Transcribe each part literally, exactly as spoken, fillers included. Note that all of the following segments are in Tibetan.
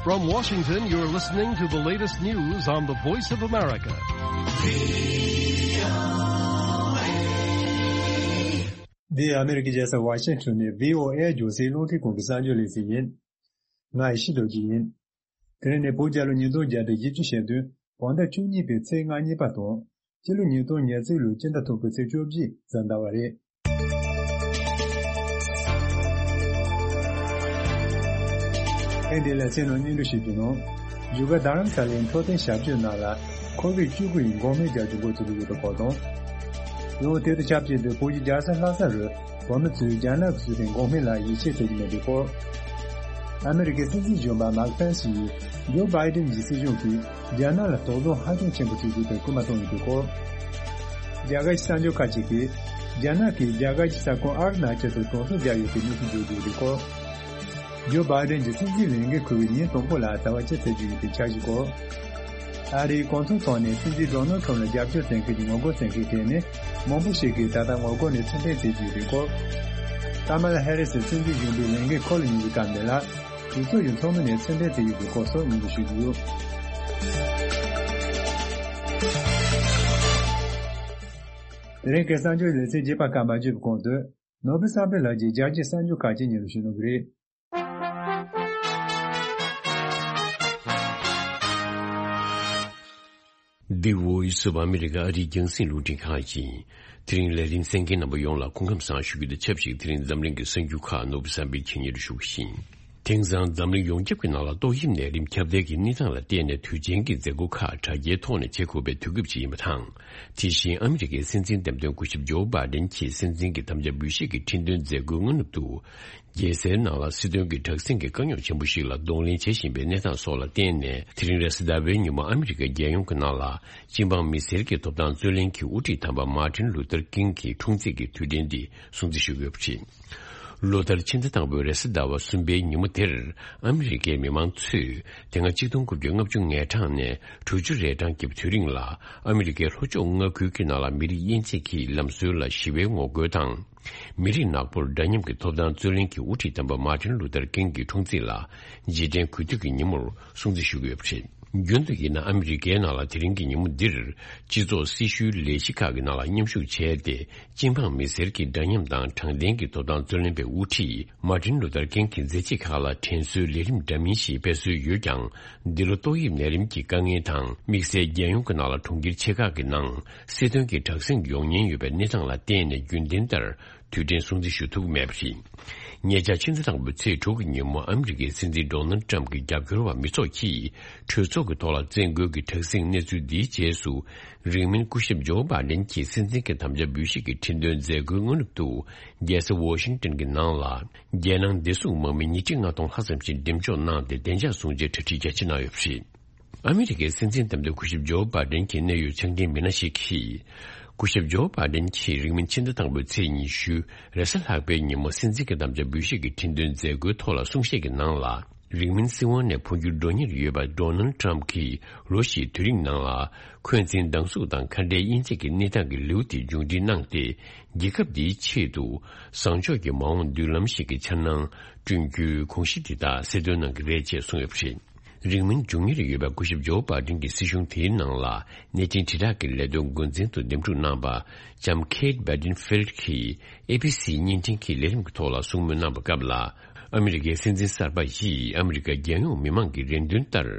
From Washington, you're listening to the latest news on the Voice of America. འདི་ཨ་མེ་རི་ཀའི་རྒྱལ་ས་ཝ་ཤིང་ཊོན་ནས་བྷི་ཨོ་ཨེ་རྒྱང་སྲིང་རླུང་འཕྲིན་ཁང་གི་གསར་འགྱུར་ལེ་ཚན་ཡིན། ང་ཡེ་ཤེས་རྡོ་རྗེ་ཡིན། དེ་རིང་ནི་བོད་རྒྱལ་ལོ་ཉིས་སྟོང་བརྒྱ་དང་བཞི་བཅུ་ཞེ་བདུན་བོད་ཟླ་བཅུ་གཉིས་པའི་ཚེས་ལྔ་གཉིས་པ་དང་། སྤྱི་ལོ་ཉིས་སྟོང་ཉེར་གཅིག་ལོའི་སྤྱི་ཟླ་དྲུག་པའི་ཚེས་བཅོ་བརྒྱད་གཟའ་ཟླ་བ་རེད། ཐེངས་འདིའི་ལེ་ཚན་ནང་སྙན་སྒྲོན་ཞུ་རྒྱུ་ནང་། བཞུགས་སྒར་རྡ་རམ་ས་ལའི་འཕྲོད་བསྟེན་ཞབས་ཕྱི་ནང་ལ་ཁོ་བིཌ་བཅུ་དགུ་ཡི་འགོག་སྨན་རྒྱག་རྒྱུ་འགོ་ཚུགས་ཀྱི་ཡོད་པའི་སྐོར་དང་། ཡང་དེ་དང་ཆབས་ཅིག་ཏུ་བོད་ཀྱི་རྒྱལ་ས་ལྷ་ས་རུ་བོད་མི་ཚོས་རྒྱ་ནག་གི་བཟོ་ལྡན་འགོག་སྨན་ལ་ཡིད་ཆེས་བྱེད་ཀྱི་མེད་པའི་སྐོར། ཨ་མེ་རི་ཀའི་སྲིད་འཛིན་གཞོན་པ་མཱིག་པེན་སི་ཡིས་ཇོ་བྷའི་ཌེན་གྱི་སྲིད་གཞུང་གིས་རྒྱ་ནག་ལ་དོགས་ཟོན་ཧ་ཅང་ཆེན་པོ་བྱེད་རྒྱུ་དེར་སྐུལ་མ་བཏང་ཡོད་པའི་སྐོར། རྒྱ་གར་གྱི་གསར་འགྱུར་ཁག་ཅིག་གིས་རྒྱ་ནག་གིས་རྒྱ་གར་གྱི་ས་ཁོངས་ཨར་ན་ཅལ་དུ་གྲོང་གསེབ་བརྒྱབ་ཡོད་པའི་གནས་ཚུལ་བརྗོད་ཀྱི་ཡོད་པའི་སྐོར། ཇོ་བྷའི་ཌེན་གྱི་སྲིད་འཛིན་ལས་འགན་འཁུར་བའི་ཉིན་དང་པོ་ལ་ཟླ་བ་གཅིག་ཚེས་བརྒྱད་ཡིན་པའི་འཆར་གཞིའི་སྐོར། ཨ་རིའི་གོ་མཚོན་ཐོག་ནས་སྲིད་འཛིན་ཌོ་ནལ་ཁྲམ་ལ་རྒྱབ་སྐྱོར་བྱེད་མཁན་གྱི་ངོ་རྒོལ་བྱེད་མཁན་གྱི་གྲས་ནས་མང་པོ་ཞིག་གིས་ད་ལྟ་ངོ་རྒོལ་ནས་ཚུར་འཐེན་བྱེད་ཀྱི་ཡོད་པའི་སྐོར། ཀ་མ་ལ་ཧེ་རི་སི་སྲིད་འཛིན་གཞོན་པའི་ལས་འགན་འཁུར་ལ་ཉེ་བའི་སྐབས་འདི་ལ། གྲོས་ཚོགས་ཀྱི་ཚོགས་མི་ནས་ཚུར་འཐེན་བྱས་ཡོད་པའི་སྐོར་སོགས་སྙན་སྒྲོན་ཞུ་རྒྱུ་ཡོད། དེ་རིང་གི་གསར་འགྱུར་ལེ་ཚན་རྒྱས་པ་ཁག་མ་བརྗོད་པའི་གོང་དུ། ནོར་བུ་བསམ་འཕེལ་ལགས་ཀྱིས་རྒྱལ་སྤྱིའི་གསར་འགྱུར་ཁག་ཅིག་སྙན་སྒྲོན་ཞུ་གནང་གི་རེད། འདི་Voice of America ཨ་རིའི་རྒྱང་སྲིང་རླུང་འཕྲིན་ཁང་ཡིན། དེ་རིང་ལས་རིམ་གསན་མཁན་རྣམ་པ་ཡོངས་ལ་སྐུ་ཁམས་བཟང་ཞུ་རྒྱུ་དང་ཆབས་ཅིག་དེ་རིང་འཛམ་གླིང་གི་གསར་འགྱུར་ཁག་ནོར་བུ་བསམ་འཕེལ་གྱིས་སྙན་སྒྲོན་ཞུ་གི་ཡིན། དེང་སང་འཛམ་གླིང་ཡོངས་ཁྱབ་ཀྱི་ནང་ལ་ཏོག་དབྱིབས་ནད་རིམས་ཁྱབ་གདལ་གྱི་གནས་སྟངས་ལ་བརྟེན་ནས་དུས་ཆེན་གྱི་མཛད་སྒོ་ཁག་དྲ་རྒྱའི་ཐོག་ནས་བྱེད་དགོས་པའི་དུས་སྐབས་ཤིག་ཡིན་པ་དང་། དེ་བཞིན་ཨ་མི་རི་ཀའི་སྲིད་འཛིན་འདེམས་ཐོན་སྐུ་ཞབས་ཇོ་བྷའི་ཌེན་གྱིས་སྲིད་འཛིན་གྱི་དམ་བཅའ་འབུལ་བཞེས་ཀྱི་ཁྲི་འདོན་མཛད་སྒོའི་སྔ་ནུབ་ཏུ། རྒྱལ་སའི་ནང་ལ་སྲིད་དོན་གྱི་དྲག་ཟིང་གི་དཀའ་རྙོག་ཆེན་པོ་ཞིག་ལ་གདོང་ལེན་བྱེད་བཞིན་པའི་གནས་སྟངས་སོགས་ལ་བརྟེན་ནས། དེ་རིང་རེས་གཟའ་ཟླ་བའི་ཉིན་མོ་ཨ་མི་རི་ཀའི་རྒྱལ་ཡོངས་ཀྱི་ནང་ལ་སྤྱི་འབངས་མི་སེར་གྱི་ཐོབ་ཐང་རྩོད་ལེན་གྱི་དབུ་ཁྲིད་དམ་པ་མཱ་ཏིན་ལུ་ཐར་ཀིང་གི་འཁྲུངས་ཚེས་ཀྱི་དུས་དྲན་འདི་སྲུང་བརྩི་ཞུ་དགོས་པ་རེད། ལོ་ལྟར་ཕྱི་ཟླ་དང་པོའི་རེས་གཟའ་ཟླ་བ་གསུམ་པའི་ཉིན་མོ་དེར། ཨ་མི་རི་ཀའི་མི་མང་ཚོས་དེ་སྔ་ཆིག་སྟོང་དགུ་བརྒྱ་ལྔ་བཅུ་ང་གྲངས་ནས་དྲུག་ཅུ་རེ་གྲངས་ཀྱི་དུས་རིང་ལ་ཨ་མི་རི་ཀའི་ལྷོ་ཕྱོགས་མངའ་ཁུལ་གྱི་ནང་ལ་མི་རིགས་དབྱེ་འབྱེད་ཀྱི་ལམ་སྲོལ་ལ་ཞི་བའི་ངོ་རྒོལ་དང་། མི་རིགས་ནག་པོར་འདྲ་མཉམ་གྱི་ཐོབ་ཐང་རྩོད་ལེན་གྱི་དབུ་ཁྲིད་དམ་པ་མཱ་ཏིན་ལུ་ཐར་ཀིང་གི་འཁྲུངས་ཚེས་ལ་རྗེས་དྲན་གུས་འདུད་ཀྱི་ཉིན་མོར་སྲུང་བརྩི་ཞུ་གི་ཡོད་པ་རེད། རྒྱུན་དུ་ཡིན་ན་ཨ་མི་རི་ཀའི་ནང་ལ་དེ་རིང་གི་ཉིན་མོ་འདིར་སྤྱི་ཚོགས་སྲི་ཞུའི་ལས་གཞི་ཁག་གི་ནང་ལ་མཉམ་ཞུགས་བྱས་ཏེ། སྤྱི་འབངས་མི་སེར་གྱི་འདྲ་མཉམ་དང་དྲང་བདེན་གྱི་ཐོབ་ཐང་རྩོད་ལེན་པའི་དབུ་ཁྲིད་མཱ་ཏིན་ལུ་ཐར་ཀིང་གི་མཛད་རྗེས་ཁག་ལ་དྲན་གསོའི་ལས་རིམ་འདྲ་མིན་ཞིག་སྤེལ་སྲོལ་ཡོད་ཀྱང་། འདི་ལོ་ཏོག་དབྱིབས་ནད་རིམས་ཀྱི་དཀའ་ངལ་དང་དམིགས་བསལ་རྒྱལ་ཡོངས་ཀྱི་ནང་ལ་གྲོང་ཁྱེར་ཆེ་ཁག་གི་ནང་སྲིད་དོན་གྱི་དྲག་ཟིང་ཡོང་ཉེན་ཡོད་པའི་གནས་སྟངས་ལ་བརྟེན་ནས་རྒྱུན་ལྡན་ལྟར་དུས་དྲན་སྲུང་བརྩི་ཞུ་ཐུབ་མེད་པ་རེད། ཉེ་ཆར་ཕྱི་ཟླ་དང་པོའི་ཚེས་དྲུག་གི་ཉིན་མོ་ཨ་མི་རི་ཀའི་སྲིད་འཛིན་ཌོ་ནལ་ཊམ་གྱི་རྒྱབ་སྐྱོར་བ་མི་ཚོགས་ཀྱིས་གྲོས་ཚོགས་ཀྱི་ཐོག་ལ་བཙན་རྒོལ་གྱི་དྲག་ཟིང་གནས་ཚུལ་འདིའི་རྗེས་སུ། རིང་མིན་སྐུ་ཞབས་ཇོ་བྷའི་ཌེན་གྱིས་སྲིད་འཛིན་གྱི་དམ་བཅའ་འབུལ་བཞེས་ཀྱི་ཁྲི་འདོན་མཛད་སྒོའི་སྔ་ནུབ་ཏུ། རྒྱལ་ས་ཝ་ཤིང་ཏན་གྱི་ནང་ལ། རྒྱལ་ནང་བདེ་སྲུང་དམག་མི་ཉིས་ཁྲི་ལྔ་སྟོང་ལྷག་ཙམ་ཞིག་འགྲེམས་འཇོག་གནང་སྟེ་བདེ་འཇགས་སྲུང་བྱའི་གྲ་སྒྲིག་རྒྱ་ཆེ་གནང་ཡོད་པ་རེད། ཨ་མི་རི་ཀའི་སྲིད་འཛིན་འདེམས་ཐོན་སྐུ་ཞབས་ཇོ་བྷའི་ཌེན་གྱི་གནད་ཡོད་ཕྱག་འགན་མི་སྣ་ཞིག་གིས། སྐུ་ཞབས་ཇོ་བྷའི་ཌེན་གྱིས་རིང་མིན་ཕྱི་ཟླ་དང་པོའི་ཚེས་ཉི་ཤུ། རེས་གཟའ་ལྷག་པའི་ཉིན་མོ་སྲིད་འཛིན་གྱི་དམ་བཅའ་འབུལ་བཞེས་ཀྱི་ཁྲི་འདོན་མཛད་སྒོའི་ཐོག་ལ་གསུང་བཤད་ཀྱི་ནང་ལ། རིང་མིན་སྲིད་དབང་ནས་འཕོ་འགྱུར་འགྲོ་ཉེར་ཡོད་པ་ཌོ་ནལ་ཊམ་གྱིས་ལོ་བཞིའི་དུས་རིང་ནང་ལ། འཁོན་འཛིན་སྡང་ཟུག་དང་ཁ་བྲལ་དབྱེ་འབྱེད་ཀྱི་གནས་སྟངས་ཀྱི་ལེའུ་དེ་མཇུག་སྒྲིལ་གནང་སྟེ། རྒྱལ་ཁབ་འདིའི་ཆེད་དུ། བཟང་ཕྱོགས་ཀྱི་མ་འོངས་མདུན་ལམ་ཞིག་གི་འཆར་སྣང་བསྐྲུན་རྒྱུའི་དགོངས་གཞི་འདི་དག་གསལ་སྟོན་གནང་གི་རེད་ཅེས་གསུངས་ཡོད་པ་རེད། རིང་མིན་འབྱུང་ཉེར་ཡོད་པའི་སྐུ་ཞབས་ཇོ་བྷའི་ཌེན་གྱི་སྲིད་གཞུང་དེའི་ནང་ལ་གནས་ཆེན་དྲིལ་བསྒྲགས་ཀྱི་ལས་དོན་འགོ་འཛིན་དུ་འདེམས་སྒྲུག་གནང་པ་ལྕམ་ཁེ་ཊི་བྷེ་ཏིན་ཕིལ་ཌི་གིས་ཨེ་བྷི་སི་བརྙན་འཕྲིན་གྱི་ལས་རིམ་གྱི་ཐོག་ལ་གསུང་མོལ་གནང་པའི་སྐབས་ལ། ཨ་མི་རི་ཀའི་སྲིད་འཛིན་གསར་པ་ཡིས་ཨ་མི་རི་ཀ་རྒྱལ་ཡོངས་མི་མང་གི་རེ་འདུན་ལྟར།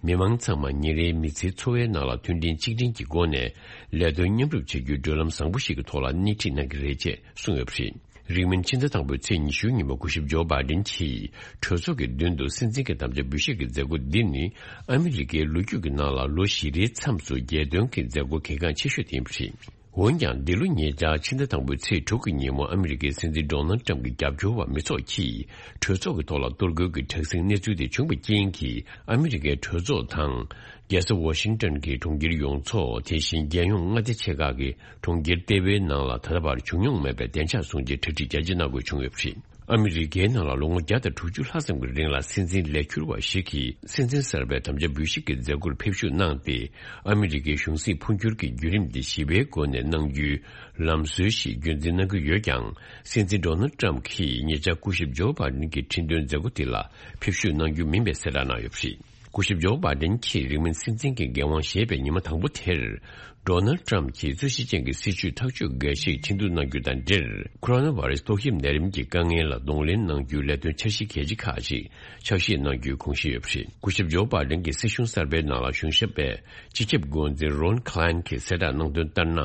མི་མང་ཚང་མ་ཉིན་རེའི་མི་ཚེའི་འཚོ་བའི་ནང་ལ་མཐུན་སྒྲིལ་གཅིག་སྒྲིལ་གྱི་སྒོ་ནས་ལས་དོན་མཉམ་རུབ་བྱེད་རྒྱུའི་བགྲོད་ལམ་བཟང་པོ་ཞིག་གི་ཐོག་ལ་སྣེ་ཁྲིད་གནང་གི་རེད་ཅེས་གསུངས་ཡོད་པ་རེད། རིང་མིན་ཕྱི་ཟླ་དང་པོའི་ཚེས་ཉི་ཤུའི་ཉིན་མོ་སྐུ་ཞབས་ཇོ་བྷའི་ཌེན་གྱིས་གྲོས་ཚོགས་ཀྱི་མདུན་དུ་སྲིད་འཛིན་གྱི་དམ་བཅའ་འབུལ་བཞེས་ཀྱི་མཛད་སྒོ་འདི་ནི་ཨ་མི་རི་ཀའི་ལོ་རྒྱུས་ཀྱི་ནང་ལ་ལོ་བཞི་རེའི་མཚམས་སུ་རྒྱལ་དོན་གྱི་མཛད་སྒོ་གལ་འགངས་ཆེ་ཤོས་དེ་ཡིན་པ་རེད། འོན་ཀྱང་འདི་ལོ་ཉེ་ཆར་ཕྱི་ཟླ་དང་པོའི་ཚེས་དྲུག་གི་ཉིན་མོ་ཨ་མི་རི་ཀའི་སྲིད་འཛིན་ཌོ་ནལ་ཊམ་གྱི་རྒྱབ་སྐྱོར་བ་མི་ཚོགས་ཀྱིས་གྲོས་ཚོགས་ཀྱི་ཐོག་ལ་གཏོར་རྒོལ་གྱི་དྲག་ཟིང་གནས་ཚུལ་དེ་བྱུང་བའི་རྐྱེན་གྱིས་ཨ་མི་རི་ཀའི་གྲོས་ཚོགས་དང་། རྒྱལ་ས་ཝ་ཤིང་ཏོན་གྱི་གྲོང་ཁྱེར་ཡོངས་རྫོགས། དེ་བཞིན་རྒྱལ་ཡོངས་མངའ་སྡེ་ཆེ་ཁག་གི་གྲོང་ཁྱེར་ལྟེ་བའི་ནང་ལ་ད་ལྟ་བར་བྱུང་མྱོང་མེད་པའི་བདེ་འཇགས་སྲུང་བྱའི་གྲ་སྒྲིག་རྒྱ་ཆེ་གནང་དགོས་བྱུང་ཡོད་པ་རེད། ཨ་མི་རི་ཀའི་ནང་ལ་ལོ་ངོ་བརྒྱ་དང་དྲུག་ཅུ་ལྷག་ཙམ་གྱི་རིང་ལ་སྲིད་འཛིན་ལས་འཁྱུར་བ་ཞིག་གིས་སྲིད་འཛིན་གསར་པའི་དམ་བཅའ་འབུལ་བཞེས་ཀྱི་མཛད་སྒོར་ཕེབས་ཞུགས་གནང་སྟེ། ཨ་མི་རི་ཀའི་གཞུང་སྲིད་འཕོ་འགྱུར་གྱི་བརྒྱུད་རིམ་དེ་ཞི་བའི་སྒོ་ནས་གནང་རྒྱུའི་ལམ་སྲོལ་ཞིག་རྒྱུན་འཛིན་གནང་གི་ཡོད་ཀྱང་། སྲིད་འཛིན་ཌོ་ནལ་ཊམ་གྱིས་ཉེ་ཆར་སྐུ་ཞབས་ཇོ་བྷའི་ཌེན་གྱི་ཁྲི་འདོན་མཛད་སྒོ་དེ་ལ་ཕེབས་ཞུགས་གནང་རྒྱུ་མིན་པའི་གསལ་བསྒྲགས་གནང་ཡོད་པ་རེད། སྐུ་ཞབས་ཇོ་བྷའི་ཌེན་གྱིས་རིང་མིན་སྲིད་འཛིན་གྱི་འགན་དབང་བཞེས་པའི་ཉི་མ་དང་པོ་དེར། ཌོ་ནལ་ཊམ་གྱིས་རྩོད་གཞི་ཅན་གྱི་སྲིད་བྱུས་ཐག་གཅོད་འགའ་ཞིག་ཁྲིན་ཏུ་གནང་རྒྱུ་དང་འབྲེལ། ཁོ་རོ་ན་བྷ་རེ་སི་ཏོག་དབྱིབས་ནད་རིམས་ཀྱི་དཀའ་ངལ་ལ་གདོང་ལེན་གནང་རྒྱུའི་ལས་དོན་འཆར་གཞི་གལ་ཆེ་ཁག་ཅིག་ཕྱག་བཞེས་གནང་རྒྱུའི་དགོངས་བཞེས་ཡོད་པ་རེད། སྐུ་ཞབས་ཇོ་བྷའི་ཌེན་གྱི་སྲིད་གཞུང་གསར་པའི་ནང་ལ་གཞུང་ཞབས་པས་སྤྱི་ཁྱབ་འགོ་འཛིན་རོན་ཁ་ལན་གྱིས་གསལ་བསྒྲགས་གནང་དོན་ལྟར་ན།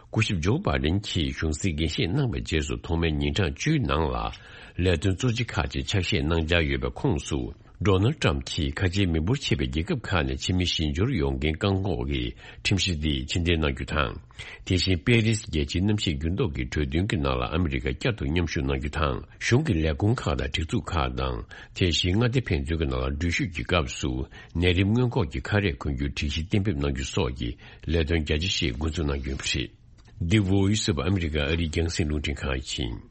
སྐུ་ཞབས་ཇོ་བྷའི་ཌེན་གྱིས་གཞུང་སྲིད་འགན་བཞེས་གནང་བའི་རྗེས་སུ་ཐོག་མའི་ཉིན་གྲངས་བཅུའི་ནང་ལ་ལས་དོན་གཙོ་ཆེ་ཁག་ཅིག་ཕྱག་བཞེས་གནང་འཆར་ཡོད་པའི་ཁོངས་སུ། ཌོ་ནལ་ཊམ་གྱིས་ཁ་ཆེའི་མི་འབོར་ཆེ་བའི་རྒྱལ་ཁབ་ཁག་ནས་ཕྱི་མི་གཞན་འབྱོར་ཡོང་མཁན་བཀག་འགོག་གི་ཁྲིམས་གཞི་འདི་ཕྱིར་འཐེན་གནང་རྒྱུ་དང་། དེ་བཞིན་པེ་རིས་རྒྱལ་སྤྱིའི་གནམ་གཤིས་འགྱུར་ལྡོག་གི་གྲོས་མཐུན་གྱི་ནང་ལ་ཨ་མི་རི་ཀ་བསྐྱར་དུ་མཉམ་ཞུགས་གནང་རྒྱུ་དང་། གཞུང་གི་ལས་ཁུངས་ཁག་དང་སྒྲིག་འཛུགས་ཁག་དང་། དེ་བཞིན་མངའ་སྡེ་ཕན་ཚུན་གྱི་ནང་ལ་འགྲུལ་བཞུད་ཀྱི་སྐབས་སུ་ནད་རིམས་སྔོན་འགོག་གི་ཁ་རས་གོན་རྒྱུའི་སྒྲིག་གཞི་གཏན་འབེབས་གནང་རྒྱུ་སོགས་ཀྱི་ལས་དོན་རྒྱ་ཆེ་ཞིག་འགོ་འཛུགས་གནང་རྒྱུ་ཡིན་པ་རེད། འདི་བྷོ་ཡིས་ཨོཕ་ཨ་མི་རི་ཀ་ཨ་རིའི་རྒྱང་སྲིང་རླུང་འཕྲིན་ཁང་ཡིན།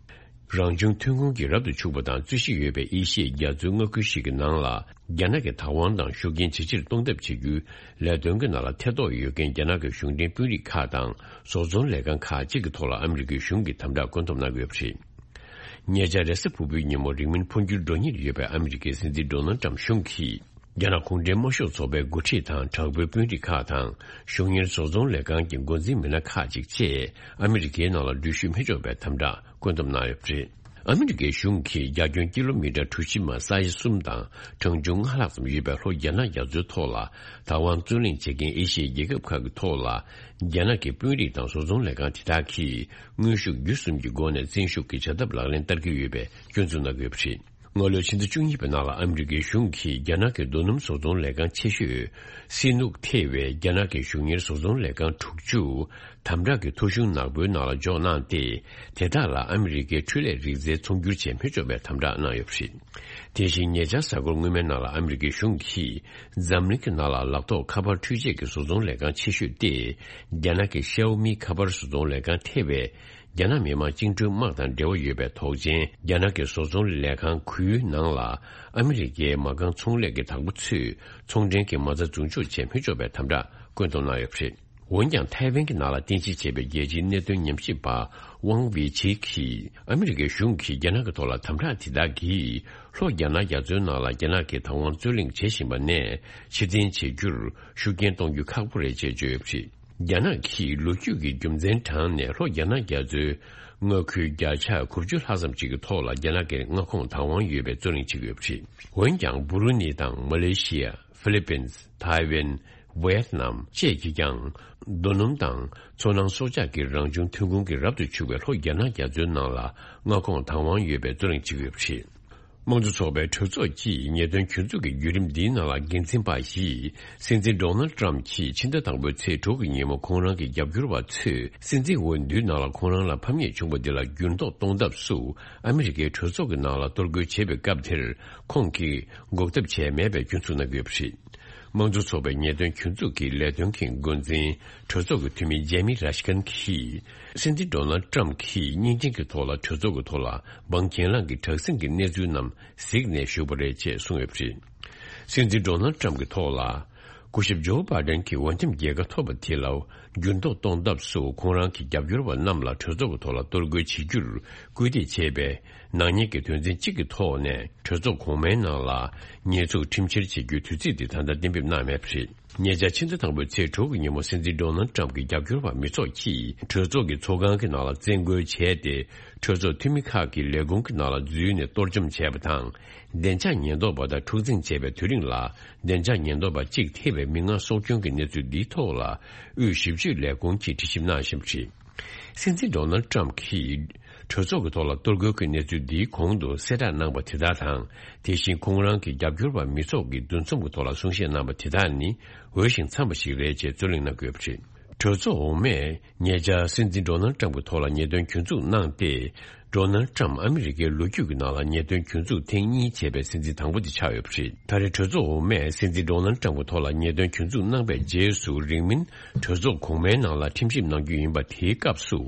རང་བྱུང་ཐོན་ཁུངས་ཀྱི་རབ་ཏུ་ཕྱུག་པ་དང་རྩོད་གཞི་ཡོད་པའི་ཨེ་ཤི་ཡའི་རྒྱ་མཚོའི་མངའ་ཁུལ་ཞིག་གི་ནང་ལ། རྒྱ་ནག་གིས་བདག་དབང་དང་ཤུགས་རྐྱེན་ཇེ་ཆེར་གཏོང་ཐབས་བྱེད་རྒྱུའི་ལས་དོན་གྱི་ནང་ལ་ཐེ་གཏོགས་ཡོད་མཁན་རྒྱ་ནག་གི་གཞུང་འབྲེལ་དཔོན་རིགས་ཁག་དང་བཟོ་ཚོང་ལས་ཁང་ཁག་ཅིག་གི་ཐོག་ལ་ཨ་མི་རི་ཀའི་གཞུང་གིས་དམ་དྲག་བཀོད་འདོམས་གནང་གི་ཡོད་པ་རེད། ཉེ་ཆར་རེས་གཟའ་ཕུར་བུའི་ཉིན་མོ་རིང་མིན་འཕོ་འགྱུར་འགྲོ་ཉེར་ཡོད་པའི་ཨ་མི་རི་ཀའི་སྲིད་འཛིན་ཌོ་ནལ་ཊམ་གཞུང་གིས། རྒྱ་ནག་གུང་ཁྲན་དམར་ཤོག་ཚོགས་པའི་འགོ་ཁྲིད་དང་དྲག་པོའི་དཔོན་རིགས་ཁག་དང་གཞུང་གཉེར་བཟོ་ཚོང་ལས་ཁང་གི་འགོ་འཛིན་མི་སྣ་ཁག་ཅིག་བཅས་ཨ་མི་རི་ཀའི་ནང་ལ་འགྲུལ་བཞུད་མི་ཆོག་པའི་དམ་དྲག་བཀོད་འདོམས་གནང་ཡོད་པ་རེད། ཨ་མི་རི་ཀའི་གཞུང་གིས་རྒྱ་ཁྱོན་ཀི་ལོ་མི་ཊར་གྲུ་བཞི་མ་ས་ཡ་གསུམ་དང་གྲངས་ཆུང་ལྔ་ལྷག་ཙམ་ཡོད་པའི་ལྷོ་རྒྱ་ནག་རྒྱ་མཚོའི་ཐོག་ལ་བདག་དབང་རྩོད་གླེང་བྱེད་མཁན་ཨེ་ཤི་ཡའི་རྒྱལ་ཁབ་ཁག་གི་ཐོག་ལ། རྒྱ་ནག་གི་དཔོན་རིགས་དང་བཟོ་ཚོང་ལས་ཁང་དེ་དག་གིས་དངོས་ཤུགས་བརྒྱུད་གསུམ་གྱི་སྒོ་ནས་བཙན་ཤུགས་ཀྱི་བྱ་ཐབས་ལག་ལེན་བསྟར་གྱི་ཡོད་པའི་སྐྱོན་འཛུགས་གནང་གི་ཡོད་པ་རེད། སྔ་ལོའི་ཕྱི་ཟླ་བཅུ་གཉིས་པའི་ནང་ལ་ཨ་མི་རི་ཀའི་གཞུང་གིས་རྒྱ་ནག་གི་རྡོ་སྣུམ་བཟོ་ཚོང་ལས་ཁང་ཆེ་ཤོས་སི་ནུག་ཐེ་བའི་རྒྱ་ནག་གི་གཞུང་གཉེར་བཟོ་ཚོང་ལས་ཁང་དྲུག་ཅུ་དམ་དྲག་གི་ཐོ་གཞུང་ནག་པོའི་ནང་ལ་འཇོག་གནང་སྟེ། དེ་དག་ལ་ཨ་མི་རི་ཀའི་འཕྲུལ་ལས་རིག་རྩལ་ཚོང་སྒྱུར་བྱེད་མི་ཆོག་པའི་དམ་དྲག་གནང་ཡོད་པ་རེད། དེ་བཞིན་ཉེ་ཆར་གཟའ་འཁོར་སྔོན་མའི་ནང་ལ་ཨ་མི་རི་ཀའི་གཞུང་གིས་འཛམ་གླིང་གི་ནང་ལ་ལག་ཐོགས་ཁ་པར་འཕྲུལ་ཆས་ཀྱི་བཟོ་ཚོང་ལས་ཁང་ཆེ་ཤོས་ཏེ། རྒྱ་ནག་གི་ཤའོ་མི་ཁ་པར་བཟོ་ཚོང་ལས་ཁང་ཐེ་བས། རྒྱ་ནག་མི་དམངས་བཅིངས་འགྲོལ་དམག་དང་འབྲེལ་བ་ཡོད་པའི་དོགས་ཅན་རྒྱ་ནག་གི་བཟོ་ཚོང་ལས་ཁང་གུའི་ནང་ལ་ཨ་མི་རི་ཀའི་མ་རྐང་ཚོང་ལས་ཀྱི་བདག་པོ་ཚོས་ཚོང་འབྲེལ་གྱི་མ་རྩ་འཛུགས་འཇོག་བྱེད་མི་ཆོག་པའི་དམ་དྲག་བཀོད་འདོམས་གནང་ཡོད་པ་རེད། འོན་ཀྱང་ཐའེ་ཝན་གྱི་ནང་ལ་རྟེན་གཞི་བྱས་པའི་རྒྱལ་སྤྱིའི་གནད་དོན་ཉམས་ཞིབ་པ་ཝང་ཝེ་ཆི་གིས་ཨ་མི་རི་ཀའི་གཞུང་གིས་རྒྱ་ནག་གི་ཐོག་ལ་དམ་དྲག་དེ་དག་གིས་ལྷོ་རྒྱ་ནག་རྒྱ་མཚོའི་ནང་ལ་རྒྱ་ནག་གིས་བདག་དབང་རྩོད་གླེང་བྱེད་བཞིན་པ་ནས་ཕྱིར་འཐེན་བྱེད་རྒྱུར་ཤུགས་རྐྱེན་གཏོང་རྒྱུ་ཁག་པོ་རེད་ཅེས་བརྗོད་ཡོད་པ་རེད། རྒྱ་ནག་གིས་ལོ་རྒྱུས་ཀྱི་རྒྱུ་མཚན་དྲངས་ནས་ལྷོ་རྒྱ་ནག་རྒྱ་མཚོའི་མངའ་ཁུལ་བརྒྱ་ཆ་དགུ་བཅུ་ལྷག་ཙམ་ཅིག་གི་ཐོག་ལ་རྒྱ་ནག་གི་མངའ་ཁོངས་བདག་དབང་ཡོད་པའི་རྩོད་གླེང་བྱེད་ཀྱི་ཡོད་པ་རེད། འོན་ཀྱང་། སྦུ་རུ་ནི་དང་མ་ལེ་ཤི་ཡ། ཧྥི་ལི་པིན། ཐའེ་ཝན། ཝེ་ཏི་ནམ་བཅས་ཀྱིས་ཀྱང་། རྡོ་སྣུམ་དང་མཚོ་ནང་སྲོག་ཆགས་ཀྱི་རང་བྱུང་ཐོན་ཁུངས་ཀྱི་རབ་ཏུ་ཕྱུག་པའི་ལྷོ་རྒྱ་ནག་རྒྱ་མཚོའི་ནང་ལ་མངའ་ཁོངས་བདག་དབང་ཡོད་པའི་རྩོད་གླེང་བྱེད་ཀྱི་ཡོད་པ་རེད། དམངས་གཙོ་ཚོགས་པའི་གྲོས་ཚོགས་ཀྱིས་ཉེས་དོན་གྱོད་འཛུགས་ཀྱི་བརྒྱུད་རིམ་འདིའི་ནང་ལ་འགན་འཛིན་པ་ཡིས་སྲིད་འཛིན་ཌོ་ནལ་ཏྲམ་གྱིས་ཕྱི་ཟླ་དང་པོའི་ཚེས་དྲུག་གི་ཉིན་མོ་ཁོང་རང་གི་རྒྱབ་སྐྱོར་བ་ཚོས་སྲིད་འཛིན་འོས་བསྡུའི་ནང་ལ་ཁོང་རང་ལ་ཕམ་ཉེས་བྱུང་བ་འདི་ལ་འགྱུར་ལྡོག་གཏོང་ཐབས་སུ་ཨ་མི་རི་ཀའི་གྲོས་ཚོགས་ཀྱི་ནང་ལ་གཏོར་རྒོལ་བྱེད་པའི་སྐབས་དེར་ཁོང་གིས་འགོག་ཐབས་བྱས་མེད་པའི་སྐྱོན་འཛུགས་གནང་གི་ཡོད་པ་རེད། དམངས་གཙོ་ཚོགས་པའི་ཉེས་དོན་གྱོད་འཛུགས་ཀྱི་ལས་དོན་གྱི་འགོ་འཛིན་གྲོས་ཚོགས་ཀྱི་འཐུས་མི་ཇེ་མི་ར་ཤི་ཁན་གྱིས། སྲིད་འཛིན་ཌོ་ནལ་ཏྲམ་གྱིས་བརྙན་འཕྲིན་གྱི་ཐོག་ལ་གྲོས་ཚོགས་ཀྱི་ཐོག་ལ་འབངས་གྱེན་ལངས་ཀྱི་དྲག་ཟིང་གི་གནས་ཚུལ་རྣམས་གཟིགས་ནས་བཞུགས་པ་རེད་ཅེས་གསུངས་ཡོད་པ་རེད། སྲིད་འཛིན་ཌོ་ནལ་ཏྲམ་གྱི་ཐོག་ལ། སྐུ་ཞབས་ཇོ་བྷའི་ཌེན་གྱིས་འོས་འདེམས་རྒྱལ་ཁ་ཐོབ་པ་དེ་ལ་འགྱུར་ལྡོག་གཏོང་ཐབས་སུ་ཁོང་རང་གི་རྒྱབ་སྐྱོར་བ་རྣམས་ལ་གྲོས་ཚོགས་ཀྱི་ཐོག་ལ་གཏོར་རྒོལ་བྱེད་རྒྱུར་སྐུལ་འདེད་བྱས་པའི་ནག་ཉེས་ཀྱི་དོན་ཚན་གཅིག་གི་ཐོག་ནས་གྲོས་ཚོགས་གོང་མའི་ནང་ལ་ཉེས་འཛུགས་ཁྲིམས་བཤེར་བྱེད་རྒྱུའི་དུས་ཚིགས་འདི་ད་ལྟ་གཏན་འབེབས་གནང་མེད་པ་རེད། ཉེ་ཆར་ཕྱི་ཟླ་དང་པོའི་ཚེས་དྲུག་གི་ཉིན་མོ་སྲིད་འཛིན་ཌོ་ནལ་ཏྲམ་གྱི་རྒྱབ་སྐྱོར་བ་མི་ཚོགས་ཀྱིས་གྲོས་ཚོགས་ཀྱི་ཚོགས་ཁང་གི་ནང་ལ་བཙན་རྒོལ་བྱས་ཏེ། གྲོས་ཚོགས་འཐུས་མི་ཁག་གི་ལས་ཁུངས་ཀྱི་ནང་ལ་འཛུལ་ནས་གཏོར་བཅོམ་བྱས་པ་དང་། བདེ་འཇགས་ཉེན་རྟོག་པ་དང་འཁྲུག་འཛིང་བྱས་པའི་དུས་རིང་ལ། བདེ་འཇགས་ཉེན་རྟོག་པ་གཅིག་ཐེ་བའི་མི་མངགས་སྲོག་སྐྱོན་གྱི་གནས་ཚུལ་འདིའི་ཐོག་ལ། དབུས་ཞིབ་དཔྱོད་ལས་ཁུངས་ཀྱིས་དྲི་ཞིབ་གནང་བཞིན་པ་རེད། སྲིད་འཛིན་ཌོ་ནལ་ཏྲམ་གྱིས། གྲོས་ཚོགས་ཀྱི་ཐོག་ལ་གཏོར་རྒོལ་གྱི་གནས་ཚུལ་འདིའི་གོང་དུ་གསལ་བསྒྲགས་གནང་པ་དེ་དག་དང་། དེ་བཞིན་ཁོང་རང་གི་རྒྱབ་སྐྱོར་བ་མི་ཚོགས་ཀྱི་འདུ་འཛོམས་ཀྱི་ཐོག་ལ་གསུང་བཤད་གནང་པ་དེ་དག་ནི་འོས་ཤིང་འཚམས་པ་ཞིག་རེད་ཅེས་རྩོད་གླེང་གནང་གི་ཡོད་པ་རེད། གྲོས་ཚོགས་འོག་མས་ཉེ་ཆར་སྲིད་འཛིན་ཌོ་ནལ་ཊམ་གྱི་ཐོག་ལ་ཉེས་དོན་གྱོད་འཛུགས་གནང་སྟེ། ཌོ་ནལ་ཊམ་ཨ་མི་རི་ཀའི་ལོ་རྒྱུས་ཀྱི་ནང་ལ་ཉེས་དོན་གྱོད་འཛུགས་ཐེངས་གཉིས་བྱས་པའི་སྲིད་འཛིན་དང་པོ་དེ་ཆགས་ཡོད་པ་རེད། ད་རེས་གྲོས་ཚོགས་འོག་མས་སྲིད་འཛིན་ཌོ་ནལ་ཊམ་གྱི་ཐོག་ལ་ཉེས་དོན་གྱོད་འཛུགས་གནང་པའི་རྗེས་སུ། རིང་མིན་གྲོས་ཚོགས་གོང་མའི་ནང་ལ་ཁྲིམས་ཞིབ་གནང་རྒྱུ་ཡིན་པ་དེའི་སྐབས་སུ།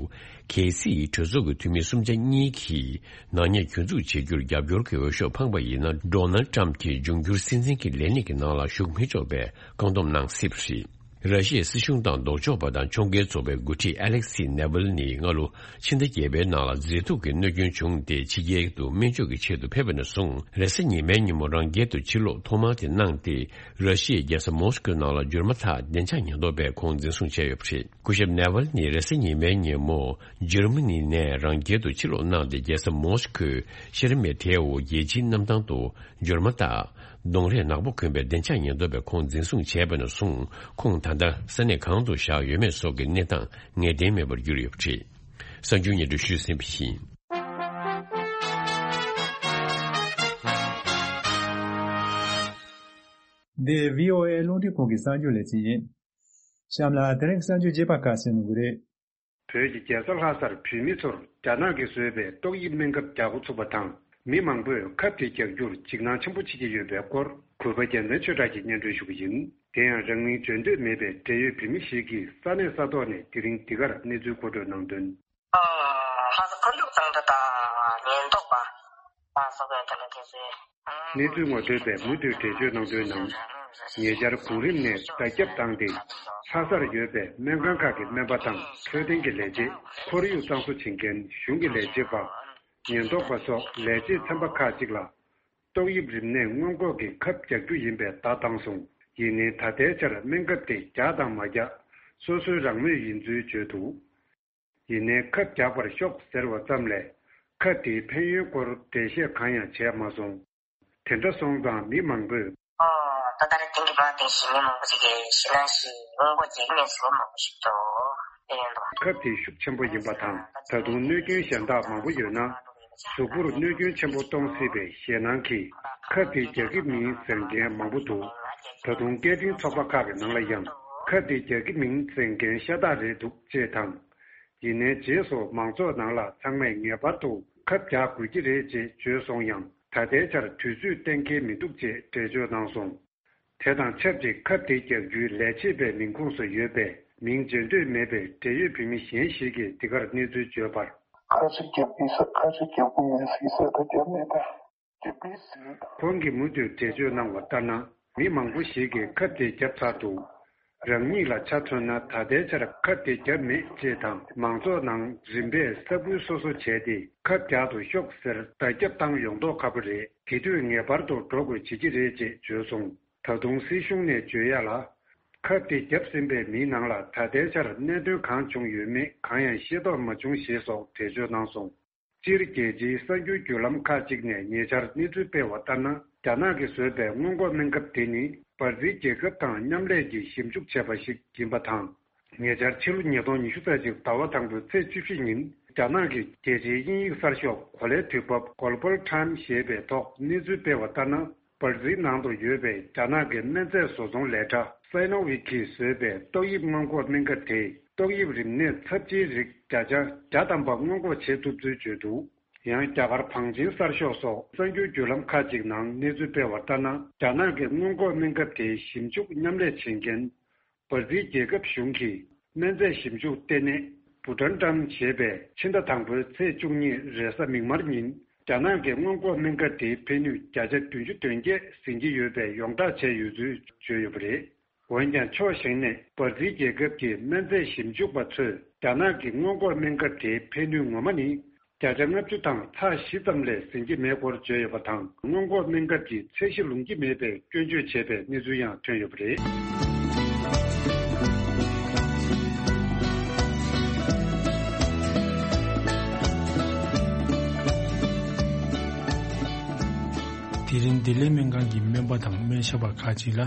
གལ་སྲིད་གྲོས་ཚོགས་ཀྱི་འཐུས་མི་གསུམ་ཆ་གཉིས་ཀྱིས་ནག་ཉེས་གྱོད་འཛུགས་བྱེད་རྒྱུར་རྒྱབ་སྐྱོར་གྱི་འོས་ཤོག་འཕངས་པ་ཡིན་ན། ཌོ་ནལ་ཊམ་གྱིས་འབྱུང་འགྱུར་སྲིད་འཛིན་གྱི་ལས་གནས་ཀྱི་ནང་ལ་ཞུགས་མི་ཆོག་པའི་བཀག་སྡོམ་གནང་སྲིད་པ་རེད། ར་ཤི་ཡའི་སྲིད་གཞུང་དང་ལྡོག་ཕྱོགས་པ་དང་ཕྱོགས་འགལ་ཚོགས་པའི་འགོ་ཁྲིད་ཨ་ལེག་སི་ནེ་ཝལ་ནི་སྔ་ལོ་ཕྱི་ཟླ་བརྒྱད་པའི་ནང་ལ་མཛེས་སྡུག་གི་གནོད་སྐྱོན་བྱུང་སྟེ་ཕྱི་རྒྱལ་དུ་སྨན་བཅོས་ཀྱི་ཆེད་དུ་ཕེབས་པ་ནས་བཟུང་། རེས་གཟའ་ཉི་མའི་ཉིན་མོ་རང་རྒྱལ་དུ་ཕྱིར་ལོག་ཐོག་མ་དེ་གནང་སྟེ། ར་ཤི་ཡའི་རྒྱལ་ས་མོ་སི་ཀོའི་ནང་ལ་འབྱོར་མ་ཐག་བདེ་འཇགས་ཉེན་རྟོག་པས་ཁོང་འཛིན་བཟུང་བྱས་ཡོད་པ་རེད། སྐུ་ཞབས་ནེ་ཝལ་ནི་རེས་གཟའ་ཉི་མའི་ཉིན་མོ་འཇར་མ་ནི་ནས་རང་རྒྱལ་དུ་ཕྱིར་ལོག་གནང་སྟེ། རྒྱལ་ས་མོ་སི་ཀོའི་ཤེར་མེ་ཐེའོ་རྒྱལ་སྤྱིའི་གནམ་ཐང་དུ་འབྱོར་མ་དང་གདོང་རས་ནག་པོ་གོན་པའི་བདེ་འཇགས་ཉེན་རྟོག་པས་ཁོང་འཛིན་བཟུང་བྱས་པ་ནས་བཟུང་། ཁོང་ད་ལྟ་ས་གནས་གང་དུ་བཞག་ཡོད་མེད་སོགས་ཀྱི་གནས་སྟངས་ངེས་གཏན་མེད་པར་གྱུར་ཡོད་པ་རེད། གསར་འགྱུར་སྙན་སྒྲོན་ཞུས་ཟིན་པ་ཡིན། འདི་བྷི་ཨོ་ཨེ་རླུང་འཕྲིན་ཁང་གི་གསར་འགྱུར་ལས་ཚན་ཡིན། གཤམ་ལ་དེ་རིང་གི་གསར་འགྱུར་རྒྱས་པ་ཁ་གསན་གནང་གི་རེད། བོད་ཀྱི་རྒྱལ་ས་ལྷ་སར་བོད་མི་ཚོར་རྒྱ་ནག་གིས་བཟོས་པའི་ཏོག་དབྱིབས་སྨན་ཁབ་རྒྱག་འགོ་ཚུགས་པ་དང་། མི་མང་པོས་ཁབ་དེ་རྒྱག་རྒྱུར་འཇིགས་སྣང་ཆེན་པོ་བྱེད་ཀྱི་ཡོད་པའི་སྐོར། གུས་པ་རྒྱལ་མཚན་ཆོས་གྲགས་ཀྱིས་སྙན་སྒྲོན་ཞུ་གི་ཡིན། དེ་ཡང་རང་མིང་བརྗོད་འདོད་མེད་པའི་འབྲེལ་ཡོད་བོད་མི་ཞིག་གིས་ས་གནས་ས་ཐོག་ནས་དེ་རིང་འདི་གར་གནས་ཚུལ་མཁོ་སྤྲོད་གནང་དོན། ལྷ་ས་མཁའ་འགྲུལ་དང་འདྲ་དང་ཉེན་རྟོག་པ་ལ་སོགས་པའི་དེ་ལ་དེ་ཚོའི། གནས་ཚུལ་ངོ་སྤྲོད་པས་མུ་མཐུད་འགྲེལ་བརྗོད་གནང་དོན་ནང་། ཉེ་ཆར་གོང་རིམ་ནས་བརྡ་ཁྱབ་བཏང་སྟེ། ལྷ་སར་ཡོད་པའི་སྨན་ཁང་ཁག་གི་སྨན་པ་དང་འཕྲོད་བསྟེན་གྱི་ལས་བྱེད། ཁོར་ཡུག་གཙང་བཟོ་བྱེད་མཁན་གཞུང་གི་ལས་བྱེད་པ། ཉེན་རྟོག་པ་སོགས་ལས་བྱེད་ཚན་པ་ཁག་ཅིག་ལ། ཏོག་དབྱིབས་རིམས་ནད་སྔོན་འགོག་གི་ཁབ་རྒྱག་རྒྱུ་ཡིན་པའི་བརྡ་བཏང་སོང་། ཡིན་ནའི་ད་ལྟའི་ཆར་སྨན་ཁབ་དེ་རྒྱག་དང་མ་རྒྱག་སོ་སོའི་རང་མོས་ཡིན་ཚུལ་བརྗོད་འདུག། ཡིན་ནའི་ཁབ་རྒྱག་པར་ཤོག་ཟེར་བ་ཙམ་ལས། ཁབ་དེའི་ཕན་ཡོན་སྐོར་འགྲེལ་བཤད་གང་ཡང་བྱས་མ་སོང་། དེ་འདྲ་སོང་ཙང་མི་མང་པོས། ཨོ། ད་ལྟ་རེ་དེང་གི་མ་དེང་ཞིག་མི་མང་པོ་ཞིག་གིས་ཤི་ན་ཤི་སྔོན་འགོག་བྱེད་ཀྱི་མེད་ཟེར་མི་མང་པོ་ཞིག་འདུག་དེ་ཡིན་འདུག། ཁབ་དེ་ཤུགས་ཆེན་པོ་ཡིན་པ་དང་། ད་དུང་གནོད་སྐྱོན་གཞན་དག་མང་པོ་ཡོད་ན། གཟུགས་པོར་གནོད་སྐྱོན་ཆེན་པོ་གཏོང་སྲིད་པའི་ཞེད་སྣང་གིས། ཁབ་དེ་རྒྱག་གི་མིན་ཟེར་མཁན་མང་པོ་འདུག། ད་དུང་སྐད་འཕྲིན་ཚོགས་པ་ཁག་གི་ནང་ལ་ཡང་། ཁབ་དེ་རྒྱག་གི་མིན་ཟེར་མཁན་ཤ་སྟག་རེད་འདུག་ཅེས་དང་། ཡིན་ནའི་རྗེས་སུ་མང་ཚོགས་ནང་ལ་ཚང་མས་ངེས་པར་དུ་ཁབ་རྒྱག་དགོས་ཀྱི་རེད་ཅེས་བརྗོད་སོང་ཡང་། ད་ལྟའི་ཆར་དུས་ཚོད་གཏན་འཁེལ་མི་འདུག་ཅེས་འགྲེལ་བརྗོད་གནང་སོང་། དེ་དང་ཆབས་ཅིག་ཁབ་དེ་རྒྱག་རྒྱུའི་ལས་བྱེད་པའི་མིང་ཁོངས་སུ་ཡོད་པའི་མིང་བརྗོད་འདོད་མེད་པའི་འབྲེལ་ཡོད་བོད་མི་གཞན་ཞིག་གིས་འདི་གར་གནས་ཚུལ་བརྗོད་པར། ཁ་ཤས་རྒྱག་གི་ས་ཁ་ཤས་རྒྱག་གི་མེད་ཟེར་ས་ད་རྒྱབ་མེད་ད། རྒྱག་གི་ཟེར། ཁོང་གིས་མུ་མཐུད་འགྲེལ་བརྗོད་གནང་བ་ལྟར་ན། མི་མང་པོ་ཞིག་གིས་ཁབ་དེ་བརྒྱབ་ཚར་འདུག། རང་ཉིད་ལ་ཆ་མཚོན་ན་ད་ལྟའི་ཆར་ཁབ་དེ་བརྒྱབ་མེད་ཅེས་དང་། མང་ཚོགས་ནང་རིམ་པས་ས་ཁུལ་སོ་སོ་བྱས་ཏེ་ཁབ་རྒྱག་ཏུ་ཤོག་ཟེར་བརྡ་ཁྱབ་བཏང་ཡོང་མདོག་ཁ་པོ་རེད། དེ་དུས་ངེས་པར་དུ་འགྲོ་དགོས་བྱེད་ཀྱི་རེད་ཅེས་བརྗོད་སོང་། ད་དུང་སྲིད་གཞུང་ནས་བརྗོད་ཡ་ལ། ཁབ་དེ་བརྒྱབ་ཟིན་པའི་མིའི་ནང་ལ་ད་ལྟའི་ཆར་གནད་དོན་གང་བྱུང་ཡོད་མེད་གང་ཡང་ཤེས་རྟོགས་མ་བྱུང་ཞེས་སོགས་འགྲེལ་བརྗོད་གནང་སོང་། སྤྱིར་རྒྱལ་སྤྱིའི་གསར་འགྱུར་བརྒྱུད་ལམ་ཁག་ཅིག་ནས་ཉེ་ཆར་གནས་ཚུལ་སྤེལ་བ་ལྟར་ན། རྒྱ་ནག་གིས་བཟོས་པའི་སྔོན་འགོག་སྨན་ཁབ་དེ་ནི་འབར་རྫིང་རྒྱལ་ཁབ་དང་མཉམ་ལས་ཀྱིས་ཞིབ་འཇུག་བྱས་པ་ཞིག་ཡིན་པ་དང་། ཉེ་ཆར་ཕྱི་ལོ་ཉིས་སྟོང་ཉི་ཤུ་རྩ་གཅིག་ཟླ་བ་དང་པོའི་ཚེས་བཅུ་བཞི་ཉིན། རྒྱ་ནག་གི་རྒྱལ་སྤྱིའི་དབྱིན་ཡིག་གསར་ཤོག་གོ་ལའི་དུས་བབ་Global Times ཞེས་པའི་ཐོག་གནས་ཚུལ་སྤེལ་བ་ལྟར་ན། འབར་རྫིང་ནང་དུ་ཡོད་པའི་རྒྱ་ནག་གི་སྨན་རྫས་བཟོ་ཚོང་ལས་གྲྭ་Sinovac གིས་བཟོས་པའི་ཏོག་དབྱིབས་སྔོན་འགོག་སྨན་ཁབ་དེས་ཏོག་དབྱིབས་རིམས་ནད་ཚབས་ཆེའི་རིགས་བརྒྱ་ཆ་བརྒྱ་ཐམ་པ་སྔོན་འགོག་བྱེད་ཐུབ་ཚུལ་བརྗོད་འདུག། ཡང་རྒྱ་གར་བང་ཆེན་གསར་ཤོག་སོགས་གསར་འགྱུར་བརྒྱུད་ལམ་ཁག་ཅིག་ནང་གནས་ཚུལ་སྤེལ་བ་ལྟར་ན། རྒྱ་ནག་གི་སྔོན་འགོག་སྨན་ཁབ་དེའི་ཞིབ་འཇུག་མཉམ་ལས་བྱེད་མཁན། འབར་རྫིང་རྒྱལ་ཁབ་གཞུང་གི་སྨན་རྫས་ཞིབ་འཇུག་ལྟེ་གནས་Butantan ཞེས་པས་ཕྱི་ཟླ་དང་པོའི་ཚེས་བཅུ་གཉིས་རེས་གཟའ་མིག་དམར་ཉིན། རྒྱ་ནག་གི་སྔོན་འགོག་སྨན་ཁབ་དེའི་ཕན་ནུས་བརྒྱ་ཆ་བདུན་ཅུ་དོན་བརྒྱད་ཟིན་གྱི་ཡོད་པའི་ཡོངས་བསྒྲགས་བྱས་ཡོད་ཚུལ་བརྗོད་ཡོད་པ་རེད། འོན་ཀྱང་ཕྱོགས་གཞན་ནས་འབར་རྫིང་རྒྱལ་ཁབ་ཀྱི་སྨན་རྫས་ཞིབ་འཇུག་པ་ཚོས་རྒྱ་ནག་གི་སྔོན་འགོག་སྨན་ཁབ་དེའི་ཕན་ནུས་ངོ་མ་ནི། བརྒྱ་ཆ་ལྔ་བཅུ་དང་ཚེག་བཞི་ཙམ་ལས་ཟིན་གྱི་མེད་སྐོར་བརྗོད་ཡོད་པ་དང་། སྔོན་འགོག་སྨན་ཁབ་ཀྱི་ཚད་གཞི་ལོངས་ཀྱི་མེད་པའི་སྐྱོན་བརྗོད་བྱས་པའི་གནས་ཚུལ་ཡང་ཐོན་ཡོད་པ་རེད། དེ་རིང་བདེ་ལེགས་སྨན་ཁང་གི་སྨན་པ་དང་སྨན་ཞབས་པ་ཁག་ཅིག་ལ།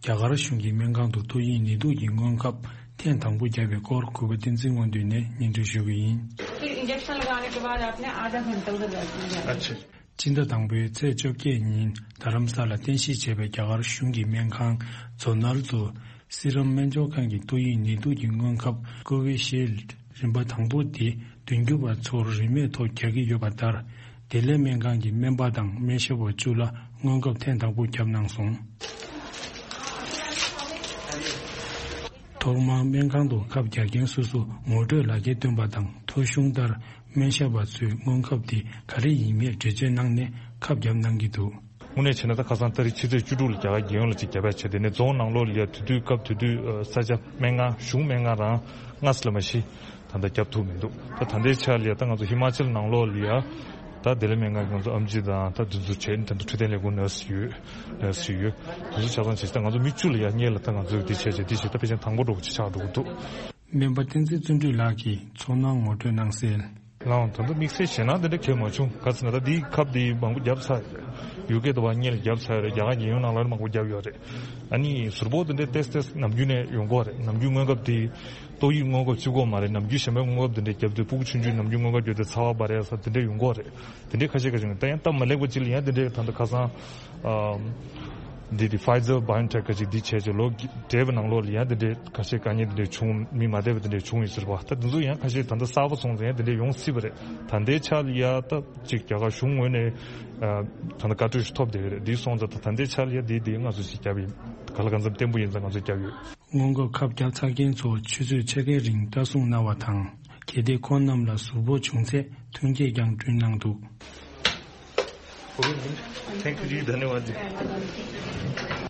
རྒྱ་གར་གཞུང་གིས་སྨན་ཁང་དུ་ཏོག་དབྱིབས་ནད་དུག་གི་སྔོན་ཁབ་ཐེངས་དང་པོ་བརྒྱབ་པའི་སྐོར་གུས་པ་བསྟན་འཛིན་དབང་འདུས་ནས་སྙན་སྒྲོན་ཞུ་གི་ཡིན། फिर इंजेक्शन लगाने के बाद आपने आधा घंटा उधर बैठ लिया। अच्छा। སྤྱི་ཟླ་དང་པོའི་ཚེས་བཅོ་བརྒྱད་ཉིན་རྡ་རམ་ས་ལ་རྟེན་གཞི་བྱས་པའི་རྒྱ་གར་གཞུང་གི་སྨན་ཁང་ཛོ་ནལ་དུ་ སི་རམ་སྨན་སྦྱོར་ཁང་གི་ཏོག་དབྱིབས་ནད་དུག་གི་སྔོན་ཁབ་ཀོ་ཝི་ཤིལ་རིམ་པ་དང་པོ་དེ་མདུན་སྐྱོད་པ་ཚོར་རིན་མེད་ཐོག་རྒྱག་གི་ཡོད་པ་ལྟར། བདེ་ལེགས་སྨན་ཁང་གི་སྨན་པ་དང་སྨན་ཞབས་པ་བཅུ་ལ་སྔོན་ཁབ་ཐེངས་དང་པོ་བརྒྱབ་གནང་སོང་། ཐོག་མར་སྨན་ཁང་དུ་ཁབ་རྒྱག་མཁན་སོ་སོ་ངོ་སྤྲོད་ལག་འཁྱེར་སྟོན་པ་དང་ཐོ་གཞུང་ལྟར་སྨན་ཞབས་པ་ཚོས་སྔོན་ཁབ་དེ་ག་རེ་ཡིན་མིན་འགྲེལ་བརྗོད་གནང་ནས་ཁབ་བརྒྱབ་གནང་གི་འདུག། དངོས་གནས་བྱས་ན་ད་ཁ་སང་ཏ་རིག་ཕྱི་ཚེས་བཅུ་དྲུག་ལ་རྒྱ་གར་རྒྱལ་ཡོངས་ལ་ཅིག་བརྒྱབ་ཡ་བྱས། དེ་ནས་རྫོང་ནང་ལོགས་ལ་ཡ་དེ་དུས་སྐབས་དེ་དུས་ས་ཆ་སྨན་ཁང་གཞུང་སྨན་ཁང་རང་ལྔ་ཙམ་ལས་མ་གཞི་ད་ལྟ་བརྒྱབ་ཐུབ་མི་འདུག། ད་ད་ལྟའི་ཆ་ལ་ཡ་ད་ང་ཚོ་ཧི་མ་ཅལ་ནང་ལོགས་ལ་ཡ་ད་བདེ་ལེགས་སྨན་ཁང་གི་ང་ཚོ་ཨམ་ཆི་དང་ད་དེ་ཚོ་བྱས་ནས་ད་ལྟ་འཕྲོད་བསྟེན་ལས་ཁུངས་ནར་སི་ཡོད། ནར་སི་ཡོད། དེ་ཚོ་ཆ་ཚང་བྱས་ད་ང་ཚོ་མི་བཅུ་ལ་ཡ་སྔོན་ལ་ད་ང་ཚོས་འདི་བྱས་བྱས་འདི་བྱས་ད་ཕལ་ཆེར་དང་པོ་འགྲོ་གི་ཆགས་འགྲོ་གི་འདུག། སྨན་པ་བསྟན་འཛིན་བརྩོན་འགྲུས་ལགས་ཀྱིས་ཚོར་སྣང་ངོ་སྤྲོད་གནང་གསལ། ལའང་ད་ལྟ་དམིགས་བསལ་ཞེད་སྣང་དེ་འདྲ་གང་ཡང་མ་བྱུང་། ག་ཟེར་ན་ད་འདིའི་ཁབ་འདི་མང་པོ་བརྒྱབ་ཚར་ཡོད་རེད། ཡུ་ཀེ་དུ་བ་སྔོན་ལ་བརྒྱབ་ཚར་ཡོད་རེད། རྒྱ་གར་རྒྱལ་ཡོངས་ནང་ལ་མང་པོ་བརྒྱབ་ཡོད་རེད། ཨ་ནི་ཟུར་ཕོག་དེ་འདྲའི་ཏོག་ཙམ་ནམ་རྒྱུན་ནས་ཡོང་གི་ཡོད་རེད། ནམ་རྒྱུན་སྔོན་ཁབ་དེ་ཏོག་དབྱིབས་སྔོན་ཁབ་གཅིག་པོ་མ་རེད། ནམ་རྒྱུན་གཞན་པའི་སྔོན་ཁབ་དེ་འདྲ་བརྒྱབ་དུས་ཕྲུ་གུ་ཆུང་ཆུང་ནམ་རྒྱུན་སྔོན་ཁབ་བརྒྱབ་དུས་ཚ་བ་འབར་ཡ་ས་དེ་འདྲ་ཡོང་གི་ཡོད་རེད། དེ་འདྲའི་ཁ་ཤས་ཁ་ཤས་ཡོང་། ད་ཡང་སྟབས་མ་ལེགས་པ་ཅིག་ལ་ཡང་དེ་འདྲའི་ད་ལྟ་ཁ་སང་འདི་དེ་Pfizer BioNTech ག་ཅིག་འདི་བྱས་ཅིག་ལོ་བགྲེས་པའི་ནང་ལོགས་ལ་ཡང་དེ་འདྲའི་ཁ་ཤས་དཀའ་ངལ་དེ་འདྲའི་བྱུང་། མི་མ་བསྡད་པ་དེ་འདྲའི་བྱུང་ཡོད་ཟེར་བ། ད་དེ་ཚོ་ཡང་ཁ་ཤས་ད་ལྟ་གསར་པ་སོང་ཙང་ཡང་དེ་འདྲའི་ཡོང་སྲིད་པ་རེད། ད་ལྟའི་ཆ་ལ་ཡ་ད་ཅིག་རྒྱ་གར་གཞུང་ངོས་ནས་ད་ལྟ་བཀའ་འཁྲོལ་ཞིག་ཐོབ་བསྡད་ཡོད་རེད། འདི་སོང་ཙང་ད་ད་ལྟའི་ཆ་ལ་ཡ་འདི་འདི་ང་ཚོ་ཞིག་བརྒྱབ་ཡིན། ག་ལ་གང་འཚམ་བརྟན་པོ་ཡིན་ཙང་ང་ཚོ་བརྒྱབ་ཡོད། སྔོན་འགོག་ཁབ་བརྒྱབ་ཚར་མཁན་ཚོ་ཆུ་ཚོད་ཕྱེད་ཀའི་རིང་ལྟ་སྲུང་གནང་བ་དང་། གལ་ཏེ་ཁོང་རྣམས་ལ་ཟུར་ཕོག་བྱུང་ཚེ་ཐོན་སྐྱེད་ཀྱང་བསྐྲུན་གནང་འདུག། Thank you जी, धन्यवाद जी।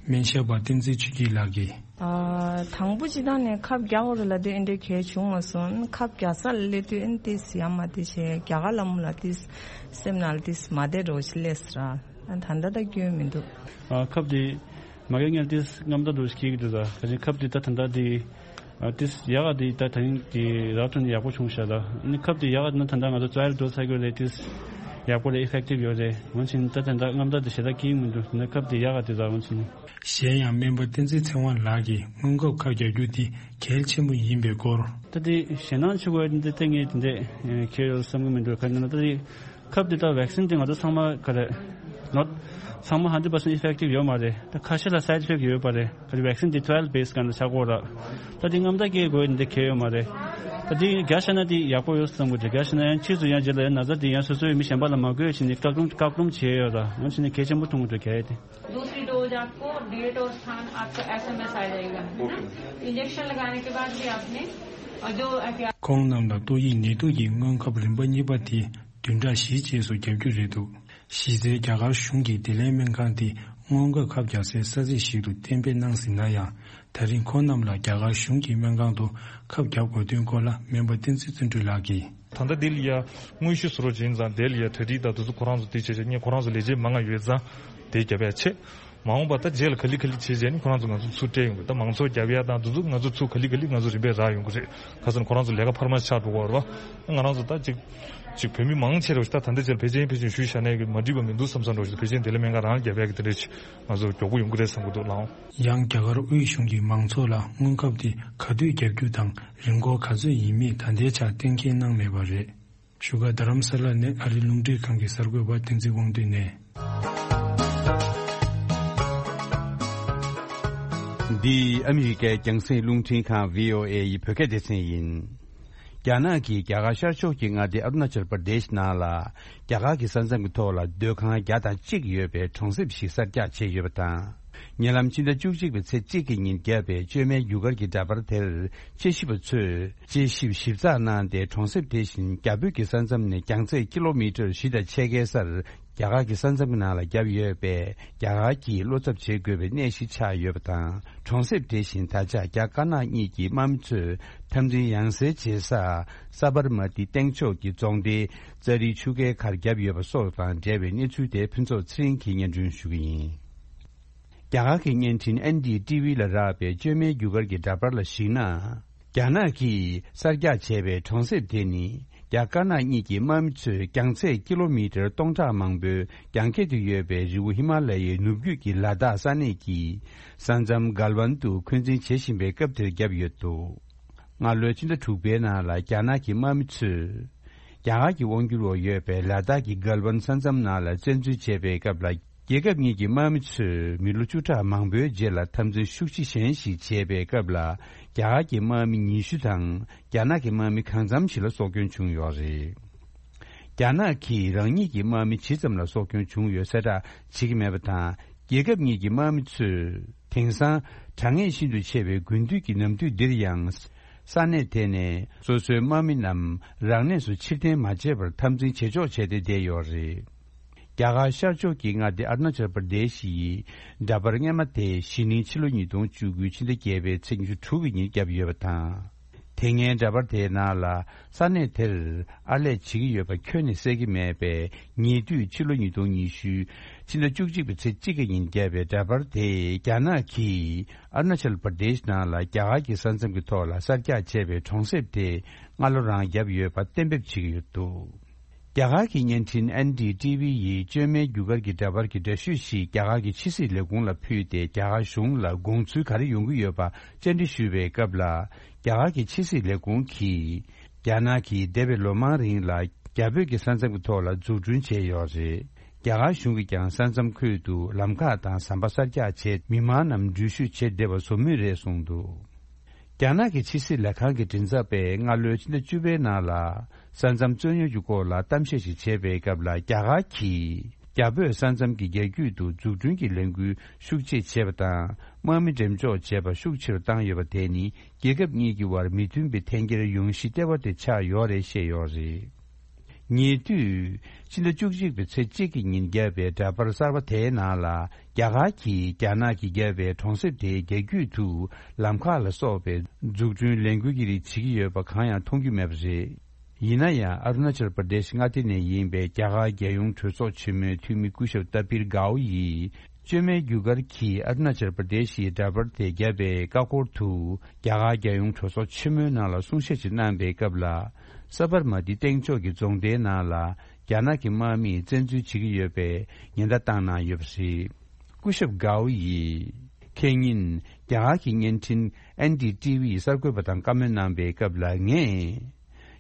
སྨན་ཞབས་པ་བསྟན་འཛིན་ཆོས་སྐྱིད་ལགས་ཀྱིས། ཨ། དང་པོ་སྤྱིར་བཏང་ནས་ཁབ་རྒྱག་དགོས་རེད་ལབ་དུས་ཨེ་འདྲའི་གལ་བྱུང་མ་སོང་། ཁབ་རྒྱག་ས་ལ་སླེབས་དུས་ཨེ་ཏིས་ཡ་མ་ཏི་བྱས་རྒྱ་གར་ལ་མོ་ལ་ཏིས་སེམས་ནང་ལ་ཏིས་མ་བདེ་འགྲོ་ཞིག་སླེབས་སོང་ར། ཨ། ད་ལྟ་ད་སྐྱོན་མི་འདུག། ཨ། ཁབ་དེ་མ་རྒྱག་སྔོན་ཏིས་རྔམ་སྟོབས་འདྲ་ཞིག་སྐྱེ་གི་འདུག་ད། ག་ཅིག་ཁབ་དེ་ད་ད་ལྟ་དེ། ཨ། ཏིས་ཡག་ག་དེ་ད་ད་རིང་གི་རག་ཐོན་ཡག་པོ་བྱུང་ཤག་ད། ཨ་ནི་ཁབ་དེ་ཡག་ག་ན་ད་ལྟ་ང་ཚོ་ཊ་ར་ཡལ་འགྲོ་ཚར་གི་རེད། ཏིས་ཡག་པོ་རེད། ཨི་ཕེག་ཊིབ་ཡོད་རེད། འོན་ཀྱང་ད་ད་ལྟ་རྔམ་སྟོབས་དེ་ཞེ་དྲག་སྐྱེ་གི་མི་འདུག། ད་ཁབ་དེ་ཡག་ག་དེ་ད། འོན་ཀྱང་། གཞན་ཡང་སྨན་པ་བསྟན་འཛིན་ཚེ་དབང་ལགས་ཀྱིས་སྔོན་འགོག་ཁབ་རྒྱག་རྒྱུ་དེ་གལ་ཆེན་པོ་ཡིན་པའི་སྐོར། ད་དེ་ཞེད་སྣང་ཆེ་བ་འདི་ལྟ་ངས་དེ་འདྲས་ཁྱེར་ཡོད་བསམ་གི་མི་འདུག། ག་ནས་ན་ད་དེ། ཁབ་འདི་དང་ཝེག་སིན་འདི་ང་ཚོ་ཚང་མ་ག་རེ། not ཚང་མ་ཧན་ཌེཌ་པར་སེན་ཊི་ཨི་ཕེག་ཊིབ་ཡོད་མ་རེད། ད་ཁ་ཤས་ལ་སའིཌ་ཨི་ཕེག་ཊི་ཡོད་པ་རེད། ག་རེ་ཝེག་སིན་འདི་ཊ་ར་ཡལ་བེ་སི་སྒང་ལ་ཆགས་ཀྱི་ཡོད་ར། ད་འདི་རྔམ་སྟོབས་སྐྱེ་དགོས་འདི་གལ་ཡོད་མ་རེད། ད་འདི་རྒྱག་བཞག་ན་འདི་ཡག་པོ་ཡོད་བསམ་གི་འདུག། རྒྱག་བཞག་ན་ཡང་ཕྱིས་སུ་ཡང་རྗེས་ལ་ཡང་ན་ཚ་འདི་ཡང་སོ་སོའི་མི་གཞན་པ་ལ་མ་འགོས་བྱས་ནས་བཀག་སྡོམ་བཀག་སྡོམ་བྱས་ཡོད་ར། འོན་ཀྱང་ནི་གལ་ཆེན་པོ་མཐོང་གི་འདུག། གལ་ཏེ། दूसरी डोज आपको डेट और स्थान आपका एसएमएस आ जाएगा, है ना? इंजेक्शन लगाने के बाद भी आपने, और जो एहतियात ཁོང་རྣམས་ལ་ཏོག་དབྱིབས་ནད་དུག་གི་སྔོན་ཁབ་རིམ་པ་གཉིས་པ་དེ་བདུན་ཕྲག་བཞིའི་རྗེས་སུ་བརྒྱབ་རྒྱུ་རེད་འདུག། གཞི་རྩའི་རྒྱ་གར་གཞུང་གི་བདེ་ལེགས་སྨན་ཁང་དེ་སྔོན་འགོག་ཁབ་རྒྱག་སའི་ས་ཚིགས་ཤིག་ཏུ་གཏན་འབེབས་གནང་ཟིན་ན་ཡང་། ད་རིང་ཁོང་རྣམས་ལ་རྒྱ་གར་གཞུང་གི་སྨན་ཁང་དུ་ཁབ་བརྒྱབ་དགོས་དོན་སྐོར་ལ་སྨན་པ་བསྟན་འཛིན་བརྩོན་འགྲུས་ལགས་ཀྱིས། ད་ལྟ་འདི་ལ་ཡ་དངོས་གཞི་བཟོ་རོགས་བྱེད་ཙང་དེ་ལ་ཡ་གྲ་སྒྲིག་དང་དེ་ཚོ་ཁོ་རང་ཚོ་དེ་བྱས་བྱས་ངས་ཁོ་རང་ཚོ་ལས་བྱེད་མང་ང་ཡོད་ཙང་དེ་རྒྱབ་ཡ་ཆེ། མ་འོངས་པ་ད་རྗེས་ལ་ག་ལེ་ག་ལེ་བྱས་བྱས་ནས་ཁོ་རང་ཚོ་ང་ཚོ་ཚུར་སྤྲད་ཡོང་གི། ད་མང་ཚོགས་རྒྱབ་ཡ་དང་དེ་ཚོ་ང་ཚོ་ཚུར་ག་ལེ་ག་ལེ་ང་ཚོ་རིམ་པས་རག་ཡོང་གི་རེད། ཁ་སང་ཁོ་རང་ཚོ་ལས་ཀ་འཕར་མ་ཆགས་འགྲོ་གི་ཡོད་རེད་བ། ང་རང་ཚོ་ད་ཅིག་ཅིག་བོད་མི་མང་ཆེ་རུ་ད་ད་ལྟ་རྗེས་ལ་ཕལ་ཆེར་ཕལ་ཆེར་ཞུས་བཞག་ནས་མ་འགྲིག་པ་མི་འདུག་བསམ་བསམ་འགྲོ་ཞིག། ཕལ་ཆེར་བདེ་ལེགས་སྨན་ཁང་རང་ལ་རྒྱབ་ཡ་གི་དེ་འདྲ་ཅིག་ང་ཚོ་མགྱོགས་པོ་ཡོང་གི་རེད་བསམ་གི་འདུག་ལགས། ཡང་རྒྱ་གར་དབུས་གཞུང་གིས་མང་ཚོགས་ལ་སྔོན་ཁབ་དེ་ག་དུས་བརྒྱབ་རྒྱུ་དང་རིན་གོང་ག་ཚོད་ཡིན་མིན་ད་ལྟའི་ཆར་གཏན་འཁེལ་གནང་མེད་པ་རེད། བཞུགས་སྒར་རྡ་རམ་ས་ལ་ནས་ཨ་རིའི་རླུང་འཕྲིན་ཁང་གི་གསར་འགོད་པ་བསྟན་འཛིན་དབང་འདུས་ནས། འདི་ཨ་མི་རི་ཀའི་རྒྱང་སྲིང་རླུང་འཕྲིན་ཁང་བྷི་ཨོ་ཨེ་ཡི་བོད་སྐད་སྡེ་ཚན་ཡིན། རྒྱ་ནག་གིས་རྒྱ་གར་ཤར་ཕྱོགས་ཀྱི་མངའ་སྡེ་ཨ་རུ་ན་ཅལ་པར་དེཤ་ནང་ལ། རྒྱ་གར་གྱི་ས་མཚམས་ཀྱི་ཐོག་ལ་སྡོད་ཁང་བརྒྱ་དང་གཅིག་ཡོད་པའི་གྲོང་གསེབ་ཞིག་གསར་རྒྱག་བྱས་ཡོད་པ་དང་། ཉེ་ལམ་ཕྱི་ཟླ་བཅུ་གཅིག་པའི་ཚེས་གཅིག་གི་ཉིན་བརྒྱབ་པའི་བཅོས་མའི་རྒྱུ་སྐར་གྱི་འདྲ་པར་དེར་དཔྱད་ཞིབ་པ་ཚོས་དཔྱད་ཞིབ་ཞིབ་ཚགས་གནང་སྟེ། གྲོང་གསེབ་དེ་བཞིན་རྒྱ་བོད་ཀྱི་ས་མཚམས་ནས་རྒྱང་ཚད་ཀི་ལོ་མི་ཊར་བཞི་དང་ཕྱེད་ཀའི་སར་རྒྱ་གར་གྱི་ས་མཚམས་ཀྱི་ནང་ལ་བརྒྱབ་ཡོད་པས། རྒྱ་གར་གྱིས་བློ་འཚབ་བྱེད་དགོས་པའི་གནས་ཤིག་ཆགས་ཡོད་པ་དང་། གྲོང་གསེབ་དེ་བཞིན་ད་ཆ་རྒྱ་དཀར་ནག་གཉིས་ཀྱི་དམག་མི་ཚོས་འཐབ་འཛིང་ཡང་སེ་བྱེད་ས་ས་བར་མ་ཏི་སྟེང་ཕྱོགས་ཀྱི་རྫོང་སྡེ་ཙ་རི་ཆུ་ཁའི་ཁར་བརྒྱབ་ཡོད་པ་སོགས་དང་འབྲེལ་བའི་གནས་ཚུལ་དེ་ཕུན་ཚོགས་ཚེ་རིང་གིས་སྙན་སྒྲོན་ཞུ་གི་ཡིན། རྒྱ་གར་གྱི་བརྙན་འཕྲིན་ཨེན་ཌི་ཊི་ཝི་ལ་རག་པའི་བཅོས་མའི་རྒྱུ་སྐར་གྱི་འདྲ་པར་ལ་གཞིགས་ན། རྒྱ་ནག་གིས་གསར་རྒྱག་བྱས་པའི་གྲོང་གསེབ་དེ་ནི། རྒྱ་དཀར་ནག་གཉིས་ཀྱི་དམག་མི་ཚོས་རྒྱང་ཚད་ཀི་ལོ་མི་ཊར་སྟོང་ཕྲག་མང་པོའི་རྒྱང་ཁྱེར་དུ་ཡོད་པའི་རི་བོ་ཧི་མ་ལ་ཡའི་ནུབ་རྒྱུད་ཀྱི་ལ་དྭགས་ས་གནས་ཀྱི་ས་མཚམས་གལ་ཝན་དུ་འཁོན་འཛིན་བྱེད་བཞིན་པའི་སྐབས་དེར་བརྒྱབ་ཡོད་འདུག། སྔ་ལོའི་ཕྱི་ཟླ་དྲུག་པའི་ནང་ལ་རྒྱ་ནག་གི་དམག་མི་ཚོས། རྒྱ་གར་གྱི་དབང་སྒྱུར་འོག་ཡོད་པའི་ལ་དྭགས་ཀྱི་གལ་ཝན་ས་མཚམས་ནང་ལ་བཙན་འཛུལ་བྱས་པའི་སྐབས་ལ། རྒྱལ་ཁབ་གཉིས་ཀྱི་དམག་མི་ཚོས་མི་ལོ་བཅུ་ཕྲག་མང་པོའི་རྗེས་ལ་འཐབ་འཛིང་ཤུགས་ཆེ་གཞན་ཞིག་བྱས་པའི་སྐབས་ལ། རྒྱ་གར་གྱི་དམག་མི་ཉི་ཤུ་དང་རྒྱ་ནག་གི་དམག་མི་གང་འཚམ་ཞིག་ལ་སྲོག་སྐྱོན་བྱུང་ཡོད་རེད། རྒྱ་ནག་གིས་རང་ཉིད་ཀྱི་དམག་མི་ཇི་ཙམ་ལ་སྲོག་སྐྱོན་བྱུང་ཡོད་གསལ་བསྒྲགས་བྱེད་ཀྱི་མེད་པ་དང་། རྒྱལ་ཁབ་གཉིས་ཀྱི་དམག་མི་ཚོས་དེང་སང་དྲག་ངན་ཤིན་ཏུ་ཆེ་བའི་དགུན་དུས་ཀྱི་ནམ་དུས་འདིར་ཡང་། ས་གནས་དེ་ནས་སོ་སོའི་དམག་མི་རྣམས་རང་གནས་སུ་ཕྱིར་འཐེན་མ་བྱས་པར་འཐབ་འཛིང་བྱེད་ཕྱོགས་བྱས་ཏེ་བསྡད་ཡོད་རེད། རྒྱ་གར་ཤར་ཕྱོགས་ཀྱི་མངའ་སྡེ་ཨ་རུ་ན་ཅལ་པར་དེ་ཤི་ཡི་འདྲ་པར་སྔས་མ་དེ་གཞེས་ནིང་ཕྱི་ལོ་ཉིས་སྟོང་བཅུ་དགུ་ཕྱི་ཟླ་བརྒྱད་པའི་ཚེས་ཉི་ཤུ་དྲུག་གི་ཉིན་བརྒྱབ་ཡོད་པ་དང་། དེ་སྔའི་འདྲ་པར་དེའི་ནང་ལ་ས་གནས་དེར་ཨར་ལས་བྱེད་ཀྱི་ཡོད་པ་ཁྱོན་ནས་གསལ་གྱི་མེད་པས། ཉེ་དུས་ཕྱི་ལོ་ཉིས་སྟོང་ཉི་ཤུ་ཕྱི་ཟླ་བཅུ་གཅིག་པའི་ཚེས་གཅིག་གི་ཉིན་བརྒྱབ་པའི་འདྲ་པར་དེས་རྒྱ་ནག་གིས་ཨ་རུ་ན་ཅལ་པར་དེཤ་ནང་ལ་རྒྱ་གར་གྱི་ས་མཚམས་ཀྱི་ཐོག་ལ་གསར་རྒྱག་བྱས་པའི་གྲོང་གསེབ་དེ་སྔ་ལོ་རང་བརྒྱབ་ཡོད་པ་གཏན་འབེབས་བྱེད་ཀྱི་ཡོད་འདུག་རྒྱ་གར་གྱི་བརྙན་འཕྲིན་ཨེན་ཌི་ཊི་ཝི་ཡིས་བཅོས་མའི་རྒྱུ་སྐར་གྱི་འདྲ་པར་གྱི་འདྲ་བཤུས་ཤིག་རྒྱ་གར་གྱི་ཕྱི་སྲིད་ལས་ཁུངས་ལ་ཕུལ་ཏེ། རྒྱ་གར་གཞུང་ལ་དགོངས་ཚུལ་ག་རེ་ཡོང་གི་ཡོད་པ་བཅར་འདྲི་ཞུས་པའི་སྐབས་ལ། རྒྱ་གར་གྱི་ཕྱི་སྲིད་ལས་ཁུངས་ཀྱིས། རྒྱ་ནག་གིས་འདས་པའི་ལོ་མང་རིང་ལ་རྒྱ་བོད་ཀྱི་ས་མཚམས་ཀྱི་ཐོག་ལ་འཛུགས་སྐྲུན་བྱས་ཡོད་རེད། རྒྱ་གར་གཞུང་གིས་ཀྱང་ས་མཚམས་ཁུལ་དུ་ལམ་ཁ་དང་ཟམ་པ་གསར་རྒྱག་བྱས། མི་མང་རྣམས་འགྲུལ་བཞུད་བྱེད་བདེ་བ་བཟོ་མུས་རེད་གསུངས་འདུག་རྒྱ་ནག་གི་ཕྱི་སྲིད་ལས་ཁང་གི་མགྲིན་ཚབ་པས་སྔ་ལོའི་ཕྱི་ཟླ་བཅུ་པའི་ནང་ལ། ས་མཚམས་རྩོད་རྙོག་གི་སྐོར་ལ་གཏམ་བཤད་ཞིག་བྱས་པའི་སྐབས་ལ། རྒྱ་གར་གྱིས་རྒྱ་བོད་ས་མཚམས་ཀྱི་རྒྱ་རྒྱུད་དུ་འཛུགས་སྐྲུན་གྱི་ལས་འགུལ་ཤུགས་ཆེ་བྱས་པ་དང་། དམག་མི་འགྲེམས་འཇོག་བྱས་པ་ཤུགས་ཆེ་རུ་བཏང་ཡོད་པ་དེ་ནི། རྒྱལ་ཁབ་གཉིས་ཀྱི་དབར་མི་མཐུན་པའི་འཐེན་འཁྱེར་ཡོང་གཞི་ལྟེ་བ་དེ་ཆགས་ཡོད་རེད་བཤད་ཡོད་རེད། ཉེ་དུས་ཕྱི་ཟླ་བཅུ་གཅིག་པའི་ཚེས་གཅིག་གི་ཉིན་བརྒྱབ་པའི་འདྲ་པར་གསར་པ་དེའི་ནང་ལ། རྒྱ་གར་གྱིས་རྒྱ་ནག་གིས་བརྒྱབ་པའི་གྲོང་གསེབ་དེའི་རྒྱ་རྒྱུད་དུ་ལམ་ཁ་ལ་སོགས་པའི་འཛུགས་སྐྲུན་ལས་འགུལ་གྱི་རིགས་བྱེད་ཀྱི་ཡོད་པ་གང་ཡང་མཐོང་རྒྱུ་མེད་པ་རེད། ཡིན་ན་ཡང་། ཨ་རུ་ན་ཅལ་པར་དེཤ་མངའ་སྡེ་ནས་ཡིན་པའི་རྒྱ་གར་རྒྱལ་ཡོངས་གྲོས་ཚོགས་ཆེན་མོའི་འཐུས་མི་སྐུ་ཞབས་ཏ་པིར་གའོ་ཡིས། བཅོས་མའི་རྒྱུ་སྐར་གྱིས་ཨ་རུ་ན་ཅལ་པར་དེཤ་ཡི་འདྲ་པར་དེ་བརྒྱབ་པའི་ཀ་ཀོར་དུ། རྒྱ་གར་རྒྱལ་ཡོངས་གྲོས་ཚོགས་ཆེན་མོའི་ནང་ལ་གསུང་བཤད་ཅིག་གནང་པའི་སྐབས་ལ། ས་བར་མ་ཏི་སྟེང་ཕྱོགས་ཀྱི་རྫོང་སྡེའི་ནང་ལ། རྒྱ་ནག་གི་དམག་མིས་བཙན་འཛུལ་བྱེད་ཀྱི་ཡོད་པའི་ཉེན་བརྡ་བཏང་གནང་ཡོད་པ་རེད། སྐུ་ཞབས་གའོ་ཡིས། ཁེ་ཉིན། རྒྱ་གར་གྱི་བརྙན་འཕྲིན་ཨེན་ཌི་ཊི་ཝི་ཡི་གསར་འགོད་པ་དང་བཀའ་མོལ་གནང་པའི་སྐབས་ལ། ངས།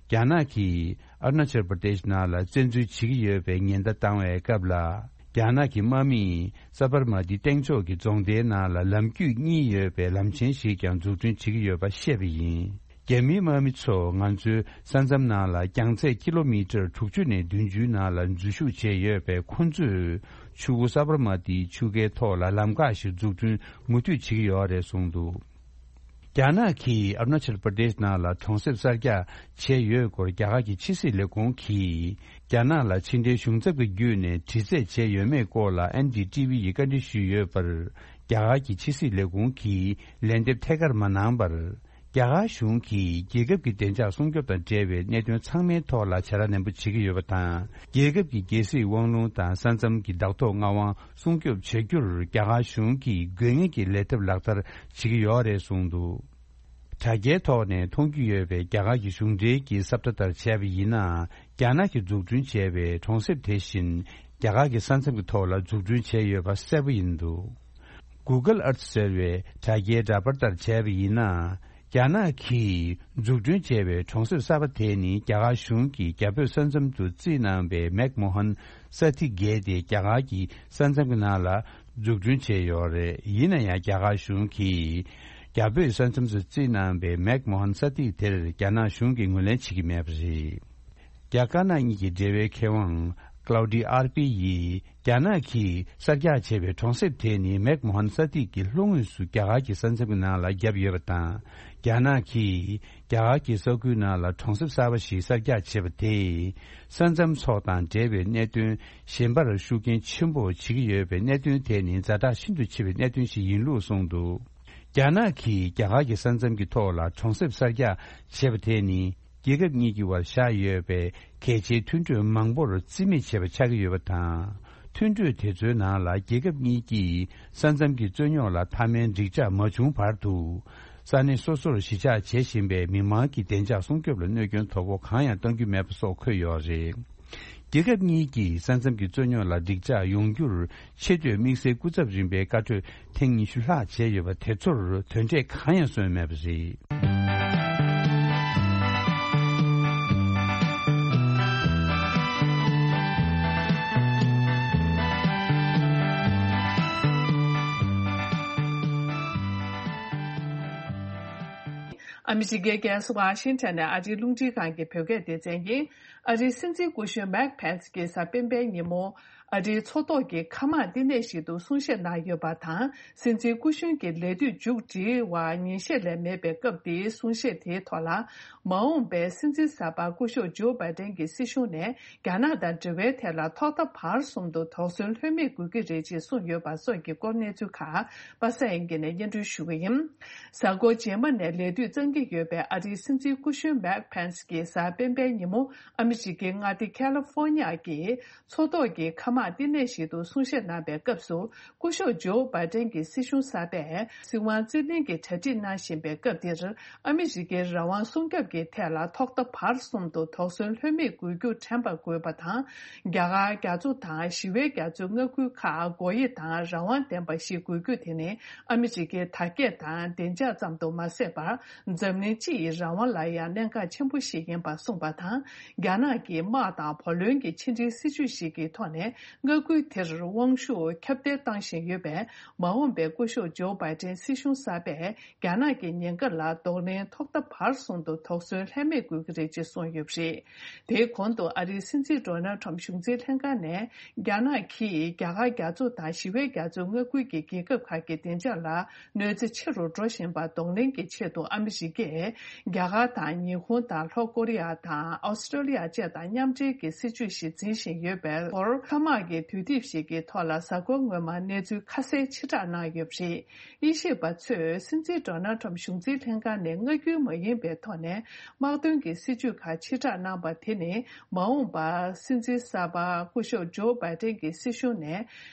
རྒྱ་ནག་གིས་ཨ་རུ་ན་ཅལ་པར་དེཤ་ནང་ལ་བཙན་འཛུལ་བྱེད་ཀྱི་ཡོད་པའི་ཉེན་བརྡ་བཏང་བའི་སྐབས་ལ། རྒྱ་ནག་གི་དམག་མིས་ས་བར་མ་ཏི་སྟེང་ཕྱོགས་ཀྱི་རྫོང་སྡེའི་ནང་ལ་ལམ་རྒྱུད་གཉིས་ཡོད་པའི་ལམ་ཆེན་ཞིག་ཀྱང་འཛུགས་སྐྲུན་བྱེད་ཀྱི་ཡོད་པ་བཤད་པ་ཡིན། རྒྱ་མིའི་དམག་མི་ཚོ་ང་ཚོའི་ས་མཚམས་ནང་ལ་རྒྱང་ཚད་ཀི་ལོ་མི་ཊར་དྲུག་ཅུ་ནས་བདུན་ཅུའི་ནང་ལ་འཛུལ་ཞུགས་བྱས་ཡོད་པས། ཁོ་ཚོས་ཆུ་བོ་ས་བར་མ་ཏིའི་ཆུ་ཁའི་ཐོག་ལ་ལམ་ཁ་ཞིག་འཛུགས་སྐྲུན་མུ་མཐུད་བྱེད་ཀྱི་ཡོད་རེད་གསུངས་འདུག་རྒྱ་ནག་གིས་ཨ་རུ་ན་ཅལ་པར་དེཤ་ནང་ལ་གྲོང་གསེབ་གསར་རྒྱག་བྱས་ཡོད་སྐོར་རྒྱ་གར་གྱི་ཕྱི་སྲིད་ལས་ཁུངས་ཀྱིས། རྒྱ་ནག་ལ་ཕྱི་འབྲེལ་གཞུང་ཚབ་ཀྱི་བརྒྱུད་ནས་དྲི་རྩད་བྱས་ཡོད་མེད་སྐོར་ལ་ཨེན་ཌི་ཊི་ཝི་ཡིས་བཀའ་འདྲི་ཞུས་ཡོད་པར། རྒྱ་གར་གྱི་ཕྱི་སྲིད་ལས་ཁུངས་ཀྱིས་ལན་འདེབས་ཐད་ཀར་མ་གནང་བར། རྒྱ་གར་གཞུང་གིས་རྒྱལ་ཁབ་ཀྱི་བདེ་འཇགས་སྲུང་སྐྱོབ་དང་འབྲེལ་བའི་གནད་དོན་ཚང་མའི་ཐོག་ལ་བྱ་ར་ནན་པོ་བྱེད་ཀྱི་ཡོད་པ་དང་། རྒྱལ་ཁབ་ཀྱི་རྒྱལ་སྲིད་དབང་ལུང་དང་ས་མཚམས་ཀྱི་བདག་ཐོག་མངའ་དབང་སྲུང་སྐྱོབ་བྱ་རྒྱུར་རྒྱ་གར་གཞུང་གིས་དགོས་ངེས་ཀྱི་ལས་ཐབས་ལག་བསྟར་བྱེད་ཀྱི་ཡོད་རེད་གསུངས་འདུག་དྲ་རྒྱའི་ཐོག་ནས་མཐོང་རྒྱུ་ཡོད་པའི་རྒྱ་གར་གྱི་གཞུང་འབྲེལ་གྱི་གསལ་བརྡ་ལྟར་བྱས་པ་ཡིན་ན། རྒྱ་ནག་གིས་འཛུགས་སྐྲུན་བྱས་པའི་གྲོང་གསེབ་དེ་བཞིན་རྒྱ་གར་གྱི་ས་མཚམས་ཀྱི་ཐོག་ལ་འཛུགས་སྐྲུན་བྱས་ཡོད་པ་གསལ་པོ་ཡིན་འདུག Google Earth ཟེར་བའི་དྲ་རྒྱའི་འདྲ་པར་ལྟར་བྱས་པ་ཡིན་ན། རྒྱ་ནག་གིས་འཛུགས་སྐྲུན་བྱས་པའི་གྲོང་གསེབ་གསར་པ་དེ་ནི་རྒྱ་གར་གཞུང་གིས་རྒྱ་བོད་ས་མཚམས་སུ་རྩིས་གནང་པའི་མེག་མོ་ཧན་ས་ཐི་བརྒྱད་དེ་རྒྱ་གར་གྱི་ས་མཚམས་ཀྱི་ནང་ལ་འཛུགས་སྐྲུན་བྱས་ཡོད་རེད། ཡིན་ན་ཡང་རྒྱ་གར་གཞུང་གིས་རྒྱ་བོད་ས་མཚམས་སུ་རྩིས་གནང་པའི་མེག་མོ་ཧན་ས་ཐི་དེར་རྒྱ་ནག་གཞུང་གིས་ངོས་ལེན་བྱེད་ཀྱི་མེད་པ་རེད། རྒྱ་དཀར་ནག་གཉིས་ཀྱི་འབྲེལ་བའི་མཁས་དབང་Claudia Arpi ཡིས། རྒྱ་ནག་གིས་གསར་རྒྱག་བྱས་པའི་གྲོང་གསེབ་དེ་ནི་མེག་མོ་ཧན་ས་ཐི་གི་ལྷོ་ངོས་སུ་རྒྱ་གར་གྱི་ས་མཚམས་ཀྱི་ནང་ལ་བརྒྱབ་ཡོད་པ་དང་། རྒྱ་ནག་གིས་རྒྱ་གར་གྱི་ས་ཁུལ་ནང་ལ་གྲོང་གསེབ་གསར་པ་ཞིག་གསར་རྒྱག་བྱས་པ་དེས། ས་མཚམས་སོགས་དང་འབྲེལ་བའི་གནད་དོན་གཞན་པར་ཤུགས་རྐྱེན་ཆེན་པོ་བྱེད་ཀྱི་ཡོད་པའི་གནད་དོན་དེ་ནི་ཛ་དྲག་ཤིན་ཏུ་ཆེ་བའི་གནད་དོན་ཞིག་ཡིན་ལུགས་གསུངས་འདུག་རྒྱ་ནག་གིས་རྒྱ་གར་གྱི་ས་མཚམས་ཀྱི་ཐོག་ལ་གྲོང་གསེབ་གསར་རྒྱག་བྱས་པ་དེ་ནི། རྒྱལ་ཁབ་གཉིས་ཀྱི་བར་བཞག་ཡོད་པའི་གལ་ཆེའི་མཐུན་གྲོས་མང་པོར་རྩིས་མེད་བྱས་པ་ཆགས་ཀྱི་ཡོད་པ་དང་། མཐུན་གྲོས་དེ་ཚོའི་ནང་ལ་རྒྱལ་ཁབ་གཉིས་ཀྱིས་ས་མཚམས་ཀྱི་རྩོད་རྙོག་ལ་མཐའ་མའི་འགྲིག་འཇགས་མ་བྱུང་བར་དུ། ས་གནས་སོ་སོར་གཞིས་ཆགས་བྱེད་བཞིན་པའི་མི་མང་གི་བདེ་འཇགས་སྲུང་སྐྱོབ་ལ་གནོད་སྐྱོན་དོ་ཕོག་གང་ཡང་གཏང་རྒྱུ་མེད་པ་སོགས་འཁོད་ཡོད་རེད། རྒྱལ་ཁབ་གཉིས་ཀྱིས་ས་མཚམས་ཀྱི་རྩོད་རྙོག་ལ་འགྲིག་འཇགས་ཡོང་རྒྱུར་ཆེས་མཐོའི་དམིགས་བསལ་སྐུ་ཚབ་རིམ་པའི་བཀའ་གྲོས་ཐེངས་ཉི་ཤུ་ལྷག་བྱས་ཡོད་པ་དེ་ཚོར་དོན་འབྲས་གང་ཡང་སོན་མེད་པ་རེད། ཨ་མི་རི་ཀའི་རྒྱལ་ས་ཝ་ཤིང་ཊོན་ནས་ཨ་རིའི་རླུང་འཕྲིན་ཁང་གི་བོད་སྐད་སྡེ་ཚན་ཡིན། ཨ་རིའི་སྲིད་འཛིན་སྐུ་གཞོན་མེག་ཕེན་སི་གིས་གཟའ་སྤེན་པའི་ཉིན་མོ། ཨ་རིའི་མཚོ་ཐོག་གི་མཁའ་དམག་བསྟི་གནས་ཤིག་ཏུ་གསུང་བཤད་གནང་ཡོད་པ་དང་། སྲིད་འཛིན་སྐུ་གཞོན་གྱི་ལས་དུས་མཇུག་སྒྲིལ་བ་ཉིན་ཤས་ལས་མེད་པའི་སྐབས་འདིའི་གསུང་བཤད་དེའི་ཐོག་ལ། མ་འོངས་པའི་སྲིད་འཛིན་གསར་པ་སྐུ་ཞབས་ཇོ་བྷའི་ཏན་གྱི་སྲིད་གཞུང་ནས། རྒྱ་ནག་དང་འབྲེལ་བའི་ཐད་ལ་ཐོག་མཐའ་བར་གསུམ་དུ་དོགས་ཟོན་ལྷོད་མེད་དགོས་ཀྱི་རེད་ཅེས་གསུངས་ཡོད་པ་སོགས་ཀྱི་སྐོར་གནས་ཚུལ་ཁག་པ་སངས་དབྱངས་སྐྱིད་ནས་སྙན་སྒྲོན་ཞུ་གི་ཡིན། གཟའ་འཁོར་རྗེས་མ་ནས་ལས་དུས་གཙང་གི་ཡོད་པའི་ཨ་རིའི་སྲིད་འཛིན་སྐུ་གཞོན་མེག་ཕེན་སི་གིས་གཟའ་སྤེན་པའི་ཉིན་མོ་ཨ་མི་རི་ཀའི་མངའ་སྡེ་ཁ་ལི་ཧྥོ་ཉི་ཡ་གི་མཚོ་ཐོག་གི་མཁའ་དམག་བསྟི་གནས་ཤིག་ཏུ་གསུང་བཤད་གནང་པའི་སྐབས་སུ། སྐུ་ཞབས་ཇོ་བྷའི་ཏན་གྱི་སྲིད་གཞུང་གསར་པས་སྲིད་དབང་རྩིས་ལེན་གྱི་གྲ་སྒྲིག་གནང་བཞིན་པའི་སྐབས་འདིར། ཨ་མི་རི་ཀའི་རང་དབང་སྲུང་སྐྱོབ་ཀྱི་ཐད་ལ་ཐོག་མཐའ་བར་གསུམ་དུ་དོགས་ཟོན་ལྷོད་མེད་དགོས་རྒྱུ་དྲན་པ་དགོས་པ་དང་། རྒྱ་གར་རྒྱ་མཚོ་དང་ཞི་བའི་རྒྱ་མཚོའི་མངའ་ཁུལ་ཁག་སྒོ་དབྱེ་དང་རང་དབང་ལྡན་པ་ཞིག་དགོས་རྒྱུ་དེ་ནི་ཨ་མི་རི་ཀའི་དར་རྒྱས་དང་བདེ་འཇགས་ཙམ་དུ་མ་ཟད་པར། འཛམ་གླིང་སྤྱི་ཡི་རང་དབང་ལ་ཡང་གནད་འགག་ཆེན་པོ་ཞིག་ཡིན་པ་གསུངས་པ་དང་། རྒྱ་ནག་གིས་དམག་དང་བུ་ལོན་གྱི་ཕྱི་འབྲེལ་སྲིད་ཇུས་ཤིག་གི་ཐོག་ནས། མངའ་ཁུལ་དེར་དབང་ཤུགས་ཁྱབ་གདལ་བཏང་བཞིན་ཡོད་པས། མ་འོངས་པའི་སྐུ་ཞབས་ཇོ་བྷའི་ཏན་སྲིད་གཞུང་གསར་པས་རྒྱ་ནག་གི་ཉེན་ཁ་ལ་གདོང་ལེན་ཐོག་མཐའ་བར་གསུམ་དུ་དོགས་ཟོན་ལྷད་མེད་དགོས་ཀྱི་རེད་ཅེས་གསུངས་ཡོད་པ་རེད། དེའི་གོང་དུ་ཨ་རིའི་སྲིད་འཛིན་ཌོ་ནལ་ཁྲམ་གཞུང་འཛིན་ལྷན་ཁང་ནས། རྒྱ་ནག་གིས་རྒྱ་གར་རྒྱ་མཚོ་དང་ཞི་བའི་རྒྱ་མཚོའི་མངའ་ཁུལ་གྱི་རྒྱལ་ཁབ་ཁག་གི་བདེ་འཇགས་ལ་གནོད་འཚེ་ཆེ་རུ་འགྲོ་བཞིན་པ་གདོང་ལེན་གྱི་ཆེད་དུ་ཨ་མི་རི་ཀས། རྒྱ་གར་དང་ཉི་ཧོང་དང་ལྷོ་ཀོ་རི་ཡ་དང་ཨོ་སི་ཀྲོ་ལི་ཡ་བཅས་དང་མཉམ་འབྲེལ་གྱི་སྲིད་ཇུས་ཤིག་འཛིན་བཞིན་ཡོད་པའི་སྐོར། མཁའ་དམག་གི་དུས་དེབ་ཞིག་གི་ཐོག་ལ་གཟའ་འཁོར་སྔོན་མ་གནས་ཚུལ་ཁ་གསལ་ཕྱིར་བསྒྲགས་གནང་ཡོད་པ་རེད། དབྱེ་ཞིབ་པ་ཚོས་སྲིད་འཛིན་ཌོ་ནལ་ཁྲམ་གཞུང་འཛིན་ལྷན་ཁང་ནས་མངའ་ཁུལ་མ་ཡིན་པའི་ཐོག་ནས་དམག་དོན་གྱི་སྲིད་ཇུས་ཁག་ཕྱིར་བསྒྲགས་གནང་པ་དེ་ནི། མ་འོངས་པར་སྲིད་འཛིན་གསར་པ་སྐུ་ཞབས་ཇོ་བྷའི་ཏན་གྱི་སྲིད་གཞུང་ནས།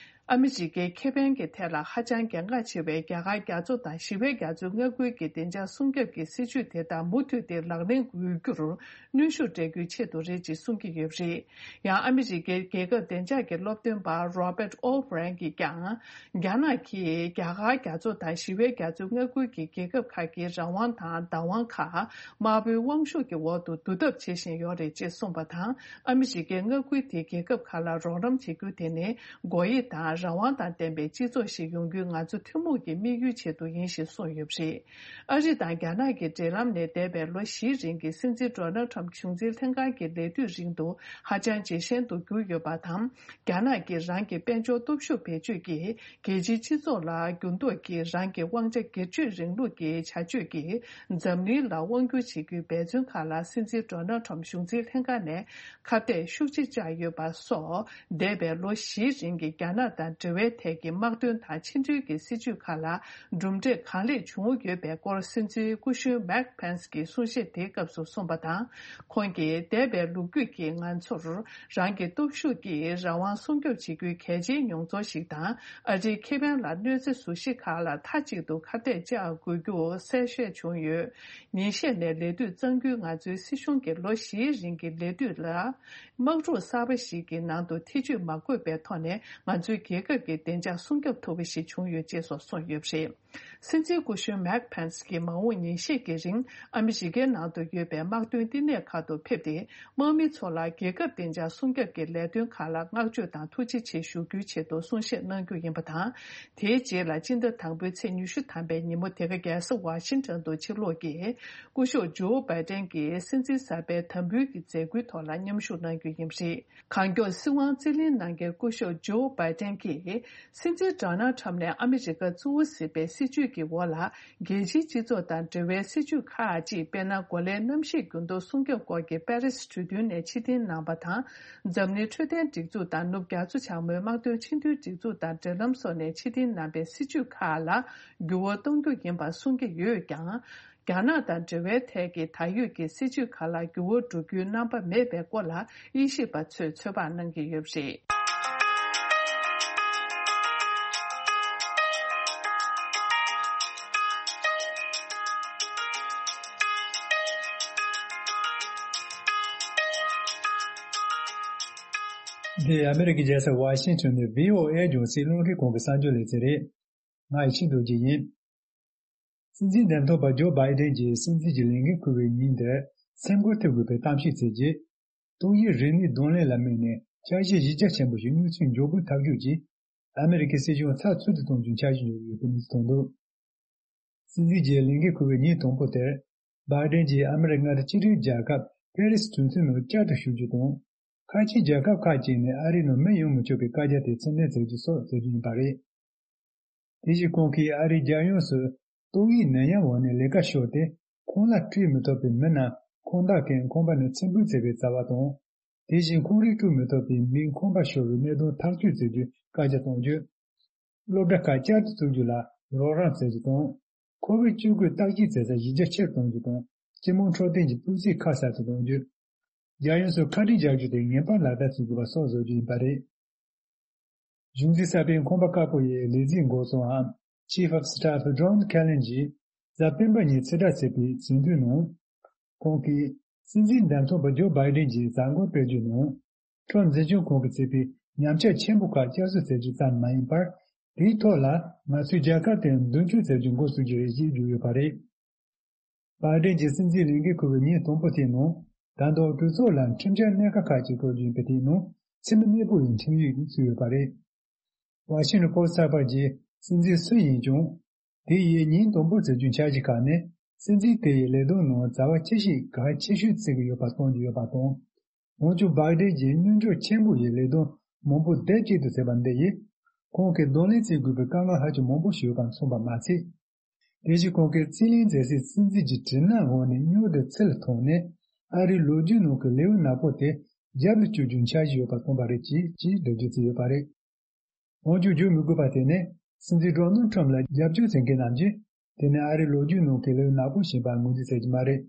ཨ་མི་རི་ཀའི་ཁེ་ཕན་གྱི་ཐད་ལ་ཧ་ཅང་གལ་འགངས་ཆེ་བའི་རྒྱ་གར་རྒྱ་མཚོ་དང་ཞི་བའི་རྒྱ་མཚོའི་མངའ་ཁུལ་གྱི་བདེ་འཇགས་སྲུང་སྐྱོབ་ཀྱི་སྲིད་ཇུས་དེ་དག་མུ་མཐུད་དེ་ལག་ལེན་འགེལ་རྒྱུར་གནོན་ཤུགས་སྤྲད་རྒྱུའི་ཆེད་དུ་རེད་ཅེས་གསུང་གི་ཡོད་པ་རེད། ཡང་ཨ་མི་རི་ཀའི་རྒྱལ་ཁབ་བདེ་འཇགས་ཀྱི་སློབ་སྟོན་པ་Robert O'Brien གྱིས་ཀྱང་། རྒྱ་ནག་གིས་རྒྱ་གར་རྒྱ་མཚོ་དང་ཞི་བའི་རྒྱ་མཚོའི་མངའ་ཁུལ་གྱི་རྒྱལ་ཁབ་ཁག་གི་རང་དབང་དང་བདག་དབང་ཁག་དམར་པོའི་དབང་ཤུགས་ཀྱི་འོག་ཏུ་བསྡུ་ཐབས་བྱེད་བཞིན་ཡོད་རེད་ཅེས་གསུངས་པ་དང་། ཨ་མི་རི་ཀས་མངའ་ཁུལ་དེའི་རྒྱལ་ཁབ་ཁག་ལ་རོགས་རམ་བྱེད་རྒྱུ་དེ་ནི་སྒོ་དབྱེ་དང་རང་དབང་དང་ལྡན་པའི་སྤྱི་ཚོགས་ཤིག་ཡོང་རྒྱུའི་ང་ཚོ་ཐུན་མོང་གི་དམིགས་ཡུལ་ཆེད་དུ་ཡིན་ཞེས་གསུངས་ཡོད་པ་རེད། ཨ་རི་དང་རྒྱ་ནག་གི་འབྲེལ་ལམ་ནི་འདས་པའི་ལོ་བཞིའི་རིང་གི་སྲིད་འཛིན་ཌོ་ནལ་ཁྲམ་གཞུང་འཛིན་ལྷན་ཁང་གི་ལས་དུས་རིང་དུ་ཧ་ཅང་ཇེ་ཞན་དུ་གྱུར་ཡོད་པ་དང་། རྒྱ་ནག་གིས་རང་གི་དཔལ་འབྱོར་སྟོབས་ཤུགས་བེད་སྤྱོད་ཀྱིས། རྒྱལ་སྤྱིའི་སྤྱི་ཚོགས་ལ་འགྱུར་ལྡོག་གིས་རང་གི་དབང་ཆ་སྒེར་གཅོད་རིང་ལུགས་ཀྱི་བྱ་སྤྱོད་ཀྱིས་འཛམ་གླིང་ལ་དབང་སྒྱུར་བྱེད་རྒྱུའི་འབད་བརྩོན་ཁག་ལ་སྲིད་འཛིན་ཌོ་ནལ་ཁྲམ་གཞུང་འཛིན་ལྷན་ཁང་ནས་ཁ་གཏད་ཤུགས་ཆེ་བཅག་ཡོད་པ་སོགས། འདས་པའི་ལོ་བཞིའི་རིང་གི་རྒྱ་ནག་དང་འབྲེལ་བའི་ཐད་ཀྱི་དམག་དོན་དང་ཕྱི་འབྲེལ་གྱི་སྲིད་ཇུས་ཁག་ལ་གྲུབ་འབྲས་གང་ལེགས་བྱུང་ཡོད་པའི་སྐོར། སྲིད་འཛིན་སྐུ་གཞོན་མེག་ཕེན་སི་གིས་གསུང་བཤད་དེའི་སྐབས་སུ་གསུངས་པ་དང་། ཁོང་གིས་འདས་པའི་ལོ་རྒྱུས་ཀྱིས་ང་ཚོར། རང་གི་སྟོབས་ཤུགས་ཀྱིས་རང་དབང་སྲུང་སྐྱོབ་བྱེད་རྒྱུའི་གལ་ཆེའི་མྱོང་ཚོར་ཞིག་དང་། ཨ་རིའི་ཁེ་ཕན་ལ་གནོད་འཚེ་བཟོ་གཞི་ཁག་ལ་མཐའ་གཅིག་ཏུ་ཁ་གཏད་བཅག་དགོས་རྒྱུ་གསལ་བཤད་བྱུང་ཡོད། ཉིན་ཤས་ནས་ལས་དུས་གཙང་རྒྱུའི་ང་ཚོའི་སྲིད་གཞུང་གི་ལོ་བཞིའི་རིང་གི་ལས་དུས་ལ། དམག་འཁྲུག་གསར་པ་ཞིག་གི་ནང་དུ་ཐེ་ཇུས་མ་དགོས་པའི་ཐོག་ནས་ང་ཚོའི་རྒྱལ་ཁབ་ཀྱི་བདེ་འཇགས་སྲུང་སྐྱོབ་ཐུབ་པ་ཞིག་བྱུང་ཡོད་ཅེས་སོགས་གསུངས་ཡོད་པ་རེད། སྲིད་འཛིན་སྐུ་གཞོན་མེག་ཕེན་སི་གིས་མ་འོངས་ཉིན་ཤས་ཀྱི་རིང་ཨ་མི་རི་ཀའི་ནང་དུ་ཡོད་པའི་དམག་དོན་བསྟི་གནས་ཁག་ཏུ་ཕེབས་ཏེ། དམག་མི་ཚོ་ལ་རྒྱལ་ཁབ་བདེ་འཇགས་སྲུང་སྐྱོབ་ཀྱི་ལས་དོན་ཁག་ལ་བསྔགས་བརྗོད་དང་ཐུགས་རྗེ་ཆེ་ཞུ་རྒྱུའི་ཆེད་དུ་གསུང་བཤད་གནང་རྒྱུ་ཡིན་པ་དང་། དེའི་རྗེས་ལ་སྤྱི་ཟླ་དང་པོའི་ཚེས་ཉི་ཤུ་ཐམ་པའི་ཉིན་མོ་དེ་ག་རྒྱལ་ས་ཝ་ཤིང་ཊོན་དུ་ཕྱིར་ལོག་གིས་སྐུ་ཞབས་ཇོ་བྷའི་ཏན་གྱི་སྲིད་འཛིན་གསར་པའི་དམ་འབུལ་གྱི་མཛད་སྒོའི་ཐོག་ལ་མཉམ་ཞུགས་གནང་རྒྱུ་ཡིན་པ་རེད། གང་མགྱོགས་སྲིད་དབང་རྩིས་ལེན་གནང་མཁན་སྐུ་ཞབས་ཇོ་བྷའི་ཏན་གྱིས། སྲིད་འཛིན་ཌོ་ནལ་ཁྲམ་ནས་ཨ་མི་རི་ཀ་གཙོ་བོ་བཟུང་བའི་སྲིད་བྱུས་ཀྱི་འོག་ལ། རྒྱལ་སྤྱིའི་སྤྱི་ཚོགས་དང་འབྲེལ་བའི་སྲིད་བྱུས་ཁག་ཅིག་དཔེར་ན། གོ་ལའི་གནམ་གཤིས་འགྱུར་ལྡོག་སྲུང་སྐྱོབ་སྐོར་གྱི་པེ་རིས་གྲོས་མཐུན་ནས་ཕྱིར་འཐེན་གནང་པ་དང་། འཛམ་གླིང་འཕྲོད་བསྟེན་སྒྲིག་འཛུགས་དང་ནུབ་རྒྱ་མཚོ་བྱང་མའི་དམག་དོན་ཆེས་མཐོའི་སྒྲིག་འཛུགས་དང་འབྲེལ་ལམ་སོགས་ནས་ཕྱིར་འཐེན་གནང་པའི་སྲིད་བྱུས་ཁག་ལ་འགྱུར་བ་གཏོང་རྒྱུ་ཡིན་པ་གསུང་གི་ཡོད་ཀྱང་། རྒྱ་ནག་དང་འབྲེལ་བའི་ཐད་ཀྱི་ད་ཡོད་ཀྱི་སྲིད་བྱུས་ཁག་ལ་འགྱུར་བ་འགྲོ་རྒྱུའི་རྣམ་པ་མེད་པའི་སྐོར་ལ་དབྱེ་ཞིབ་པ་ཚོས་ཚོད་དཔག་གནང་གི་ཡོད་པ་རེད། འདི་ཨ་མི་རི་ཀའི་རྒྱལ་ས་ཝ་ཤིང་ཊོན་ནས་བྷི་ཨོ་ཨེ་རྒྱང་སྲིང་རླུང་འཕྲིན་ཁང་གི་གསར་འགྱུར་ལེ་ཚན་རེད། ང་ཡི་ཆིག་རྡོ་རྗེ་ཡིན། སྲིད་འཛིན་འདེམས་ཐོན་པ་ཇོ་བྷའི་ཏན་གྱིས་སྲིད་འཛིན་གྱི་ལས་འགན་འཁུར་བའི་ཉིན་དེར་སེམས་འགུལ་ཐེབས་དགོས་པའི་གཏམ་བཤད་བྱས་རྗེས། ཏོག་དབྱིབས་རིམས་ནད་གདོང་ལེན་ལ་དམིགས་ནས་འཆར་གཞི་གཞི་རྒྱ་ཆེན་པོ་ཞིག་མྱུར་ཚད་མགྱོགས་པོས་ཐག་གཅོད་ཀྱིས་ཨ་མི་རི་ཀའི་སྲིད་གཞུང་ཚགས་ཚུད་དུ་གཏོང་རྒྱུའི་འཆར་གཞི་འཇོག་ཡོད་པའི་གནས་ཚུལ་ཐོན་འདུག། སྲིད་འཛིན་གྱི་ལས་འགན་འཁུར་བའི་ཉིན་དང་པོ་དེར། བྷའི་ཌེན་གྱིས་ཨ་མི་རི་ཀ་མངའ་སྡེ་གཅིག་སྒྲིལ་རྒྱལ་ཁབ་ཕེ་རི་སི་གྲོས་མཐུན་ནང་བསྐྱར་དུ་ཞུགས་རྒྱུ་དང་། ཁ་ཆེའི་རྒྱལ་ཁབ་ཁག་ཅིག་ནས་ཨ་རིའི་ནང་མི་ཡོང་མི་ཆོག་པའི་བཀའ་རྒྱ་དེ་ཕྱིར་འཐེན་བྱེད་རྒྱུ་སོགས་མཛད་རྒྱུ་ཡིན་པ་རེད། དེ་བཞིན་ཁོང་གིས་ཨ་རིའི་རྒྱལ་ཡོངས་སུ་ཏོག་དབྱིབས་ནད་ཡམས་འོག་ནས་ལས་ཀ་ཤོར་ཏེ་ཁོང་ལ་སྤྲོད་མི་ཐུབ་པའི་མི་རྣམས་ཁོང་དག་གིས་ཁང་པ་ནས་ཕྱིར་འབུད་བྱས་པའི་བྱ་བ་དང་། དེ་བཞིན་ཁོང་རང་སྤྲོད་མི་ཐུབ་པའི་མིའི་ཁང་པ་ཤོར་བའི་གནད་དོན་ཐག་གཅོད་བྱེད་རྒྱུའི་བཀའ་རྒྱ་གཏོང་རྒྱུ། སློབ་གྲྭ་ཁག་བསྐྱར་དུ་བཙུགས་རྒྱུ་ལ་རོགས་རམ་བྱེད་རྒྱུ་དང་། ཁོ་བིཌ་བཅུ་དགུ་བརྟག་དཔྱད་བྱེད་ས་གཞི་རྒྱ་ཆེར་གཏོང་རྒྱུ་དང་། སྤྱི་དམངས་འཕྲོད་བསྟེན་གྱི་སྤུས་ཚད་ཁ་གསལ་དུ་གཏོང་རྒྱུ། རྒྱལ་ཡོངས་སུ་ཁ་དཀྲིས་རྒྱག་རྒྱུ་དེ་ངེས་པར་ལག་བསྟར་བྱེད་དགོས་པ་སོགས་བཟོ་རྒྱུ་ཡིན་པ་རེད། གཞུང་འཛིན་གསར་པའི་ཁང་པ་དཀར་པོ་ཡི་ལས་འཛིན་འགོ་གཙོའམ་Chief of Staff John Kelly གྱིས་གཟའ་སྤེན་པ་ཉིན་ཕྱིར་བསྒྲགས་བྱས་པའི་ཟིན་ཐོའི་ནང་། ཁོང་གིས་སྲིད་འཛིན་འདེམས་ཐོན་པ་ཇོ་བྷའི་ཌེན་གྱི་གཟའ་འཁོར་སྤེལ་རྒྱུའི་ནང་། ཁྲོམ་འཛིན་སྐྱོང་ཁང་གིས་བྱས་པའི་ཉམས་ཆག་ཆེན་པོ་ཁག་བསྐྱར་གསོ་བྱེད་རྒྱུ་ཙམ་མ་ཡིན་པར། དེའི་ཐོག་ལ་ང་ཚོའི་རྒྱལ་ཁབ་དེར་མདུན་སྐྱོད་བྱེད་རྒྱུ་འགོ་བཙུགས་རྒྱུ་རེད་ཅེས་བརྗོད་ཡོད་པ་རེད། བྷའི་ཌེན་གྱིས་སྲིད་འཛིན་ལས་འགན་འཁུར་བའི་ཉིན་དང་པོ་དེའི་ནང་། ད་དུང་གྲོས་ཚོགས་ལ་ཁྲིམས་འཆར་སྣ་ཁ་ཁག་ཅིག་འཁོད་རྒྱུ་ཡིན་པ་དེའི་ནང་ཕྱི་མི་གནས་སྤོ་ཡི་ཁྲིམས་ཡིག་བཙུགས་ཡོད་པ་རེད། ཝ་ཤིང་ཊོན་པོ་སི་ཊི་ཚགས་པར་གྱིས་སྲིད་འཛིན་སུ་ཡིན་ཀྱང་། དེ་ཡི་ཉིན་དང་པོ་བྱེད་རྒྱུའི་འཆར་གཞི་ཁག་ནི། སྲིད་འཛིན་དེ་ཡི་ལས་དོན་ནང་བྱ་བ་ཆེ་ཤོས་གལ་ཆེ་ཤོས་བརྩི་གི་ཡོད་པ་སྟོན་གྱི་ཡོད་པ་དང་། འོན་ཀྱང་། བྷའི་ཌེན་གྱིས་སྙན་སྒྲོན་ཆེན་པོ་ཡི་ལས་དོན་མང་པོ་སྡེབ་གཅིག་ཏུ་བྱས་པ་འདི་ཡིས། ཁོང་གིས་གདོང་ལེན་བྱེད་དགོས་པའི་དཀའ་ངལ་ཧ་ཅང་མང་པོ་ཞིག་ཡོད་པ་མཚོན་པ་མ་ཟད། དེ་བཞིན་ཁོང་གིས་རྩིས་ལེན་མཛད་སའི་སྲིད་འཛིན་གྱི་དྲི་སྣང་འོག་ནས་མྱུར་དུ་ཚུར་ཐོན་ནས། ཨ་རིའི་ལོ་རྒྱུས་ནང་གི་ལེའུ་ནག་པོ་དེ་རྒྱབ་ལ་བསྐྱུར་རྒྱུའི་འཆར་གཞི་ཡོད་པ་སྟོན་པ་རེད་ཅེས་ཅེས་འགྲེལ་བརྗོད་བྱས་ཡོད་པ་རེད། འོན་ཀྱང་། བརྗོད་མི་དགོས་པ་དེ་ནི། སྲིད་འཛིན་ཌོ་ནལ་ཁྲམ་ལ་རྒྱབ་སྐྱོར་བྱེད་མཁན་རྣམས་ཀྱིས། དེ་ནི་ཨ་རིའི་ལོ་རྒྱུས་ནང་གི་ལེའུ་ནག་པོ་ཞིག་ཡིན་པར་ངོས་འཛིན་བྱེད་ཀྱི་མ་རེད།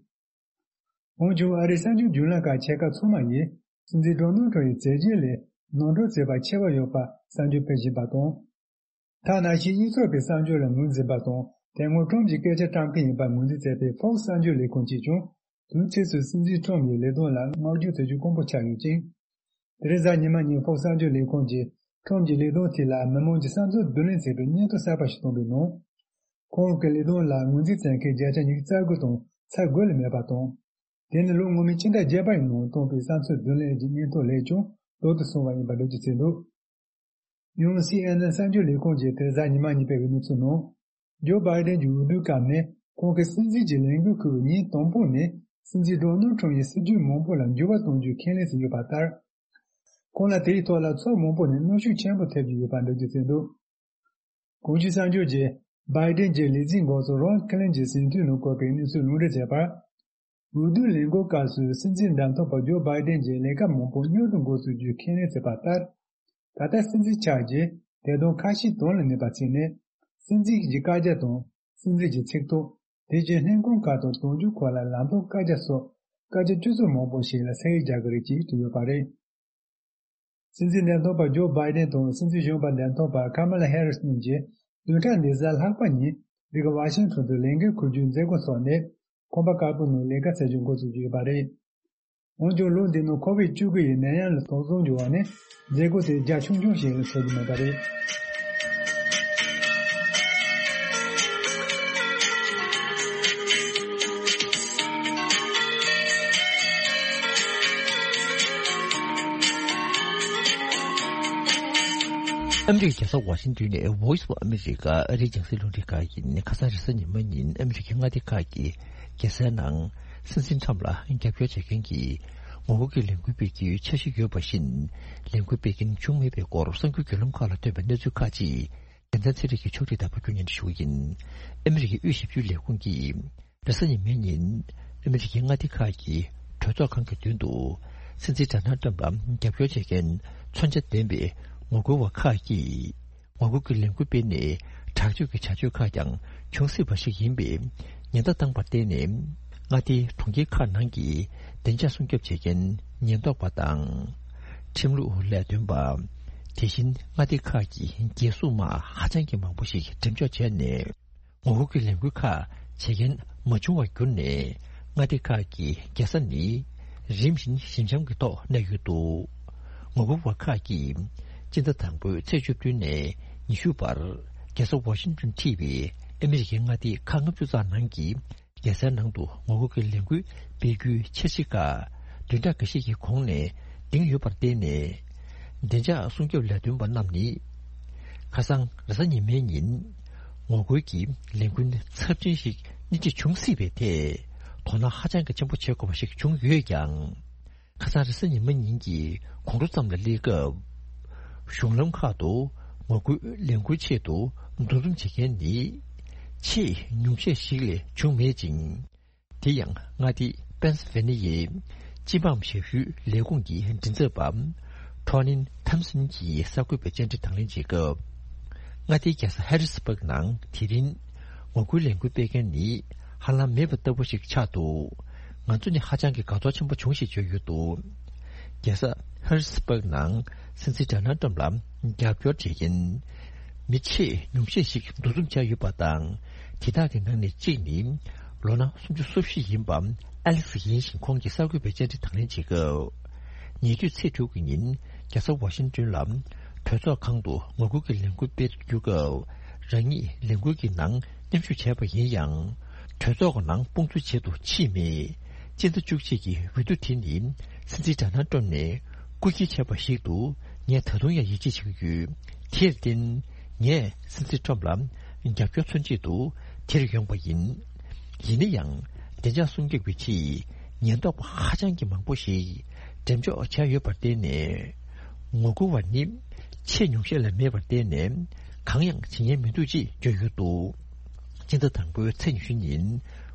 འོན་ཀྱང་། ཨ་རིའི་གསར་འགྱུར་བརྒྱུད་ལམ་ཁག་ཆེ་ཁག་ཚང་མ་ཡིས། སྲིད་འཛིན་ཌོ་ནལ་ཁྲམ་ཡི་མཛད་རྗེས་ལས་ནོར་འཁྲུལ་བྱས་པ་ཆེ་བ་ཡོད་པ་གསར་འགྱུར་སྤེལ་བཞིན་པ་དང་། ཐ་ན་ཆེས་གཡུག་ཚོགས་ཀྱི་གསར་འགྱུར་ལ་ངོས་འཛིན་པ་དང་། དེ་སྔོན་ཁྲོམ་གྱི་སྐད་ཆ་བཀྲམ་མཁན་ཡིན་པར་ངོས་འཛིན་བྱས་པའི་ཧྥོག་སི་གསར་འགྱུར་ལས་ཁང་གིས་ཀྱང་། དུས་ཚིགས་སུ་སྲིད་འཛིན་ཁྲོམ་གྱི་ལས་དོན་ལ་བསྔགས་བརྗོད་བྱེད་རྒྱུ་དཀོན་པོ་ཆགས་ཡོད་ཅིང་། དེ་རིང་གཟའ་ཉི་མ་ཉིན་ཧྥོག་སི་གསར་འགྱུར་ལས་ཁང་གིས་ཁྲོམ་གྱི་ལས་དོན་ཐད་ལ་མི་མང་གྱི་བསམ་ཚུལ་བསྡུ་ལེན་བྱས་པའི་སྙན་ཐོ་གསར་པ་ཞིག་བཏོན་པའི་ནང་། ཁོང་གི་ལས་དོན་ལ་ངོས་འཛིན་བྱེད་མཁན་བརྒྱ་ཆ་ཉི་ཤུ་རྩ་དགུ་དང་ཚད་དགུ་ལས་མེད་པ་དང་། དེ་ནི་ལོ་སྔོན་མའི་ཕྱི་ཟླ་བརྒྱད་པ་ཡི་ནང་བཏོན་པའི་བསམ་ཚུལ་བསྡུ་ལེན་གྱི་སྙན་ཐོ་ལས་ཀྱང་ལྡོག་ཏུ་སོང་བ་ཡིན་པ་འགྲེལ་བརྗོད་བྱས་འདུག། ཡང་སི་ཨེན་ཨེན་གསར་འགྱུར་ལས་ཁང་གིས་དེ་རིང་གཟའ་ཉི་མ་ཉིན་སྤེལ་བའི་གནས་ཚུལ་ནང་། ཇོ་བྷའི་ཌེན་གྱི་འོས་བསྡུའི་སྐབས་ནས་ཁོང་གིས་སྲིད་འཛིན་གྱི་ལས་འགན་འཁུར་བའི་ཉིན་དང་པོ་ནས་སྲིད་འཛིན་ཌོ་ནལ་ཁྲམ་ཡི་སྲིད་ཇུས་མང་པོ་ལ་འགྱུར་བ་གཏོང་རྒྱུའི་ཁས་ལེན་བྱས་ཡོད་པ་ལྟར། ཁོང་ལ་དེའི་ཐོག་ལ་ཕྱོགས་མང་པོ་ནས་གནོན་ཤུགས་ཆེན་པོ་ཐེབས་ཀྱི་ཡོད་པ་འགྲེལ་བརྗོད་བྱས་འདུག། གོང་ཞུས་གསར་འགྱུར་གྱིས་བྷའི་ཌེན་གྱི་ལས་འཛིན་འགོ་གཙོ་རོན་ཁི་ལིན་གྱི་ཟིན་ཐོའི་ནང་བཀོད་པའི་གནས་ཚུལ་ལུང་འདྲེན་བྱས་པར། འོས་བསྡུའི་ལས་འགུལ་སྐབས་སུ་སྲིད་འཛིན་འདེམས་ཐོན་པ་ཇོ་བྷའི་ཌེན་གྱིས་ལས་ཀ་མང་པོ་མྱུར་དུ་འགོ་བཙུགས་རྒྱུའི་ཁས་ལེན་བྱས་པ་ལྟར། ད་ལྟ་སྲིད་འཛིན་ཆགས་རྗེས་དེ་དང་ཁ་ཤས་དོན་ལ་གནས་པ་བྱས་ནས། སྲིད་འཛིན་གྱི་བཀའ་རྒྱ་དང་སྲིད་འཛིན་གྱི་ཚིག་ཐོ། དེ་བཞིན་ལྷན་ཁང་ཁག་དང་དོན་གཅོད་ཁོ་ལ་ལམ་སྟོན་བཀའ་རྒྱ་སོགས་བཀའ་རྒྱ་སྤྱི་ཚོགས་མང་པོ་ཞིག་ལ་ཟས་རྒྱག་གི་རེད་ཅེས་བྲིས་ཡོད་པ་རེད། སྲིད་འཛིན་འདེམས་ཐོན་པ་ཇོ་བྷའི་ཌེན་དང་སྲིད་འཛིན་གཞོན་པ་འདེམས་ཐོན་པ་ཁ་མ་ལ་ཧེ་རིས་གཉིས་ཀྱིས་བདུན་ཕྲག་འདིའི་གཟའ་ལྷག་པ་ཉིན་འདི་ག་ཝ་ཤིང་ཊོན་དུ་ལས་འགན་འཁུར་རྒྱུའི་མཛད་སྒོ་འཚོགས་ནས། ཁང་པ་དཀར་པོའི་ནང་ལས་ཀ་བྱ་རྒྱུ་འགོ་བཙུགས་ཀྱི་ཡོད་པ་རེད། འོན་ཀྱང་ལོ་འདིའི་ནང་ཁོ་བིད་བཅུ་དགུ་ཡི་ནད་ཡམས་ལ་དོགས་ཟོན་གྱི་འོག་ནས་མཛད་སྒོ་དེ་རྒྱ་ཆུང་ཆུང་ཞིག་ལས་འཚོགས་ཀྱི་མེད་པ་རེད། ཨ་མི་རི་ཀའི་རྒྱལ་ས་ཝ་ཤིང་ཏོན་ནས་Voice of America ཨ་རིའི་རྒྱང་སྲིང་རླུང་འཕྲིན་ཁང་ཡིན། ཁ་སང་རེས་གཟའ་ཉི་མ་ཉིན་ཨ་མི་རི་ཀའི་མངའ་སྡེ་ཁག་གི་རྒྱལ་སའི་ནང་སྲིད་འཛིན་ཁྲམ་ལ་རྒྱབ་སྐྱོར་བྱེད་མཁན་གྱི་ངོ་རྒོལ་གྱི་ལས་འགུལ་སྤེལ་རྒྱུའི་འཆར་གཞི་ཡོད་པ་བཞིན། ལས་འགུལ་སྤེལ་མཁན་བྱུང་མེད་པའི་སྐོར་གསར་འགྱུར་བརྒྱུད་ལམ་ཁག་ལ་ཐོན་པའི་གནས་ཚུལ་ཁག་ཅིག་རྒྱལ་མཚན་ཚེ་རིང་གིས་ཕྱོགས་སྒྲིག་དང་ཕབ་སྒྱུར་སྙན་སྒྲོན་ཞུ་གི་ཡིན། ཨ་མི་རི་ཀའི་དབུས་ཞིབ་འཇུག་ལས་ཁུངས་ཀྱིས། རེས་གཟའ་ཉི་མའི་ཉིན། ཨ་མི་རི་ཀའི་མངའ་སྡེ་ཁག་གི་གྲོས་ཚོགས་ཁང་གི་མདུན་དུ། སྲིད་འཛིན་ཌོ་ནལ་ཊམ་ལ་རྒྱབ་སྐྱོར་བྱེད་མཁན་མཚོན་ཆ་ལྡན་པའི་ངོ་རྒོལ་བ་ཁག་གིས། ངོ་རྒོལ་གྱི་ལས་འགུལ་སྤེལ་ནས་དྲག་སྤྱོད་ཀྱི་བྱ་སྤྱོད་ཁག་ཀྱང་འབྱུང་སྲིད་པ་ཞིག་ཡིན་པའི་ཉེན་བརྡ་བཏང་བར་བརྟེན་ནས། མངའ་སྡེའི་གྲོང་ཁྱེར་ཁག་ནང་གི་བདེ་འཇགས་སྲུང་སྐྱོབ་བྱེད་མཁན་ཉེན་རྟོག་པ་དང་། ཁྲིམས་ལུགས་ལས་དོན་པ། དེ་བཞིན་མངའ་སྡེ་ཁག་གི་རྒྱལ་སྲུང་དམག་ཧ་ཅང་གི་མང་པོ་ཞིག་འགྲེམས་འཇོག་བྱས་ནས། ངོ་རྒོལ་གྱི་ལས་འགུལ་ཁག་བྱེད་མཁན་མ་བྱུང་བར་གྱུར་ནས། མངའ་སྡེ་ཁག་གི་རྒྱལ་ས་ནི་རིམ་བཞིན་ཞི་འཇམ་གྱི་ཐོག་གནས་ཡོད་འདུག། ངོ་རྒོལ་བ་ཁག་གིས་སྤྱི་ཟླ་དང་པོའི་ཚེས་བཅུ་བདུན་ནས་ཉི་ཤུ་བར་རྒྱལ་ས་ཝ་ཤིང་ཏོན་འཁྲིས་པའི་ཨ་མི་རི་ཀའི་མངའ་སྡེ་ཁག་ལྔ་བཅུ་ཙམ་ནང་གི་རྒྱལ་སའི་ནང་དུ་ངོ་རྒོལ་གྱི་ལས་འགུལ་སྤེལ་རྒྱུའི་འཆར་གཞི་ཁག་བདུན་ཕྲག་འགའ་ཤས་ཀྱི་གོང་ནས་འདིང་ཡོད་པར་བརྟེན་ནས། བདེ་འཇགས་སྲུང་སྐྱོབ་ལས་དོན་པ་རྣམས་ནི། ཁ་སང་རེས་གཟའ་ཉི་མའི་ཉིན། ངོ་རྒོལ་གྱི་ལས་འགུལ་ཚབས་ཆེན་ཞིག་སྣེ་ཁྲིད་འབྱུང་སྲིད་པའི་ཐད། དོ་སྣང་ཧ་ཅང་གི་ཆེན་པོ་བྱེད་དགོས་པ་ཞིག་བྱུང་ཡོད་ཀྱང་། ཁ་སང་རེས་གཟའ་ཉི་མ་ཉིན་གྱི་དགོང་དྲོ་ཙམ་ལ་སླེབས་སྐབས། གཞུང་ལམ་ཁག་ཏུ་ངོ་རྒོལ་ལས་འགུལ་ཆེད་དུ་འདུ་འཛོམས་བྱེད་མཁན་ནི་ཆེས་ཉུང་ཤས་ཤིག་ལས་བྱུང་མེད་ཅིང་། དེ་ཡང་མངའ་སྡེ་པེན་སི་ཝེ་ནི་ཡའི་སྤྱི་འབངས་ཞབས་ཞུའི་ལས་ཁུངས་ཀྱི་མགྲིན་ཚབ་པ་ཁྲོ་ནིན་ཐམ་སན་གྱིས་གསར་འགོད་པའི་བཅར་འདྲི་དང་ལེན་བྱེད་སྐབས། མངའ་སྡེའི་རྒྱལ་ས་ཧེ་རི་སི་པག་ནང་དེ་རིང་ངོ་རྒོལ་ལས་འགུལ་སྤེལ་མཁན་ནི་ཧ་ལམ་མེད་པ་ལྟ་བུ་ཞིག་ཆགས་འདུག་ང་ཚོ་ནི་ཧ་ཅང་གི་དགའ་ཚོར་ཆེན་པོ་བྱུང་ཞེས་བརྗོད་ཡོད་འདུག་རྒྱལ་ས་ཧེ་རི་སི་པག་ནང་སྲིད་འཛིན་ཌོ་ནལ་ཊམ་ལ་རྒྱབ་སྐྱོར་བྱེད་མཁན་མི་ཆེས་ཉུང་ཤས་ཤིག་འདུ་འཛོམས་བྱས་ཡོད་པ་དང་། དེ་དག་གི་ནང་ནས་གཅིག་ནི་ལོ་ན་སུམ་ཅུ་སོ་བཞི་ཡིན་པ་ཨ་ལེག་སི་ཡིན་ཞིང་། ཁོང་གིས་གསར་འགོད་པའི་བཅར་འདྲི་དང་ལེན་བྱེད་སྐབས། ཉེ་དུས་ཚེས་དྲུག་གི་ཉིན་རྒྱལ་ས་ཝ་ཤིང་ཏོན་ལ་གྲོས་ཚོགས་ཁང་དུ་ངོ་རྒོལ་གྱི་ལས་འགུལ་སྤེལ་དུ་བསྒྱུར་སྐབས། རང་ཉིད་ལས་འགུལ་གྱི་ནང་མཉམ་ཞུགས་བྱས་པ་ཡིན་ཡང་། གྲོས་ཚོགས་ཀྱི་ནང་དཔུང་འཛུལ་བྱེད་དུ་ཕྱིན་མེད། སྤྱི་ཟླ་བཅུ་གཅིག་གི་འོས་བསྡུ་དེ་ནི་སྲིད་འཛིན་ཌོ་ནལ་ཊམ་ནས་རྐུ་འཁྱེར་བྱས་པ་ཞིག་ཏུ་ངས་ད་དུང་ཡང་ཡིད་ཆེས་བྱེད་ཀྱི་ཡོད། དེར་བརྟེན། ངས་སྲིད་འཛིན་ཊམ་ལ་རྒྱབ་སྐྱོར་མཚོན་ཆེད་དུ་དེར་ཡོང་པ་ཡིན། ཡིན་ན་ཡང་། བདེ་འཇགས་སྲུང་སྐྱོབ་ཀྱི་ཆེད་ཉེན་རྟོག་པ་ཧ་ཅང་གི་མང་པོ་ཞིག་འགྲེམས་འཇོག་བྱས་ཡོད་པར་བརྟེན་ནས། ངོ་རྒོལ་བ་ནི་ཆེས་ཉུང་ཤས་ལས་མེད་པར་བརྟེན་ནས། གང་ཡང་བྱེད་ཉན་མི་འདུག་ཅེས་བརྗོད་ཡོད་འདུག་སྤྱི་ཟླ་དང་པོའི་ཚེས་ཉི་ཤུ་ཉིན།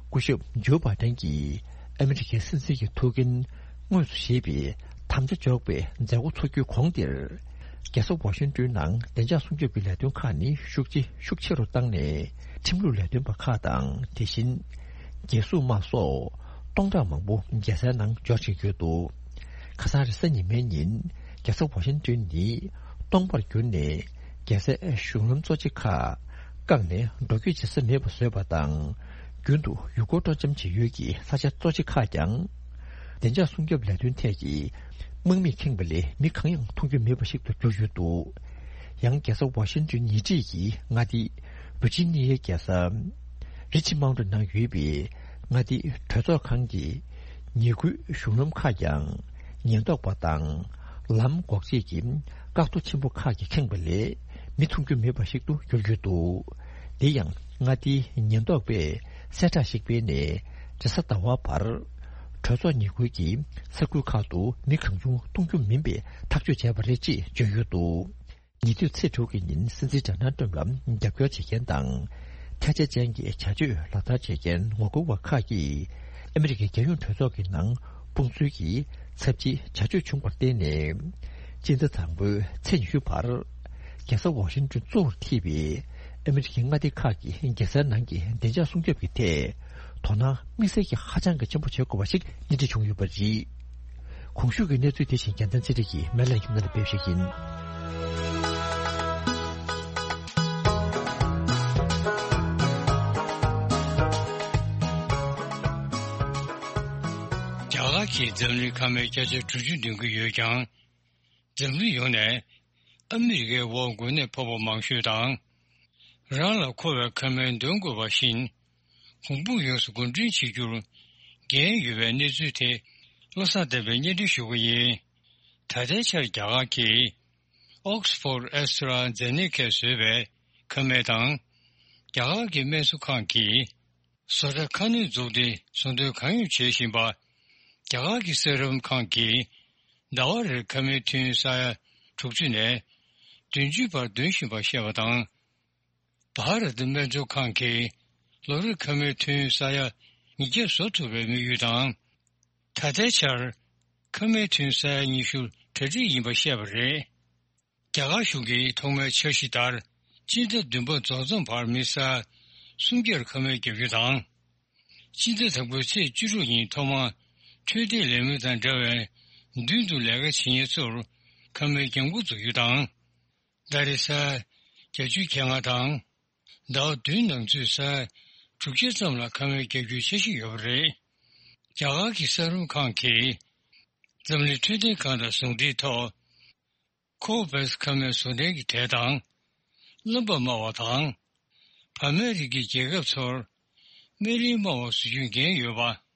སྐུ་ཞབས་ཇོ་བྷའི་ཌེན་གྱིས་ཨ་མི་རི་ཀའི་སྲིད་འཛིན་གྱི་ཐུགས་འགན་དངོས་སུ་བཞེས་པའི་དམ་བཅའ་འཇོག་པའི་མཛད་སྒོ་འཚོགས་རྒྱུའི་གོང་དེར། རྒྱལ་ས་ཝ་ཤིང་ཏོན་ནང་བདེ་འཇགས་སྲུང་སྐྱོབ་ཀྱི་ལས་དོན་ཁག་ནི་ཤུགས་ཆེ་ཤུགས་ཆེ་རུ་བཏང་ནས། ཁྲིམས་ལུགས་ལས་དོན་པ་ཁག་དང་། དེ་བཞིན་རྒྱལ་སྲུང་དམག་སོགས་སྟོང་ཕྲག་མང་པོ་རྒྱལ་སའི་ནང་འབྱོར་བཞིན་ཡོད་འདུག་ཁ་སང་རེས་གཟའ་ཉི་མའི་ཉིན་རྒྱལ་ས་ཝ་ཤིང་ཏོན་ནི་སྟོང་པར་གྱུར་ནས། རྒྱལ་སའི་གཞུང་ལམ་གཙོ་ཆེ་ཁག་བཀག་ནས་འགྲོ་སྐྱོད་བྱེད་ས་མེད་པ་བཟོས་པ་དང་། རྒྱུན་དུ་ཡུལ་སྐོར་སྤྲོ་འཆམ་བྱེད་ཡུལ་གྱི་ས་ཆ་གཙོ་ཆེ་ཁག་ཀྱང་། བདེ་འཇགས་སྲུང་སྐྱོབ་ལས་དོན་ཐད་ཀྱི་དམག་མིས་ཁེངས་པ་ལས་མི་གང་ཡང་མཐོང་རྒྱུ་མེད་པ་ཞིག་ཏུ་གྱུར་ཡོད་འདུག་ཡང་རྒྱལ་ས་ཝ་ཤིང་ཏོན་ཉེ་འཁྲིས་ཀྱི་མངའ་སྡེ་ཝི་ཇི་ནི་ཡའི་རྒྱལ་ས་རི་ཆི་མའུན་ཊི་ནང་ཡོད་པའི་མངའ་སྡེའི་གྲོས་ཚོགས་ཁང་གི་ཉེ་ཁུལ་གཞུང་ལམ་ཁག་ཀྱང་ཉེན་རྟོག་པ་དང་ལམ་འགོག་བྱེད་ཀྱི་བཀག་རྡོ་ཆེན་པོ་ཁག་གིས་ཁེངས་པ་ལས་མི་མཐོང་རྒྱུ་མེད་པ་ཞིག་ཏུ་གྱུར་ཡོད་འདུག་དེ་ཡང་མངའ་སྡེའི་ཉེན་རྟོག་པས་གསལ་བསྒྲགས་ཤིག་སྤེལ་ནས། རེས་གཟའ་ཟླ་བ་བར་གྲོས་ཚོགས་ཉེ་ཁུལ་གྱི་ས་ཁུལ་ཁག་ཏུ་མི་གང་བྱུང་མཐོང་རྒྱུ་མིན་པའི་ཐག་གཅོད་བྱས་པ་རེད་ཅེས་བརྗོད་ཡོད་འདུག་ཉེ་དུས་ཚེས་དྲུག་གི་ཉིན་སྲིད་འཛིན་ཌོ་ནལ་ཏྲམ་ལ་རྒྱབ་སྐྱོར་བྱེད་མཁན་དང་། ཐལ་ཆ་ཅན་གྱི་བྱ་སྤྱོད་ལག་བསྟར་བྱེད་མཁན་ངོ་རྒོལ་བ་ཁག་གིས་ཨ་མི་རི་ཀའི་རྒྱལ་ཡོངས་གྲོས་ཚོགས་ཀྱི་ནང་དཔུང་འཛུལ་གྱིས་ཚབས་ཆེའི་བྱ་སྤྱོད་བྱུང་བར་བརྟེན་ནས། སྤྱི་ཟླ་དང་པོའི་ཚེས་ཉི་ཤུ་བར། རྒྱལ་ས་ཝ་ཤིང་ཏོན་གཙོ་བོར་ཐེ་བའི་ཨ་མི་རི་ཀའི་མངའ་སྡེ་ཁག་གི་རྒྱལ་སའི་ནང་གི་བདེ་འཇགས་སྲུང་སྐྱོབ་ཀྱི་ཐད་དོ་སྣང་དམིགས་བསལ་གྱི་ཧ་ཅང་གི་ཆེན་པོ་བྱེད་དགོས་པ་ཞིག་སྣེ་ཁྲིད་བྱུང་ཡོད་པ་རེད། གོང་ཞུས་ཀྱི་གནས་ཚུལ་དེ་བཞིན་རྒྱལ་མཚན་ཚེ་རིང་གིས་སྨན་བླ་ཡིན་ལ་སྤེལ་ཞིག་ཡིན། རྒྱ་གར་གྱིས་འཛམ་གླིང་ཁ་མའི་བརྒྱ་ཆ་དྲུག་ཅུ་འདོན་གྱི་ཡོད་ཀྱང་། འཛམ་གླིང་ཡོངས་ནས་ཨ་མི་རི་ཀའི་འོག་འགོས་ནད་ཕོག་པ་མང་ཤོས་དང་། རང་ལ་མཁོ་བའི་ཁ་སྨན་འདོན་དགོས་པ་བཞིན། གོང་བུ་ཡོངས་སུ་འགོ་འདྲེན་བྱེད་རྒྱུར་འགན་ཡོད་པའི་གནས་ཚུལ་དེ་བློ་བཟང་བསྟན་པས་སྙན་སྒྲོན་ཞུ་གི་ཡིན། ད་ལྟའི་ཆར་རྒྱ་གར་གྱིས་Oxford AstraZeneca་བཟོས་པའི་ཁ་སྨན་དང་། རྒྱ་གར་གྱི་སྨན་གསོ་ཁང་གིས་བཟོ་གྲྭ་ཁ་སྣོན་བཙུགས་ཏེ་བཟོ་འདོན་གང་ཡོང་བྱེད་བཞིན་པ། རྒྱ་གར་གྱི་སེ་རམ་ཁང་གིས་ཟླ་བ་རེར་ཁ་སྨན་ཐུན་ས་ཡ་དྲུག་ཅུ་ནས་བདུན་ཅུའི་བར་འདོན་བཞིན་པ་བཤད་པ་དང་། བྷ་ར་ཏི་སྨན་གཙོ་ཁང་གིས་ལོ་རེར་ཁ་སྨན་ཐུན་ས་ཡ་ཉིས་བརྒྱ་བཟོ་ཐུབ་པའི་དམིགས་ཡུལ་དང་། ད་ལྟའི་ཆར་ཁ་སྨན་ཐུན་ས་ཡ་ཉི་ཤུ་གྲ་སྒྲིག་ཡིན་པ་བཤད་པ་རེད། རྒྱ་གར་གཞུང་གིས་ཐོག་མའི་འཆར་གཞི་ལྟར། སྤྱི་ཟླ་བདུན་པ་རྫོགས་མཚམས་བར་མི་ས་ཡ་སུམ་བརྒྱར་ཁ་སྨན་བརྒྱབ་རྒྱུ་དང་། སྤྱི་ཟླ་དང་པོའི་ཚེས་བཅུ་དྲུག་ཉིན་ཐོག་མར་འཕྲོད་བསྟེན་ལས་མི་དང་འདྲ་བའི་མདུན་དུ་ལས་ཀ་བྱེད་མཁན་ཚོར་ཁ་སྨན་བརྒྱབ་འགོ་འཛུགས་རྒྱུ་དང་། ཟླ་རེར་ས་ཡ་བརྒྱད་ཅུ་གྱ་ལྔ་དང་། ཟླ་བ་བདུན་ནང་ཚུད་ས་ཡ་དྲུག་ཅུ་ཙམ་ལ་ཁ་སྨན་བརྒྱབ་རྒྱུའི་འཆར་གཞི་ཡོད་པ་རེད། རྒྱ་གར་གྱི་ས་རུམ་ཁང་གིས་འཛམ་གླིང་འཕྲོད་བསྟེན་ཁང་དང་ཟུང་འབྲེལ་ཐོག་ཁོ་ཝེག་སི་ཁ་སྨན་བཟོ་གྲྭའི་གྲས་དང་། རློན་པ་དམའ་བ་དང་། བར་མའི་རིགས་ཀྱི་རྒྱལ་ཁབ་ཚོར་སྨན་རིན་དམའ་བ་བཟོ་རྒྱུའི་འགན་ཡོད་པ།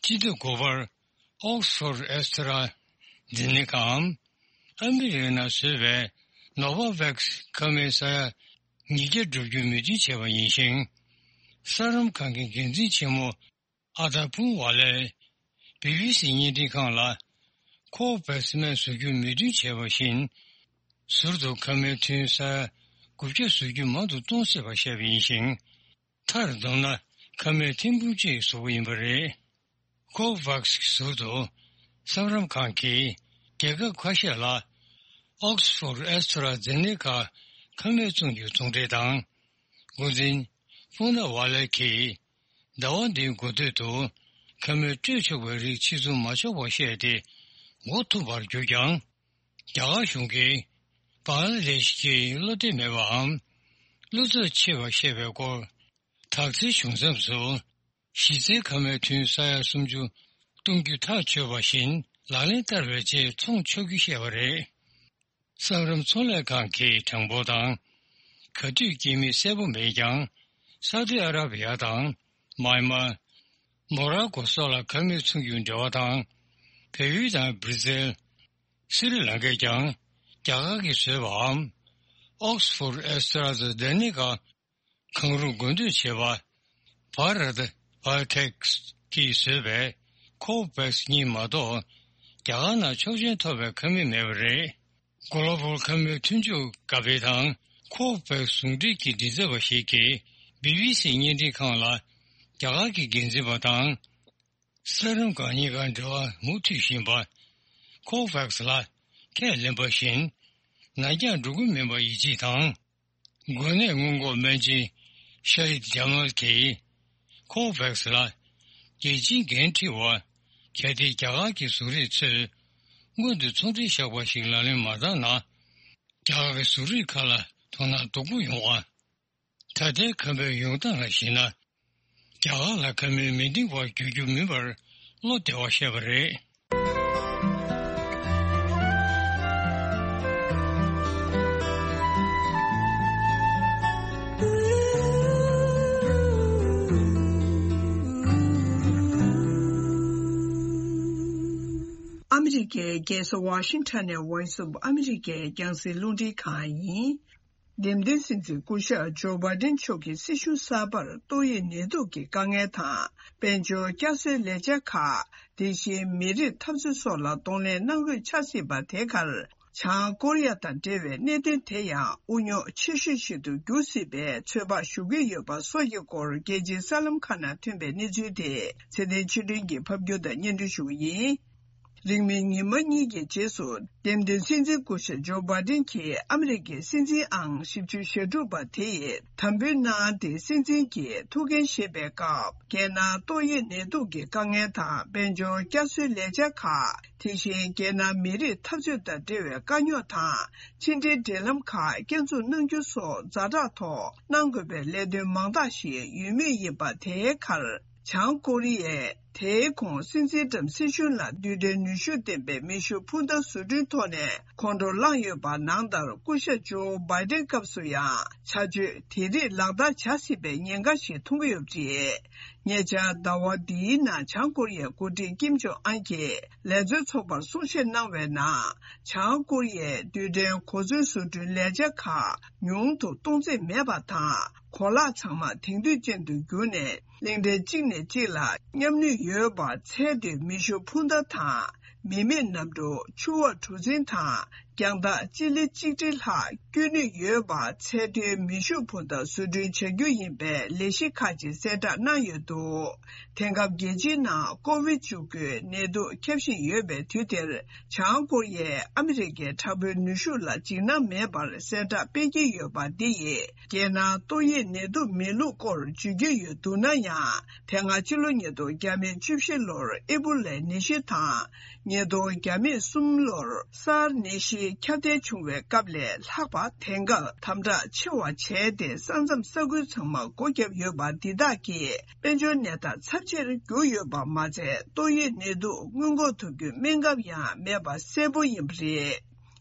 སྤྱི་ཟླ་དགུ་པར་Oxford AstraZeneca འམ་ཨ་མི་རི་ཀའི་ནང་བཟོས་པའི་Novavax ཁ་སྨན་ས་ཡ་ཉིས་བརྒྱ་བསྒྲུབ་རྒྱུའི་མོས་མཐུན་བྱས་པ་ཡིན་ཞིང་། ས་རུམ་ཁང་གི་འགན་འཛིན་ཆེན་མོ་ ཨ་ད་ཕུང་ཝ་ལས་བི་བི་སི་བརྙན་འཕྲིན་ཁང་ལ། ཁོ་ཝེག་སི་སྨན་བཟོ་རྒྱུ་མོས་མཐུན་བྱས་པ་བཞིན། ཟུར་དུ་ཁ་སྨན་ཐུན་ས་ཡ་དགུ་བརྒྱ་བཟོ་རྒྱུ་མང་དུ་གཏོང་སྲིད་པ་བཤད་པ་ཡིན་ཞིང་། མཐར་བསྡོམས་ན་ཁ་སྨན་ཐེར་འབུམ་གཅིག་བཟོ་གི་ཡིན་པ་རེད། ཁོ་ཝེག་སི་གི་ཟུར་དུ་སམ་རམ་ཁང་གིས་རྒྱལ་ཁབ་ཁ་ཤས་ལ་ཨོག་སི་ཕོར་ཨེ་སི་ཊ་ར་ཛེ་ནེ་ཀ་ཁ་སྨན་བཙོང་རྒྱུ་ཚོང་འབྲེལ་དང་། འགོ་འཛིན་པུ་ན་ཝ་ལེ་གིས་ཟླ་བ་འདིའི་འགོ་སྟོད་དུ་ཁ་སྨན་སྤྲོད་ཆོག་པའི་རིགས་ཕྱིར་ཚོང་མ་ཆོག་པ་བཤད་དེ་འགོ་ཐུག་པར་གྱུར་ཀྱང་། རྒྱ་གར་གཞུང་གིས་བང་ལ་དེ་ཤི་གྱི་བློ་གཏད་མེད་པའམ་བློ་འཚབ་ཆེ་བ་བཤད་པའི་སྐོར། དག་ཐེར་བྱུང་མཚམས་སུ་གཞི་རྩའི་ཁ་སྨན་ཐུན་ས་ཡ་སུམ་ཅུ་གཏོང་རྒྱུ་ཐག་ཆོད་པ་བཞིན་ལག་ལེན་བསྟར་བའི་རྗེས་ཚོང་ཆོག་རྒྱུ་བཤད་པ་རེད། སམ་རམ་ཚོང་ལས་ཁང་གི་གྲངས་འབོར་དང་། ག་དུས་སྐྱེས་མིན་གསལ་པོ་མེད་ཀྱང་། སའུ་ཏི་ཨ་ར་བི་ཡ་དང་། མཱན་མཱར། མོ་རོ་ཀོ་སོགས་ལ་ཁ་སྨན་བཙོང་རྒྱུའི་འབྲེལ་བ་དང་། བལ་ཡུལ་དང་སྦྲི་ཟིལ། སི་རི་ལང་ཀས་ཀྱང་རྒྱ་གར་གྱིས་བཟོས་པའམ། ཨོག་སི་ཕོར་ཨེ་སི་ཊ་ར་ཛེ་ནེ་ཀ་གང་རུང་དགོས་འདོད་བྱེད་པ། བྷ་ར་ཏ་བྷ་ཡོ་ཐེག་གིས་བཟོས་པའི་ཁོ་ཝེག་སི་གཉིས་མ་གཏོགས། རྒྱ་གར་ནང་ཆོག་མཆན་ཐོབ་པའི་ཁ་སྨན་མེད་པ་རེད། གོ་ལ་པུར་ཁ་སྨན་མཐུན་ཚོགས་ཀ་པེ་དང་ཁོ་ཝེག་ཟུང་འབྲེལ་གྱི་མགྲིན་ཚབ་པ་ཞིག་གིས་བི་བི་སི་བརྙན་འཕྲིན་ཁང་ལ། རྒྱ་གར་གྱི་འགན་འཛིན་པ་དང་། སམ་རམ་ཁང་གཉིས་ཀ་འབྲེལ་བ་མུ་མཐུད་བཞིན་པ། ཁོ་ཝེག་སི་ལ་ཁས་ལེན་པ་བཞིན། ནར་འགྱངས་འགྲོ་གི་མིན་པ་ཡིད་ཆེས་དང་། འགོས་ནད་སྔོན་འགོག་སྨན་ཆེན་ཤ་ཧིད་ཇ་མལ་གྱིས་ཁོ་ཝེག་སི་ལ་རྒྱལ་སྤྱིའི་འགན་འཁྲི་བ། གལ་ཏེ་རྒྱ་གར་གྱི་བཟོ་རིགས་ཚོས་སྔོན་དུ་ཚོང་འབྲེལ་བཞག་པ་ཞིག་ལག་ལེན་མ་བསྟར་ན། རྒྱ་གར་གྱི་བཟོ་རིགས་ཁག་ལ་དོ་སྣང་ལྡོག་པོ་ཡོང་བ། ད་ལྟའི་ཁ་སྨན་ཡོང་སྟངས་ལ་གཞིགས་ན། རྒྱ་གར་ལ་ཁ་སྨན་མི་འདང་བར་འགྱུར་རྒྱུ་མིན་པར་བློ་བདེ་བར་བཤད་པ་རེད། ཨ་མི་རི་ཀའི་རྒྱལ་ས་ཝ་ཤིང་ཊོན་ནས་ཝོ་ཡིས་ཨོཕ་ཨ་མི་རི་ཀའི་རྒྱང་སྲིང་རླུང་འཕྲིན་ཁང་ཡིན། འདེམས་ཐོན་སྲིད་འཛིན་སྐུ་ཞབས་ཇོ་བྷའི་ཏིན་མཆོག་གི་སྲིད་གཞུང་གསར་པར་ཏོག་དབྱིབས་ནད་དུག་གི་དཀའ་ངལ་དང་། དཔལ་འབྱོར་བསྐྱར་གསོའི་ལས་འཆར་ཁག་དེ་བཞིན་མི་རིགས་འཐབ་རྩོད་སོགས་ལ་གདོང་ལེན་གནང་དགོས་ཆགས་སྲིད་པ་དེ་གར། བྱང་ཀོ་རི་ཡ་དང་འབྲེལ་བའི་གནད་དོན་དེ་ཡང་དབུ་རྙོག་ཆེ་ཤོས་ཤིག་ཏུ་འགྱུར་སྲིད་པའི་ཚོད་དཔག་ཞུ་གི་ཡོད་པ་སོགས་ཀྱི་སྐོར། རྒྱལ་སྤྱིའི་གསར་ལམ་ཁག་ནང་ཐོན་པའི་གནས་ཚུལ་དེ་ཚེ་བརྟན་ཆོས་སྒྲོན་གྱིས་ཕབ་སྒྱུར་དང་སྙན་སྒྲོན་ཞུ་གི་ཡིན། རིང་མིན་ཉི་མ་གཉིས་ཀྱི་རྗེས་སུ། འདེམས་ཐོན་སྲིད་འཛིན་སྐུ་ཞབས་ཇོ་བྷའི་ཏིན་གྱིས་ཨ་མི་རི་ཀའི་སྲིད་འཛིན་ཨང་བཞི་བཅུ་ཞེ་དྲུག་པ་དེ་ཡི་དམ་འབུལ་གནང་སྟེ། སྲིད་འཛིན་གྱི་ཐུགས་འགན་བཞེས་པའི་སྐབས། རྒྱལ་ནང་ཏོག་དབྱིབས་ནད་དུག་གི་དཀའ་ངལ་དང་། དཔལ་འབྱོར་བསྐྱར་གསོའི་ལས་འཆར་ཁག་དེ་བཞིན་རྒྱལ་ནང་མི་རིགས་འཐབ་རྩོད་དང་འབྲེལ་བའི་དཀའ་རྙོག་དང་། ཕྱི་འབྲེལ་འབྲེལ་ལམ་ཁག་བསྐྱར་འཛུགས་གནང་རྒྱུ་སོགས་ཛ་དྲག་ཐོག་གནང་དགོས་པའི་ལས་དོན་མང་དག་ཞིག་ཡོད་མུས་ཡིན་པ། དེའི་ཁར། བྱང་ཀོ་རི་ཡས་དེའི་གོང་སྲིད་འཛིན་ཀྲམ་སྲིད་གཞུང་ལ་རྡུལ་ཕྲན་ནུས་ཤུགས་ལྡན་པའི་མེ་ཤུགས་འཕུར་མདའ་བཟོ་སྐྲུན་ཐོག་ནས་ཁོང་ཁྲོ་བསླངས་ཡོད་པ། ནང་ལྟར་སྐུ་ཞབས་ཇོ་བྷའི་ཏིན་སྐབས་སུ་ཡང་བྱ་སྤྱོད་དེ་རིགས་ལག་བསྟར་བྱ་སྲིད་པའི་ཉེན་ཁ་ཞིག་མཐོང་གི་ཡོད་པ་རེད། ཉེ་ཆར་ཟླ་བ་འདིའི་ནང་བྱང་ཀོ་རི་ཡའི་འགོ་ཁྲིད་ཀིམ་ཇོང་ཨན་གྱིས་ལས་བཟོའི་ཚོགས་པར་གསུང་བཤད་གནང་བའི་ནང་། བྱང་ཀོ་རི་ཡས་རྡུལ་ཕྲན་གོ་མཚོན་བཟོ་སྐྲུན་ལས་འཆར་ཁག་ཉུང་དུ་གཏོང་རྩིས་མེད་པ་དང་། གོ་ལག་ཚང་མ་དེང་དུས་ཅན་དུ་བསྒྱུར་ནས། གླིང་ཕྲན་གཅིག་ནས་གཅིག་ལ་མཉམ་ནུས་ཡོད་པ། ཚད་མཐོའི་མེ་ཤུགས་འཕུར་མདའ་དང་། མི་མེད་གནམ་གྲུ། ཆུ་འོག་གྲུ་གཟིངས་དང་། རྒྱང་ཐག་སྤྱི་ལེ་གཅིག་ཁྲི་ལྷག་བསྐྱོད་ནུས་ཡོད་པ། ཚད་མཐོའི་མེ་ཤུགས་འཕུར་མདའ་བཟོ་སྐྲུན་བྱ་རྒྱུ་ཡིན་པའི་ལས་གཞི་ཁག་ཅིག་གསལ་བསྒྲགས་གནང་ཡོད་འདུག་དེང་སྐབས་རྒྱལ་སྤྱིའི་ནང་ཀོ་བིད་བཅུ་དགུ་ནད་དུག་ཁྱབ་བཞིན་ཡོད་པའི་དུས་དེར། བྱང་ཀོ་རི་ཡས་ཨ་མི་རི་ཀའི་དྲག་པོའི་ནུས་ཤུགས་ལ་འཇིགས་སྣང་མེད་པར་གསལ་བསྒྲགས་སྤེལ་གྱི་ཡོད་པ་འདི་ཡིས། རྒྱལ་ནང་ཏོག་དབྱིབས་ནད་དུག་མེད་ལུགས་སྐོར་བརྗོད་ཀྱི་ཡོད་འདུག་ན་ཡང་། དེ་སྔ་ཕྱི་ལོ་ཉིས་སྟོང་བརྒྱ་མེད་བཅུ་བཞི་ལོར་ཨེ་བྷོ་ལའི་ནད་གཞི་དང་། ཉིས་སྟོང་བརྒྱ་མེད་གསུམ་ལོར་སཱར་ནད་གཞི་ཁྱབ་གདལ་བྱུང་བའི་སྐབས་ལས་ལྷག་པ། དེང་སྐབས་དམ་དྲག་ཆེ་བ་བྱས་ཏེ། ས་མཚམས་ས་ཁུལ་ཚང་མ་སྒོ་བརྒྱབ་ཡོད་པ་འདི་དག་གིས། དཔལ་འབྱོར་གནས་སྟངས་ཚབས་ཆེར་གྱུར་ཡོད་པ་མ་ཚད། ཏོག་དབྱིབས་ནད་དུག་སྔོན་འགོག་ཐུབ་རྒྱུའི་སྨན་ཁབ་ཡང་མེད་པ་གསལ་པོ་ཡིན་པ་རེད།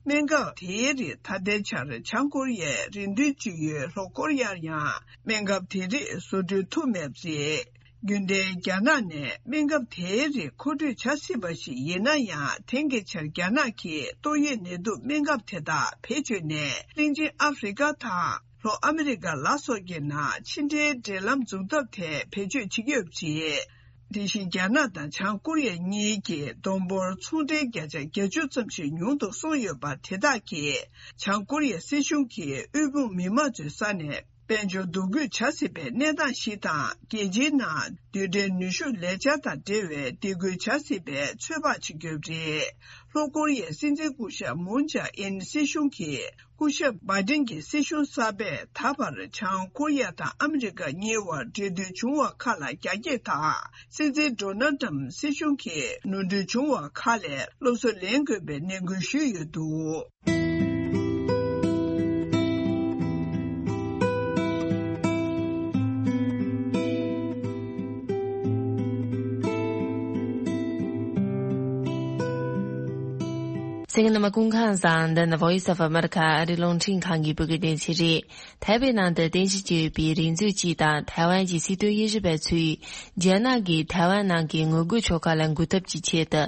སྨན་ཁབ་དེའི་རིགས་ད་ལྟའི་ཆར་བྱང་ཀོ་རི་ཡའི་རེ་འདུན་ཅི་ཡོད་ལྷོ་ཀོ་རི་ཡར་ཡང་སྨན་ཁབ་དེ་རིགས་བཟོ་སྐྲུན་ཐུབ་མེད་པ་རེད། རྒྱུན་ལྡན་རྒྱ་ནག་ནས་སྨན་ཁབ་དེའི་རིགས་མཁོ་སྤྲོད་བྱ་སྲིད་པ་ཞིག་ཡིན་ན་ཡང་། དེང་གི་ཆར་རྒྱ་ནག་གིས་ཏོག་དབྱིབས་ནད་དུག་སྨན་ཁབ་དེ་དག་བེད་སྤྱོད་ནས། གླིང་ཆེན་ཨ་ཧྥེ་རི་ཀ་དང་ལྷོ་ཨ་མི་རི་ཀ་ལ་སོགས་ཀྱི་ནང་ཕྱི་འབྲེལ་འབྲེལ་ལམ་འཛུགས་ཐབས་ཐད་བེད་སྤྱོད་བྱེད་ཀྱི་ཡོད་པ་རེད། དེ་བཞིན་རྒྱ་ནག་དང་བྱང་ཀོ་རི་ཡ་གཉིས་ཀྱི་བསྡོམས་འབོར་ཚོང་འབྲེལ་བརྒྱ་ཆ་བརྒྱད་ཅུ་ཙམ་ཞིག་ཉུང་དུ་སོང་ཡོད་པ་དེ་དག་གིས་བྱང་ཀོ་རི་ཡ་སྲིད་གཞུང་གིས་དབུལ་ཕོངས་མི་མང་ཚོའི་ས་ནས་དཔལ་འབྱོར་འདུ་འགོད་བྱ་སྲིད་པའི་གནས་སྟངས་ཤིག་དང་། རྒྱལ་སྤྱིའི་ནང་རྡུལ་ཕྲན་ནུས་ཤུགས་ལས་འཆར་དང་འབྲེལ་བའི་སྡིགས་སྐུལ་བྱ་སྲིད་པའི་ཚོད་དཔག་བྱེད་ཀྱི་ཡོད་པ་རེད། ལྷོ་ཀོ་རི་ཡའི་སྲིད་འཛིན་སྐུ་ཞབས་མུན་ཇཱ་ཨིན་སྲིད་གཞུང་གིས། སྐུ་ཞབས་བྷའི་ཏིན་གྱི་སྲིད་གཞུང་གསར་པས་ད་བར་བྱང་ཀོ་རི་ཡ་དང་ཨ་མི་རི་ཀ་གཉིས་བར་འབྲེལ་མཐུད་བྱུང་བ་ཁག་ལ་རྒྱ་སྐྱེད་དང་། སྲིད་འཛིན་ཌོ་ནལ་ཏྲམ་སྲིད་གཞུང་གིས་ནོར་འཁྲུལ་བྱུང་བ་ཁག་ལས་སློབ་གསོ་ལེན་དགོས་པའི་ནན་སྐུལ་ཞུས་ཡོད་འདུག། གསན་མཁན་རྣམ་པ་སྐུ་ཁམས་བཟང་། འདི་ནི་Voice of America ཨ་རིའི་རླུང་འཕྲིན་ཁང་གི་བོད་སྐད་སྡེ་ཚན་རེད། ཐའེ་པེ་ནང་དུ་རྟེན་གཞི་བྱས་ཡོད་པའི་རིག་མཛོད་ཅིག་དང་ཐའེ་ཝན་གྱི་སྲིད་དོན་དབྱེ་ཞིབ་པ་ཚོས། རྒྱ་ནག་གིས་ཐའེ་ཝན་ནང་གི་ངོ་རྒོལ་ཕྱོགས་ཁག་ལ་འགུག་ཐབས་ཀྱི་ཆེད་དུ།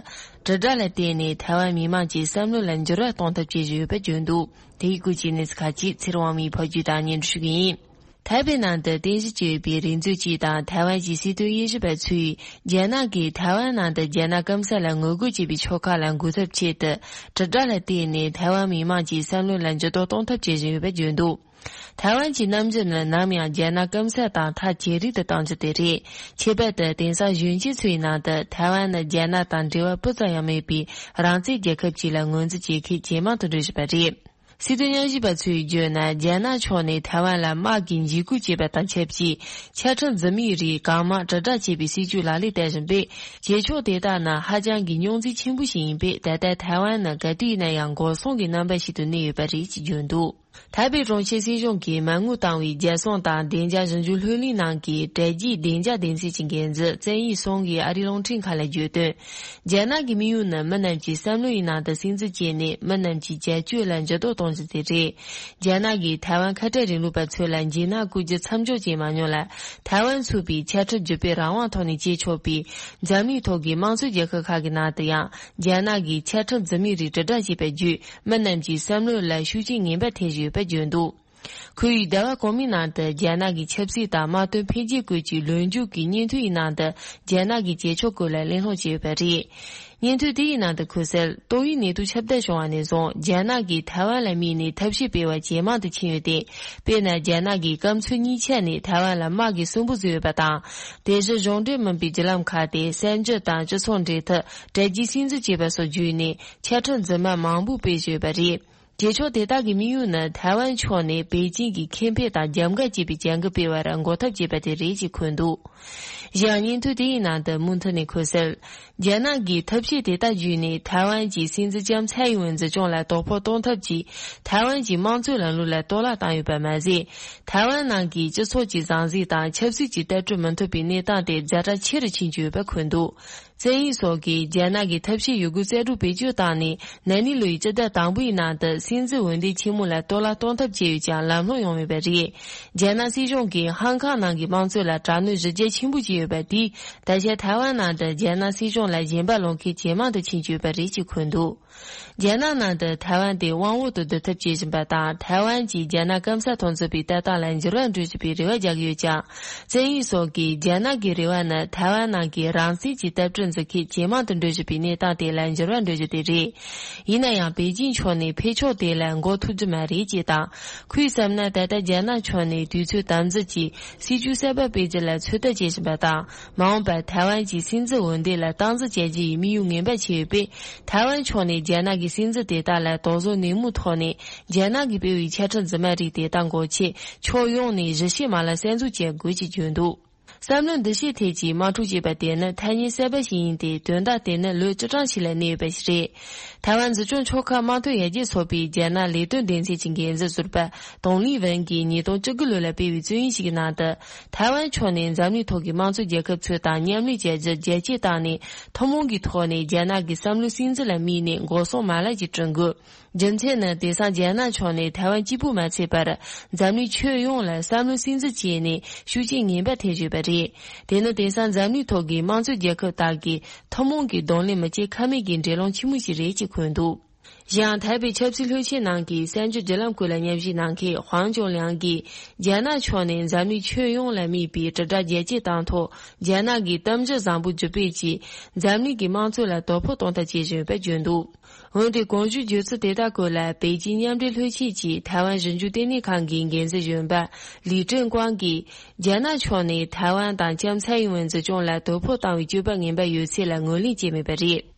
དྲིལ་བསྒྲགས་ལ་བརྟེན་ནས་ཐའེ་ཝན་མི་མང་གི་བསམ་བློ་ལ་འགྱུར་བ་གཏོང་ཐབས་བྱེད་བཞིན་ཡོད་པ་བརྗོད་འདུག། དེ་ཡི་སྐོར་གྱི་གནས་ཚུལ་ཁག་ཅིག་ཚེ་རིང་དབང་མོས་ཕབ་སྒྱུར་དང་སྙན་སྒྲོན་ཞུ་གི་ཡིན། ཐའེ་པེ་ནང་དུ་རྟེན་གཞི་བྱས་ཡོད་པའི་རིག་མཛོད་ཅིག་དང་ཐའེ་ཝན་གྱི་སྲིད་དོན་དབྱེ་ཞིབ་པ་ཚོས། རྒྱ་ནག་གིས་ཐའེ་ཝན་ནང་དུ་རྒྱ་ནག་སྐམ་ས་ལ་ངོ་རྒོལ་བྱེད་པའི་ཕྱོགས་ཁག་ལ་འགུག་ཐབས་ཆེད་དུ། དྲིལ་བསྒྲགས་ལ་བརྟེན་ནས་ཐའེ་ཝན་མི་མང་གི་བསམ་བློ་ལ་འགྱུར་ལྡོག་གཏོང་ཐབས་བྱེད་བཞིན་ཡོད་པ་བརྗོད་འདུག། ཐའེ་ཝན་གྱི་གནམ་གྲུ་ནི་ནམ་ཡང་རྒྱ་ནག་སྐམ་ས་དང་ཐག་ཇེ་རིང་དུ་གཏོང་རྒྱུ་དེ་རེད། ཁྱད་པར་དུ་དེང་སང་གཞོན་སྐྱེས་ཚོའི་ནང་དུ་ཐའེ་ཝན་ནི་རྒྱ་ནག་དང་འབྲེལ་བ་སྤུ་ཙམ་ཡང་མེད་པའི་རང་བཙན་རྒྱལ་ཁབ་ཅིག་ལ་ངོས་འཛིན་བྱེད་མཁན་ཇེ་མང་དུ་འགྲོ་བཞིན་པ་རེད། སྲིད་དོན་དབྱེ་ཞིབ་པ་ཚོས་བརྗོད་ན། རྒྱ་ནག་ཕྱོགས་ནས་ཐའེ་ཝན་ལ་དམག་གི་འཇིགས་སྐུལ་བྱས་པ་དང་ཆབས་ཅིག། ཆ་འཕྲིན་འཛིན་མའི་རིགས་གང་མང་དྲིལ་བསྒྲགས་བྱས་པའི་སྲིད་ཇུས་ལག་ལེན་བསྟར་བཞིན་པས། རྗེས་ཕྱོགས་དེ་དག་ནི་ཧ་ཅང་གི་རྙོག་འཛིང་ཆེན་པོ་ཞིག་ཡིན་པས། ད་ལྟ་ཐའེ་ཝན་ནི་ག་དུས་ཡིན་ན་ཡང་འགོག་སྲུང་གི་རྣམ་པ་ཞིག་ཏུ་གནས་ཡོད་པ་རེད་ཅེས་བརྗོད་འདུག། ཐའེ་པེ་གྲོང་ཁྱེར་སྲིད་གཞུང་གིས་མ་དངུལ་བཏང་བའི་རྒྱལ་སྲུང་དང་བདེ་འཇགས་ཞིབ་འཇུག་ལྷུན་གླིང་ནང་གི་དྲ་རྒྱའི་བདེ་འཇགས་སྡེ་ཚན་གྱི་འགན་འཛིན་ཙན་ཡི་སུང་གིས་ཨ་རིའི་རླུང་འཕྲིན་ཁང་ལ་བརྗོད་དོན། རྒྱ་ནག་གི་དམིགས་ཡུལ་ནི་མི་རྣམས་ཀྱི་བསམ་བློ་ཡི་ནང་དུ་སིམ་འཛུལ་བྱས་ནས། མི་རྣམས་ཀྱི་བྱ་སྤྱོད་ལ་འགྱུར་ལྡོག་གཏོང་རྒྱུ་དེ་རེད། རྒྱ་ནག་གིས་ཐའེ་ཝན་ཁ་བྲལ་རིང་ལུགས་པ་ཚོ་ལ་འཇིགས་སྣང་བསྐུལ་རྒྱུ་མཚམས་འཇོག་བྱས་མ་མྱོང་ལ། ཐའེ་ཝན་ཚུད་པའི་ཆ་འཕྲིན་བརྒྱུད་སྤེལ་རང་དབང་ཐོག་ནས་བྱེད་ཆོག་པའི་འཛམ་གླིང་ཐོག་གི་དམངས་གཙོའི་རྒྱལ་ཁབ་ཁག་གི་ནང་དུ་ཡང་། རྒྱ་ནག་གིས་ཆ་འཕྲིན་འཛིན་མའི་རིགས་དྲིལ་བསྒྲགས་བྱས་པ་བརྒྱུད། མི་རྣམས་ཀྱི་བསམ་བློ་ལ་ཤུགས་རྐྱེན་ངན་པ་ཐེབས་བཞིན་ཡོད་པ་བརྗོད་འདུག། ཁོར་ཡུག་ཟླ་བ་གོང་མའི་ནང་དུ་རྒྱ་ནག་གི་ཆབ་སྲིད་དང་དམག་དོན་འཕེལ་རྒྱས་སྐོར་གྱི་ལོ་མཇུག་གི་སྙན་ཐོའི་ནང་དུ་རྒྱ་ནག་གི་བྱེད་ཕྱོགས་སྐོར་ལ་གླེང་སློང་བྱས་ཡོད་པ་རེད། སྙན་ཐོ་དེའི་ནང་དུ་འཁོད་གསལ། ཏོག་དབྱིབས་ནད་དུག་ཁྱབ་གདལ་བྱུང་བ་ནས་བཟུང་རྒྱ་ནག་གིས་ཐའེ་ཝན་ལ་དམིགས་ནས་ཐབས་ཤེས་སྤེལ་བ་ཇེ་མང་དུ་ཕྱིན་ཡོད་དེ། དཔེར་ན། རྒྱ་ནག་གིས་སྐམ་མཚོ་གཉིས་ཆ་ནས་ཐའེ་ཝན་ལ་དམག་གི་སུན་པོ་བཟོས་ཡོད་པ་དང་། དེ་བཞིན་གཞུང་འབྲེལ་མིན་པའི་བརྒྱུད་ལམ་ཁག་སྟེ་གསར་འགྱུར་དང་སྤྱི་ཚོགས་འབྲེལ་མཐུད། དྲ་རྒྱའི་སིམ་འཛུལ་བྱས་པ་སོགས་བརྒྱུད་ནས་ཆ་འཕྲིན་རྫུན་མ་མང་པོ་སྤེལ་བཞིན་ཡོད་པ་རེད། རྗེས་ཕྱོགས་དེ་དག་གི་དམིགས་ཡུལ་ནི་ཐའེ་ཝན་ཕྱོགས་ནས་པེ་ཅིང་གི་ཁེ་ཕན་དང་རྒྱབ་འགལ་བྱེད་པའི་བྱ་འགུལ་སྤེལ་བར་འགོག་ཐབས་བྱེད་པ་དེ་རེད་ཅེས་འཁོད་འདུག། གཞན་ཡང་སྙན་ཐོ་དེའི་ནང་དུ་མུ་མཐུད་ནས་འཁོད་གསལ། རྒྱ་ནག་གིས་ཐབས་ཤེས་དེ་དག་བརྒྱུད་ནས་ཐའེ་ཝན་གྱི་སྲིད་འཛིན་ལྕམ་ཚའེ་ཡིན་ཝེན་འཛིན་སྐྱོང་ལ་དོ་ཕོག་གཏོང་ཐབས་ཀྱིས་ཐའེ་ཝན་གྱི་དམངས་གཙོའི་ལམ་ལུགས་ལ་གཏོར་བརླག་བཏང་ཡོད་པ་མ་ཟད། ཐའེ་ཝན་ནང་གི་སྤྱི་ཚོགས་ཀྱི་ཟང་ཟིང་དང་ཆབ་སྲིད་ཀྱི་ལྟ་གྲུབ་མི་མཐུན་པའི་གནས་སྟངས་དེ་ཛ་དྲག་ཆེ་རུ་ཕྱིན་བཅུག་ཡོད་པ་འཁོད་འདུག། ཙེ་ཡིན་སོགས་ཀྱིས་རྒྱ་ནག་གི་ཐབས་ཤེས་ཡོད་རྒུ་རྩལ་སྤྲུགས་བེད་སྤྱོད་བཏང་ནས། ན་ནིང་ལོའི་སྤྱི་ཟླ་དང་པོའི་ནང་དུ་སྲིད་འཛིན་འོས་འདེམས་ཆེན་མོ་ལ་གཏོར་བརླག་གཏོང་ཐབས་བྱས་ཡོད་ཀྱང་ལམ་ལྷོང་ཡོང་མེད་པ་རེད། རྒྱ་ནག་སྲིད་གཞུང་གིས་ཧང་ཀང་ནང་གི་དམངས་གཙོ་ལ་དྲག་གནོན་གཞི་རྒྱ་ཆེན་པོ་བྱས་ཡོད་པ་དེས། ད་ཆ་ཐའེ་ཝན་ནང་དུ་རྒྱ་ནག་སྲིད་གཞུང་ལ་ཞེན་པ་ལོག་མཁན་ཇེ་མང་དུ་ཕྱིན་བཅུག་ཡོད་པ་རེད་ཅེས་འཁོད་འདུག། རྒྱ་ནག་ནང་དུ་ཐའེ་ཝན་དེ་དབང་འོག་ཏུ་བསྡུ་ཐབས་བྱེད་བཞིན་པ་དང་། ཐའེ་ཝན་གྱིས་རྒྱ་ནག་སྐམ་ས་ཐོག་འཛུལ་བའི་ལྟ་སྟངས་ལ་འགྱུར་བ་འགྲོ་བཞིན་པའི་རེ་བ་རྒྱག་གི་ཡོད་ཀྱང་། ཙེ་ཡིན་སོགས་ཀྱིས་རྒྱ་ནག་གི་རེ་བ་ནི་ཐའེ་ཝན་ནང་གི་རང་བཙན་གྱི་བཏབ་སྒྲིག་འཛིན་མཁན་ཇེ་མང་དུ་འགྲོ་བཞིན་པའི་གནས་སྟངས་དེ་ལ་འགྱུར་བ་འགྲོ་རྒྱུ་དེ་རེད། ཡིན་ན་ཡང་པེ་ཅིང་ཕྱོགས་ནས་འཕེན་ཕྱོགས་དེ་ལ་འགོག་ཐུབ་རྒྱུ་མ་རེད་ཅེས་དང་། ཁོས་བསམ་ན་ད་ལྟ་རྒྱ་ནག་ཕྱོགས་ནས་དུས་ཚོད་དམ་འཛིན་གྱིས་སྲིད་ཇུས་གསར་པ་སྤེལ་རྒྱུ་ལ་ཚོད་ལྟ་བྱེད་བཞིན་པ་དང་། མ་འོངས་པར་ཐའེ་ཝན་གྱི་སྲིད་འཛིན་འོས་འདེམས་ལ་སྟངས་འཛིན་བྱ་རྒྱུ་ཡི་དམིགས་ཡུལ་ངན་པ་ཆེ་ཡོད་པས། ཐའེ་ཝན་ཕྱོགས་ནས་རྒྱ་ནག་གི་སྲིད་འཛིན་དེ་དག་ལ་དོགས་ཟོན་ནན་མོའི་ཐོག་ནས་རྒྱ་ནག་གིས་སྤེལ་བའི་ཆ་འཕྲིན་རྫུན་མ་རིགས་དེ་དག་འགོག་ཆེད་ཕྱོགས་ཡོངས་ནས་གཞི་བྱེས་མ་ལག་གསར་འཛུགས་བྱེད་དགོས་ཅེས་བརྗོད་འདུག། བསམ་བློ་འདུ་ཤེས་ཐད་ཀྱི་དམག་འཁྲུག་ཅེས་པ་དེ་ནི་ཐ་སྙད་གསར་པ་ཞིག་ཡིན་ཏེ། དོན་དག་དེ་ནི་ལོ་བཅུ་གྲངས་ཤིག་ལ་གནས་ཡོད་པ་ཞིག་རེད། ཐའེ་ཝན་འཛིན་སྐྱོང་ཆོལ་ཁ་དམངས་དོན་ཡར་རྒྱས་ཚོགས་པའི་རྒྱ་ནག་ལས་དོན་སྡེ་ཚན་གྱི་འགན་འཛིན་ཟུར་པ་ཏོང་ལི་ཝུན་གྱིས་ཉིས་སྟོང་བཅུ་དགུ་ལོ་ལ་སྤེལ་བའི་རྩོམ་ཡིག་ཞིག་གི་ནང་དུ། ཐའེ་ཝན་ཕྱོགས་ནས་འཛམ་གླིང་ཐོག་གི་དམངས་གཙོ་རྒྱལ་ཁབ་ཚོ་དང་མཉམ་ལས་བྱ་རྒྱུ་རྒྱ་སྐྱེད་བཏང་ནས། ཐུན་མོང་གི་ཐོག་ནས་རྒྱ་ནག་གི་བསམ་བློའི་སྲིད་འཛིན་ལ་དམིགས་ནས་འགོག་སྲུང་མ་ལག་ཅིག་བསྐྲུན་དགོས། རྒྱུ་མཚན་ནི། དེང་སང་རྒྱ་ནག་ཕྱོགས་ནས་ཐའེ་ཝན་གཅིག་པུ་མ་ཚད་པར། འཛམ་གླིང་ཁྱོན་ཡོངས་ལ་བསམ་བློའི་སྲིད་འཛིན་བྱས་ནས་ཤུགས་རྐྱེན་ངན་པ་ཐེབས་བཞིན་པ་རེད། དེ་ནི་དེང་སང་འཛམ་གླིང་ཐོག་གི་དམངས་གཙོའི་རྒྱལ་ཁབ་དག་གིས་ཐུན་མོང་གི་གདོང་ལེན་མི་བྱེད་ཁ་མེད་ཀྱི་འགྲན་སློང་ཆེན་མོ་ཞིག་རེད་ཅེས་འཁོད་འདུག། གཞན་ཐའེ་པེ་ཆབ་སྲིད་བློན་ཆེན་ནང་གི་གསར་འགྱུར་བརྒྱུད་ལམ་ཁུལ་ལ་མཉམ་ཞུགས་གནང་མཁན་ཧུའང་ཅུན་ལིང་གིས། རྒྱ་ནག་ཕྱོགས་ནས་འཛམ་གླིང་ཁྱོན་ཡོངས་ལ་དམིགས་པའི་དྲིལ་བསྒྲགས་རྒྱ་སྐྱེད་བཏང་ཐོག་རྒྱ་ནག་གིས་གཏམ་བརྗོད་བཟང་པོ་བརྒྱུད་སྤེལ་གྱིས་འཛམ་གླིང་གི་དམངས་གཙོ་ལ་དོ་ཕོག་གཏོང་ཐབས་བྱེད་བཞིན་ཡོད་པ་བརྗོད་འདུག་འོན་ཏེ་གོང་ཞུས་བརྗོད་ཚུལ་དེ་དག་སྐོར་ལ་པེ་ཅིན་མཉམ་འབྲེལ་ལྷོད་ཆེན་གྱི་ཐའེ་ཝན་ཞིབ་འཇུག་ལྟེ་གནས་ཁང་གི་འགན་འཛིན་གཞོན་པ་ལི་ཀྲེང་ཀོང་གིས། རྒྱ་ནག་ཕྱོགས་ནས་ཐའེ་ཝན་དང་ལྕམ་ཚའེ་ཡིན་ཝེན་འཛིན་སྐྱོང་ལ་དོ་ཕོག་བཏང་བའི་སྤྱོད་པ་ངན་པ་ཡོད་ཚད་ལ་ངོས་ལེན་བྱས་མེད་པ་རེད།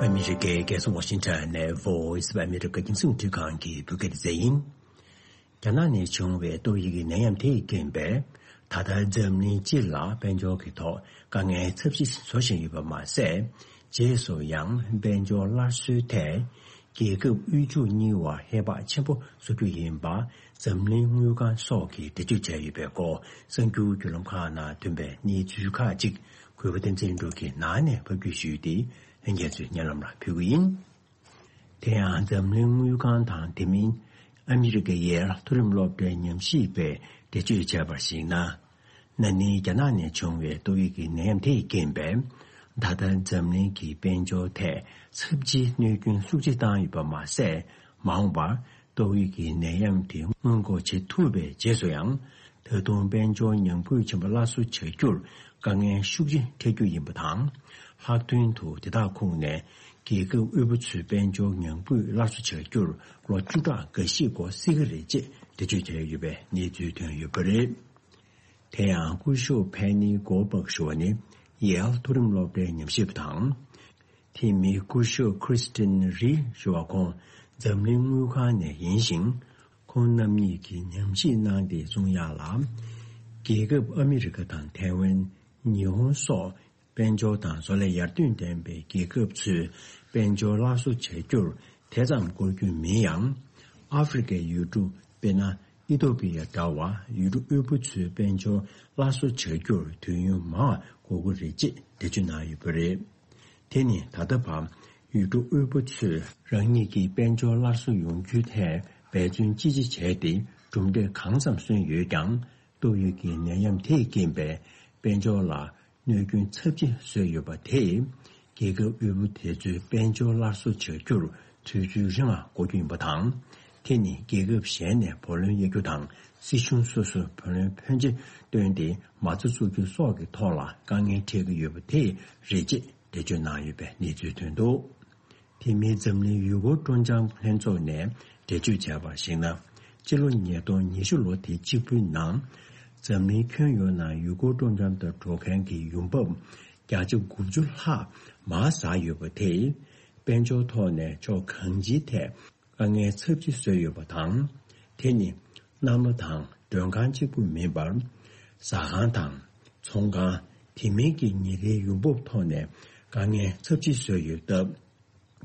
ཨ་མི་རི་ཀའི་རྒྱལ་ས་ཝ་ཤིང་ཊོན་ནས་Voice of America རྒྱང་སྲིང་རླུང་འཕྲིན་ཁང་གི་བོད་སྐད་སྡེ་ཚན་ཡིན། རྒྱ་ནག་ནས་བྱུང་བའི་ཏོག་དབྱིབས་ཀྱི་ནད་ཡམས་དེས་རྐྱེན་པས། ད་ལྟ་འཛམ་གླིང་སྤྱི་ལ་དཔལ་འབྱོར་གྱི་ཐོག་དཀའ་ངལ་ཚབས་ཆེ་བཟོ་བཞིན་ཡོད་པ་མ་ཟད། རྗེས་སུ་ཡང་དཔལ་འབྱོར་སླར་གསོའི་ཐད། རྒྱལ་ཁབ་དབུལ་ཕྱུག་གཉིས་བར་ཧེ་བག་ཆེན་པོ་བཟོ་རྒྱུ་ཡིན་པ། འཛམ་གླིང་དངུལ་ཁང་སོགས་ཀྱིས་འགྲེལ་བརྗོད་བྱས་ཡོད་པའི་སྐོར། གསར་འགྱུར་བརྒྱུད་ལམ་ཁག་ནང་ཐོན་པའི་གནས་ཚུལ་ཁག་ཅིག་གུས་པ་བསྟན་འཛིན་ལགས་ཀྱིས་ནང་ནས་ཕབ་སྒྱུར་ཞུས་ཏེ། ལྷན་རྒྱས་ཚོའི་སྙན་ལམ་ལ་ཕུལ་གྱི་ཡིན། དེ་ཡང་འཛམ་གླིང་དངུལ་ཁང་དང་དེ་མིན་ཨ་མི་རི་ཀའི་ཡེལ་མཐོ་རིམ་སློབ་གྲྭའི་ཉམས་ཞིབ་པས་འགྲེལ་བརྗོད་བྱས་པར་གཞིགས་ན། ན་ནིང་རྒྱ་ནག་ནས་བྱུང་བའི་ཏོག་དབྱིབས་ཀྱི་ནད་ཡམས་དེས་རྐྱེན་པས། ད་ལྟ་འཛམ་གླིང་གི་དཔལ་འབྱོར་ཐད་ཚབས་ཆེའི་གནོད་སྐྱོན་ཤུགས་ཆེ་བཏང་ཡོད་པ་མ་ཟད། མ་འོངས་པར་ཏོག་དབྱིབས་ཀྱི་ནད་ཡམས་དེ་སྔོན་འགོག་བྱེད་ཐུབ་པའི་རྗེས་སུ་ཡང་། ད་དུང་དཔལ་འབྱོར་ཉམས་རྒུད་ཆེན་པོ་སླར་གསོ་བྱ་རྒྱུར་དཀའ་ངལ་ཤུགས་ཆེ་འཕྲད་རྒྱུ་ཡིན་པ་དང་། ལྷག་དོན་དུ་དེ་དག་ཁོངས་ནས་རྒྱལ་ཁབ་དབུལ་པོ་ཚོའི་དཔལ་འབྱོར་ཉམས་རྒུད་སླར་གསོ་བྱ་རྒྱུར་ལོ་བཅུ་ཕྲག་འགའ་ཤས་འགོར་སྲིད་ཀྱི་རེད་ཅེས་འགྲེལ་བརྗོད་བྱས་ཡོད་པའི་གནས་ཚུལ་ཐོན་ཡོད་པ་རེད། དེ་ཡང་སྐུ་ཞབས་ཕེ་ནི་གོལ་བག་ཞུ་བ་ནི་ཡེལ་མཐོ་རིམ་སློབ་གྲྭའི་ཉམས་ཞིབ་པ་དང་། དེ་མིན་སྐུ་ཞབས་ཁྲིས་ཏིན་རི་ཞུ་བ་ཁོང་འཛམ་གླིང་དངུལ་ཁང་ནས་ཡིན་ཞིང་། ཁོང་རྣམ་གཉིས་ཀྱིས་ཉམས་ཞིབ་གནང་སྟེ་གསུང་ཡག་ལ། རྒྱལ་ཁབ་ཨ་མི་རི་ཀ་དང་ཐའེ་ཝན། ཉི་ཧོང་སོགས་དཔལ་འབྱོར་དང་བཟོ་ལས་ཡར་ཐོན་ལྡན་པའི་རྒྱལ་ཁབ་ཚོས་དཔལ་འབྱོར་སླར་གསོ་བྱ་རྒྱུར་དེ་ཙམ་འགོར་རྒྱུ་མིན་ཡང་། ཨ་ཧྥེ་རི་ཁའི་ཡུལ་གྲུ་དཔེར་ན། ཨི་ཐོ་པི་ཡ་འདྲ་བ་ཡུལ་གྲུ་དབུལ་པོ་ཚོའི་དཔལ་འབྱོར་སླར་གསོ་བྱ་རྒྱུར་དུས་ཡུན་མང་བ་འགོར་གྱི་རེད་ཅེས་འགྲེལ་བརྗོད་གནང་ཡོད་པ་རེད། དེ་ནི་ད་ལྟ་བར་ཡུལ་གྲུ་དབུལ་པོ་ཚོས་རང་ཉིད་ཀྱི་དཔལ་འབྱོར་སླར་གསོ་ཡོང་རྒྱུའི་ཐད་འབད་བརྩོན་ཅི་ཆེ་བྱས་ཏེ་གྲུབ་འབྲས་གང་ཙམ་སོན་ཡོད་ཀྱང་། ཏོག་དབྱིབས་ཀྱི་ནད་ཡམས་དེས་རྐྱེན་པས་དཔལ་འབྱོར་ལ་གནོད་སྐྱོན་ཚབས་ཆེ་བཟོས་ཡོད་པ་དེས། རྒྱལ་ཁབ་དབུལ་པོ་དེ་ཚོའི་དཔལ་འབྱོར་སླར་གསོ་བྱ་རྒྱུར་དུས་ཚོད་རིང་བ་འགོར་རྒྱུ་ཡིན་པ་དང་། དེ་ནི་རྒྱལ་ཁབ་གཞན་ནས་བུ་ལོན་གཡར་རྒྱུ་དང་། སྲིད་གཞུང་སོ་སོས་བུ་ལོན་ཕོན་ཆེ་བཏོན་ཏེ་མ་རྩ་བཙུགས་རྒྱུ་སོགས་ཀྱི་ཐོག་ལ་དཀའ་ངལ་འཕྲད་ཀྱི་ཡོད་པ་དེ་རེད་ཅེས་འགྲེལ་བརྗོད་གནང་ཡོད་པའི་གནས་ཚུལ་ཐོན་འདུག་དེ་མིན་འཛམ་གླིང་ཡུལ་སྐོར་སྤྲོ་འཆམ་ལྷན་ཚོགས་ནས་འགྲེལ་བརྗོད་བྱས་པར་གཞིགས་ན། སྤྱི་ལོ་ཉིས་སྟོང་ཉི་ཤུ་ལོ་དེ་གཅིག་པུའི་ནང་། འཛམ་གླིང་ཁྱོན་ཡོངས་ནང་ཡུལ་སྐོར་སྤྲོ་འཆམ་དུ་འགྲོ་མཁན་གྱི་ཡོང་འབབ་བརྒྱ་ཆ་དགུ་བཅུ་ལྷག་མར་ཟག་ཡོད་པ་དེས། དཔལ་འབྱོར་ཐོག་ནས་ཕྱོགས་གང་ཅིའི་ཐད་དཀའ་ངལ་ཚབས་ཆེ་བཟོས་ཡོད་པ་དང་། དེ་ནི་གནམ་ལོ་དང་མགྲོན་ཁང་གཅིག་པུ་མིན་པར། ཟ་ཁང་དང་ཚོང་ཁང་། དེ་མིན་གྱི་ཉིན་རེའི་ཡོང་འབབ་ཐོག་ནས་དཀའ་ངལ་ཚབས་ཆེ་བཟོས་ཡོད་སྟབས།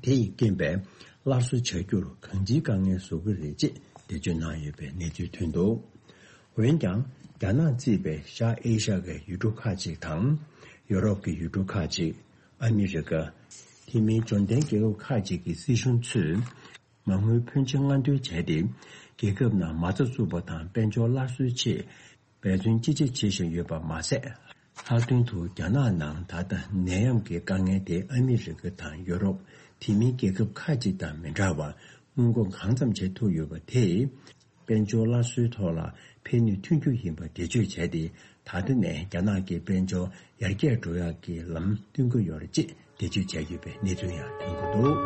དེ་ཡི་རྐྱེན་པས་སླར་གསོ་བྱ་རྒྱུར་གང་ཅིའི་དཀའ་ངལ་བཟོ་གི་རེད་ཅེས་འགྲེལ་བརྗོད་གནང་ཡོད་པའི་གནས་ཚུལ་ཐོན་འདུག་འོན་ཀྱང་། རྒྱ་ནག་གཙོས་པའི་ཤར་ཨེ་ཤ་ཡའི་ཡུལ་གྲུ་ཁག་ཅིག་དང་། ཡོ་རོབ་ཀྱི་ཡུལ་གྲུ་ཁག་ཅིག་ཨ་མི་རི་ཀ། དེ་མིན་འབྱོར་ལྡན་རྒྱལ་ཁབ་ཁག་ཅིག་གི་སྲིད་གཞུང་ཚོས། མ་དངུལ་ཕོན་ཆེ་སྔ་འདོན་བྱས་ཏེ། རྒྱལ་ཁབ་ནང་མ་རྩ་བཙུགས་པ་དང་དཔལ་འབྱོར་སླར་གསོའི་ཆེད། འབད་བརྩོན་ཅི་ཆེ་བྱེད་བཞིན་ཡོད་པ་མ་ཟད། ལྷག་དོན་དུ་རྒྱ་ནག་ནང་ད་ལྟ་ནད་ཡམས་ཀྱི་དཀའ་ངལ་དེ་ཨ་མི་རི་ཀ་དང་ཡོ་རོབ། དེ་མིན་རྒྱལ་ཁབ་ཁག་ཅིག་དང་མི་འདྲ་བར་སྔོན་འགོག་གང་འཚམ་བྱེད་ཐུབ་ཡོད་པ་དེས། དཔལ་འབྱོར་སླར་གསོའི་ཐོག་ལ་ཕན་ནུས་ཐོན་རྒྱུ་ཡིན་པ་འགྲེལ་བརྗོད་བྱས་ཏེ། ད་ལྟ་ནས་རྒྱ་ནག་གི་དཔལ་འབྱོར་ཡར་རྒྱས་འགྲོ་ཡག་གི་ལམ་སྟོན་གྱི་ཡོད་རེད་ཅེས་འགྲེལ་བརྗོད་བྱས་ཡོད་པའི་གནས་ཚུལ་ཡང་ཐོན་གྱི་འདུག་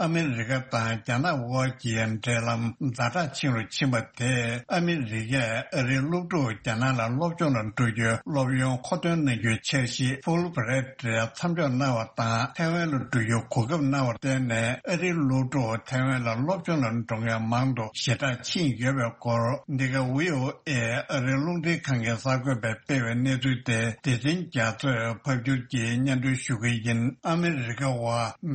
ཨ་མི་རི་ཀ་དང་རྒྱ་ནག་དབར་གྱི་འབྲེལ་ལམ་ཛ་དྲག་ཕྱིན་རུ་ཕྱིན་པ་དེས། ཨ་མི་རི་ཀས་ཨ་རིའི་སློབ་ཕྲུག་རྒྱ་ནག་ལ་སློབ་སྦྱོང་ལ་འགྲོ་རྒྱུའི་སློབ་ཡོན་མཁོ་འདོན་གནང་རྒྱུའི་འཆར་གཞི་ཕུལ་བྷི་རེད་མཚམས་འཇོག་གནང་བ་དང་། ཐའེ་ཝན་ལ་འགྲོ་རྒྱུའི་གོ་སྐབས་གནང་བར་བརྟེན་ནས། ཨ་རིའི་སློབ་ཕྲུག་ཐའེ་ཝན་ལ་སློབ་སྦྱོང་ལ་འགྲོ་མཁན་མང་དུ་ཞེ་དྲག་ཕྱིན་ཡོད་པའི་སྐོར། འདི་ག་བྷི་ཨོ་ཨེ་ཨ་རིའི་རླུང་འཕྲིན་ཁང་གི་གསར་འགོད་པས་སྤེལ་བའི་གནས་ཚུལ་དེ། སྡེ་ཚན་རྒྱ་མཚོས་ཕབ་སྒྱུར་གྱིས་སྙན་སྒྲོན་ཞུ་གི་ཡིན། ཨ་མི་རི་ཀ་བ་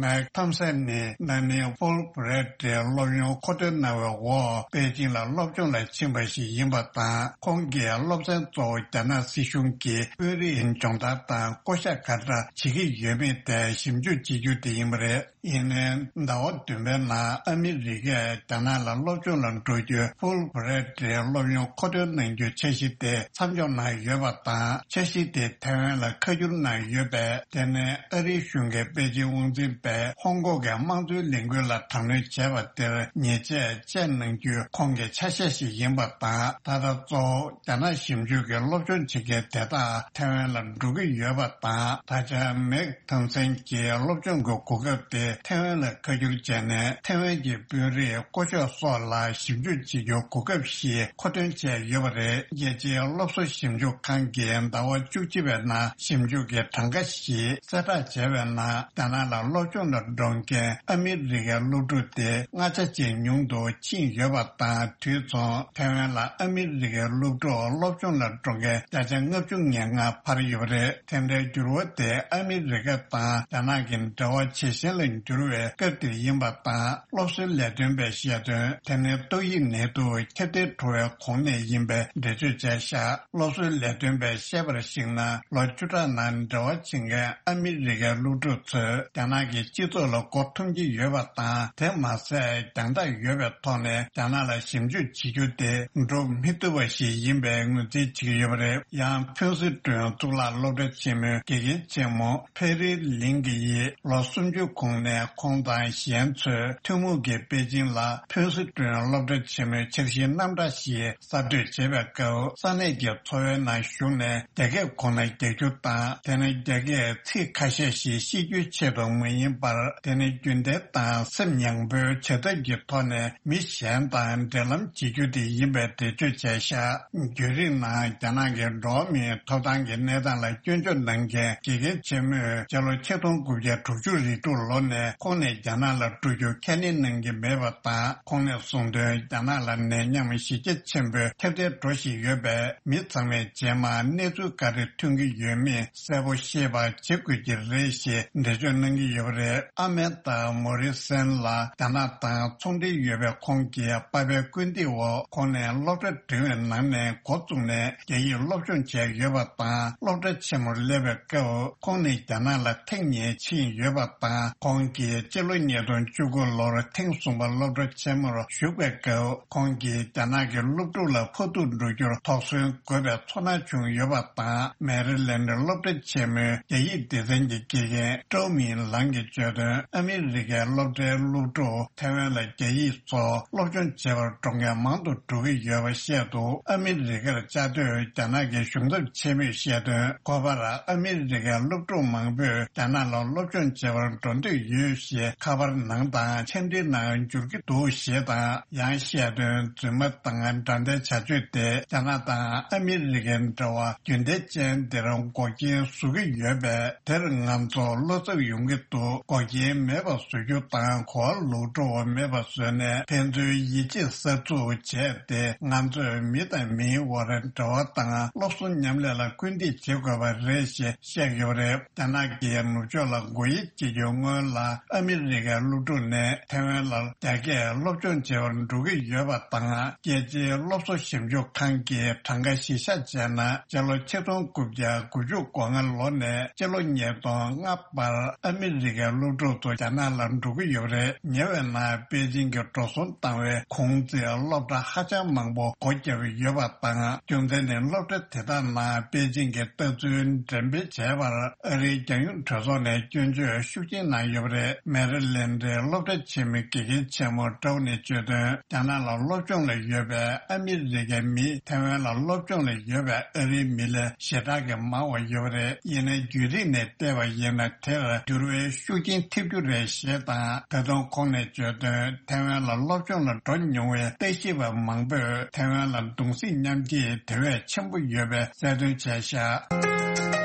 མེག་ཐམ་སན་ནི། དེ་ནི་ཧྥུལ་བྷི་རེ་ཊི་སློབ་ཡོན་མཁོ་འདོན་གནང་བའི་འོག་པེ་ཅིང་ལ་སློབ་སྦྱོང་ལ་ཕྱིན་པ་ཞིག་ཡིན་པ་དང་། ཁོང་གི་སློབ་ཚན་གཙོ་བོ་རྒྱ་ནག་སྲིད་གཞུང་གི་དཔོན་རིགས་སྦྱོང་བརྡར་དང་བསྐོ་གཞག་ག་འདྲ་བྱེད་ཀྱི་ཡོད་མེད་ཐད་ཞིབ་འཇུག་བྱེད་རྒྱུ་དེ་ཡིན་པ་རེད། ཡིན་ནའི་ཟླ་བ་བདུན་པའི་ནང་ཨ་མི་རི་ཀས་རྒྱ་ནག་ལ་སློབ་སྦྱོང་ལ་འགྲོ་རྒྱུའི་ཧྥུལ་བྷི་རེ་ཊི་སློབ་ཡོན་མཁོ་འདོན་གནང་རྒྱུའི་འཆར་གཞི་དེ་མཚམས་འཇོག་གནང་ཡོད་པ་དང་། འཆར་གཞི་དེ་ཐའེ་ཝན་ལ་ཁ་བསྒྱུར་གནང་ཡོད་པས། དེ་ནི་ཨ་རིའི་གཞུང་གིས་པེ་ཅིང་དབང་འཛིན་པས་ཧོང་ཀོང་གི་དམངས་གཙོའི་ལས་འགུལ་ལ་དྲག་གནོན་བྱས་པ་དེར་ཉེས་ཆད་བཅད་གནང་རྒྱུའི་ཁོང་གི་ཆ་ཤས་ཤིག་ཡིན་པ་དང་། ད་ལྟ་གཙོ་བོ་རྒྱ་ནག་ཞིབ་འཇུག་གི་སློབ་སྦྱོང་བྱེད་མཁན་དེ་དག་ཐའེ་ཝན་ལ་འགྲོ་གི་ཡོད་པ་དང་། ད་ཆ་མེག་ཐོམ་སན་གྱིས་སློབ་སྦྱོང་གི་གོ་སྐབས་དེ་ཐའེ་ཝན་ལ་ཁ་བསྒྱུར་བྱས་ནས། ཐའེ་ཝན་གྱི་དཔོན་རིགས་བསྐོ་གཞག་སོགས་ལ་ཞིབ་འཇུག་བྱེད་རྒྱུའི་གོ་སྐབས་ཤིག་མཁོ་འདོན་བྱས་ཡོད་པ་རེད། རྒྱལ་སྤྱིའི་སློབ་གསོ་ཞིབ་འཇུག་ཁང་གིས་ཟླ་བ་བཅུ་གཅིག་པའི་ནང་ཞིབ་འཇུག་གི་གྲངས་ཀ་ཞིག་གསལ་བསྒྲགས་བྱས་པའི་ནང་། རྒྱ་ནག་ལ་སློབ་སྦྱོང་ལ་འགྲོ་མཁན་ཨ་མི་རི་ཀའི་སློབ་ཕྲུག་དེ་ལྔ་ཆ་ཅན་ཉུང་དུ་ཕྱིན་ཡོད་པ་དང་། དུས་མཚུངས་ཐའེ་ཝན་ལ་ཨ་མི་རི་ཀའི་སློབ་ཕྲུག་སློབ་སྦྱོང་ལ་འགྲོ་མཁན་བརྒྱ་ཆ་ལྔ་བཅུ་ང་ལྔ་འཕར་ཡོད་པ་རེད། དེ་འདྲའི་འགྱུར་བ་དེ་ཨ་མི་རི་ཀ་དང་རྒྱ་ནག་གི་འབྲེལ་བ་ཇེ་ཞན་ལ་འགྱུར་བའི་སྐབས་དེར་ཡིན་པ་དང་། སློབ་གསོའི་ལས་དོན་པས་བཤད་དོན། དེ་ནི་ཏོག་དབྱིབས་ནད་དུག་ཁྱབ་གདལ་འགྲོ་བའི་གོང་ནས་ཡིན་པའི་འགྲེལ་བརྗོད་བྱས་བཞག་སློབ་གསོའི་ལས་དོན་པས་བཤད་པར་གཞིགས་ན། ལོ་བཅུ་ཕྲག་ནང་འབྲེལ་བ་བྱེད་མཁན་ཨ་མི་རི་ཀའི་སློབ་ཕྲུག་ཚོས་རྒྱ་ནག་གི་སྤྱི་ཚོགས་ལ་མགོ་འཐོམ་གྱི་ཡོད་པ་དང་། དེ་མ་ཟད་རྒྱང་ཐག་ཡོད་པའི་ཐོག་ནས་རྒྱ་ནག་ལ་ཞིབ་འཇུག་བྱེད་རྒྱུ་དེ་འགྲོ་མི་ཐུབ་པ་ཞིག་ཡིན་པའི་ངོས་འཛིན་བྱེད་ཀྱི་ཡོད་པ་རེད། ཡང་ཕུན་སུམ་ཀྲོའུ་གཙུག་ལག་སློབ་གྲྭ་ཆེན་མོའི་དགེ་རྒན་ཆེན་མོ་ཕེ་རི་ལིང་གི་ཡིས་ལོ་སུམ་ཅུ་གོང་ནས་ཁོང་དང་གཞན་ཚོས་ཐུན་མོང་གིས་པེ་ཅིང་ལ་ཕུན་སུམ་ཀྲོའུ་སློབ་གྲྭ་ཆེན་མོའི་འཆར་གཞིའི་རྣམ་གྲངས་ཤིག་གསར་གཏོད་བྱེད་པའི་སྐབས། ས་གནས་ཀྱི་འཚོ་བའི་ནང་ཞུགས་ནས་རྒྱ་སྐད་ཁོ་ན་རྒྱག་རྒྱུ་དང་། དེ་ནས་རྒྱ་སྐད་ཚིག་ཁ་ཤས་ཤིག་ཤེས་རྒྱུའི་ཆེད་དུ་མ་ཡིན་པར། དེ་ནི་རྒྱུན་ལྡན་དང་སེམས་ཡངས་པོའི་བྱ་ཐབས་ཀྱི་ཐོག་ནས་མི་གཞན་དང་འབྲེལ་ལམ་བྱེད་རྒྱུ་དེ་ཡིན་པའི་འགྲེལ་བརྗོད་བྱས་བཞག་བརྒྱུད་རིམ་ནང་རྒྱ་ནག་གི་འགྲོ་བ་མིའི་ཐོབ་ཐང་གི་གནས་སྟངས་ལ་སྐྱོན་བརྗོད་གནང་མཁན་དགེ་རྒན་ཆེན་མོས་སྤྱི་ལོ་ཆིག་སྟོང་དགུ་བརྒྱ་དྲུག་ཅུ་རེ་དྲུག་ལོ་ནས་ཁོང་ནས་རྒྱ་ནག་ལ་འགྲོ་རྒྱུ་ཁས་ལེན་གནང་གི་མེད་པ་དང་། ཁོང་ནས་གསུངས་དོན། རྒྱ་ནག་ལ་ནད་ཡམས་གཞི་རྒྱ་ཆེན་པོས་ཁྱབ་གདལ་འགྲོ་བཞིན་ཡོད་པས། མི་ཚང་མས་རྗེས་མ་གནས་ཚུལ་ག་རེ་ཐོན་གྱི་ཡོད་མེད་གསལ་པོ་ཤེས་པ་བྱེད་དགོས་ཀྱི་རེད་ཞེས་འགྲེལ་བརྗོད་གནང་གི་ཡོད་པ་རེད། ཨ་མན་ད་མོ་རི་སན་ལགས་རྒྱ་ནག་དང་ཚོང་འབྲེལ་ཡོད་པའི་ཁོང་གི་པ་ཕའི་སྐུལ་འདེད་འོག་ཁོང་ནས་སློབ་གྲྭ་འབྲིང་བའི་ནང་ནས་འགོ་བཙུགས་ནས་རྒྱ་ཡིག་སློབ་སྦྱོང་བྱས་ཡོད་པ་དང་། སློབ་གྲྭ་ཆེན་མོར་སླེབས་པའི་སྐབས། ཁོང་ནི་རྒྱ་ནག་ལ་ཐེངས་གཉིས་ཕྱིན་ཡོད་པ་དང་། ཁོང་གིས་སྤྱི་ལོ་ཉིས་སྟོང་བཅུ་དགུ་ལོར་ཐེངས་གསུམ་པ་སློབ་གྲྭ་ཆེན་མོར་ཞུགས་པའི་སྐབས། ཁོང་གིས་རྒྱ་ནག་གི་སློབ་ཕྲུག་ལ་ཕོག་ཐུག་འགྲོ་རྒྱུར་དོགས་ཟོན་དགོས་པའི་ཚོར་སྣང་བྱུང་ཡོད་པ་དང་། མེ་རི་ལེན་ཌི་སློབ་གྲྭ་ཆེན་མོའི་རྒྱ་ཡིག་སྡེ་ཚན་གྱི་དགེ་རྒན་ཀྲོའུ་མིན་ལང་གིས་བརྗོད་དོན། ཨ་མི་རི་ཀའི་སློབ་གྲྭའི་སློབ་ཕྲུག་ཐའེ་ཝན་ལ་རྒྱ་ཡིག་སོགས་སློབ་སྦྱོང་བྱེད་པར་འགྲོ་མཁན་མང་དུ་འགྲོ་གི་ཡོད་པ་བཤད་འདུག་ཨ་མི་རི་ཀར་བཅའ་སྡོད་རྒྱ་ནག་གི་གཞུང་ཚབ་ཆེན་མོས་བཤད་དོན། འཁོད་པར་ཨ་མི་རི་ཀའི་སློབ་ཕྲུག་མང་པོས་རྒྱ་ནག་ལ་སློབ་སྦྱོང་བྱེད་པར་འགྲོ་འདོད་ཡོད་ཞེས་ཁ་པར་ནང་དང་འཆམ་མཐུན་ནང་འབྱོར་གྱི་འདུག་ཞེས་དང་། ཡང་བཤད་དོན། རྫུན་མ་དང་དགྲ་ལྡན་བྱ་སྤྱོད་དེ་རྒྱ་ནག་དང་ཨ་མི་རི་ཀའི་འབྲེལ་བ་རྒྱུན་ལྡན་ཅན་དེར་འགོག་རྐྱེན་བཟོ་གི་ཡོད་པས། དེར་ང་ཚོ་བློ་འཚབ་ཡོང་གི་འདུག་འགོག་རྐྱེན་མེད་པ་བཟོ་རྒྱུ་དང་གོ་བ་ལོག་འགྲོ་བ་མེད་པ་བཟོས་ནས། ཕན་ཚུན་ཡིད་ཆེས་གསར་འཛུགས་བྱས་ཏེ། ང་ཚོས་མི་དང་མིའི་དབར་འབྲེལ་བ་དང་སློབ་གསོ་མཉམ་ལས་ལ་སྐུལ་འདེད་བྱེད་དགོས་པ་རེད་ཞེས་བཤད་ཡོད་པ་རེད། རྒྱ་ནག་གིས་ནུབ་ཕྱོགས་ལ་སྒོ་དབྱེ་བྱེད་རྒྱུའི་སྔོན་ལ། ཨ་མི་རི་ཀའི་སློབ་ཕྲུག་ནས་ཐའེ་ཝན་ལ་རྒྱ་སྐད་སློབ་སྦྱོང་བྱེད་པར་འགྲོ་གི་ཡོད་པ་དང་། རྒྱལ་སྤྱིའི་སློབ་གསོ་ཞིབ་འཇུག་ཁང་གིས་གྲངས་ཀ་གཞི་བཞག་བྱས་ན། སྤྱི་ལོ་ཆིག་སྟོང་དགུ་བརྒྱ་དགུ་བཅུ་གོ་ལྔ་ལོ་ནས་སྤྱི་ལོ་ཉིས་སྟོང་ལྔ་བར་ཨ་མི་རི་ཀའི་སློབ་ཕྲུག་ཚོ་རྒྱ་ནག་ལ་འགྲོ་གི་ཡོད་པ་རེད། ཉེ་བའི་ནང་པེ་ཅིང་གིས་འགྲོ་སོང་བཏང་བའི་གུང་ཚིགས་སློབ་གྲྭ་ཧ་ཅང་མང་པོ་སྒོ་བརྒྱབ་ཡོད་པ་དང་། རྒྱུ་མཚན་ནི་སློབ་གྲྭ་དེ་དག་ནང་པེ་ཅིང་གི་ལྟ་ཚུལ་འགྲེམས་སྤེལ་བྱས་པར་ཨ་རིའི་རྒྱལ་ཡོངས་གྲོས་ཚོགས་ནས་སྐྱོན་བརྗོད་ཤུགས་ཆེན་གནང་ཡོད་པ་རེད། མེ་རི་ལེན་ཌའི་སློབ་གྲྭ་ཆེན་མོའི་དགེ་རྒན་ཆེན་མོ་ཀྲོའུ་ནས་བརྗོད་དོན། རྒྱ་ནག་ལ་སློབ་སྦྱོང་ལ་ཡོད་པའི་ཨ་མི་རི་ཀའི་མི་ཐའེ་ཝན་ལ་སློབ་སྦྱོང་ལ་ཡོད་པའི་ཨ་རིའི་མི་ལས་ཞེ་དྲག་གི་མང་བ་ཡོད་པ་རེད། ཡིན་ནའི་བརྒྱུད་རིམ་ནས་བལྟས་པ་ཡིན་ན། དེར་འགྱུར་བའི་ཤུགས་རྐྱེན་ཐེབས་རྒྱུ་རེད་ཞེས་དང་། ད་དུང་ཁོང་ནས་བརྗོད་དོན། ཐའེ་ཝན་ལ་སློབ་སྦྱོང་ལ་འགྲོ་མྱོང་བའི་ལྟ་ཞིབ་པ་མང་པོས་ཐའེ་ཝན་ལ་གདུང་སེམས་མཉམ་སྐྱེད་དེ་བས་ཆེན་པོ་ཡོད་པའི་གསལ་སྟོན་བྱས་བཞག་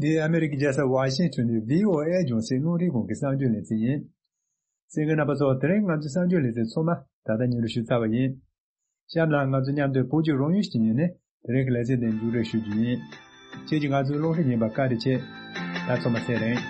འདི་ཨ་མེ་རི་ཀའི་རྒྱལ་ས་ཝཱ་ཤིང་ཊོན་ནས་བྷི་ཨོ་ཨེ་རྒྱང་སྲིང་རླུང་འཕྲིན་ཁང་གི་གསར་འགྱུར་ལེ་ཚན་ཡིན། གསན་མཁན་རྣམ་པ་ཚོ། དེ་རིང་ང་ཚོའི་གསར་འགྱུར་ལེ་ཚན་ཚང་མ་ད་ལྟ་སྙན་སྒྲོན་ཞུས་ཚར་བ་ཡིན། གཤམ་ལ་ང་ཚོ་མཉམ་དུ་བོད་ཀྱི་རང་ཡུལ་ཞིག་ཉིད་ནས་ དེ་རིང་གི་ལེ་ཚན་འདི་མཇུག་སྒྲིལ་ཞུ་རྒྱུ་ཡིན། ཁྱེད་ཀྱིས་ང་ཚོའི་གློག་བརྙན་ཉན་པར་བཀའ་དྲིན་ཆེ། ད་ཚང་མ་ཚེ་རིང་།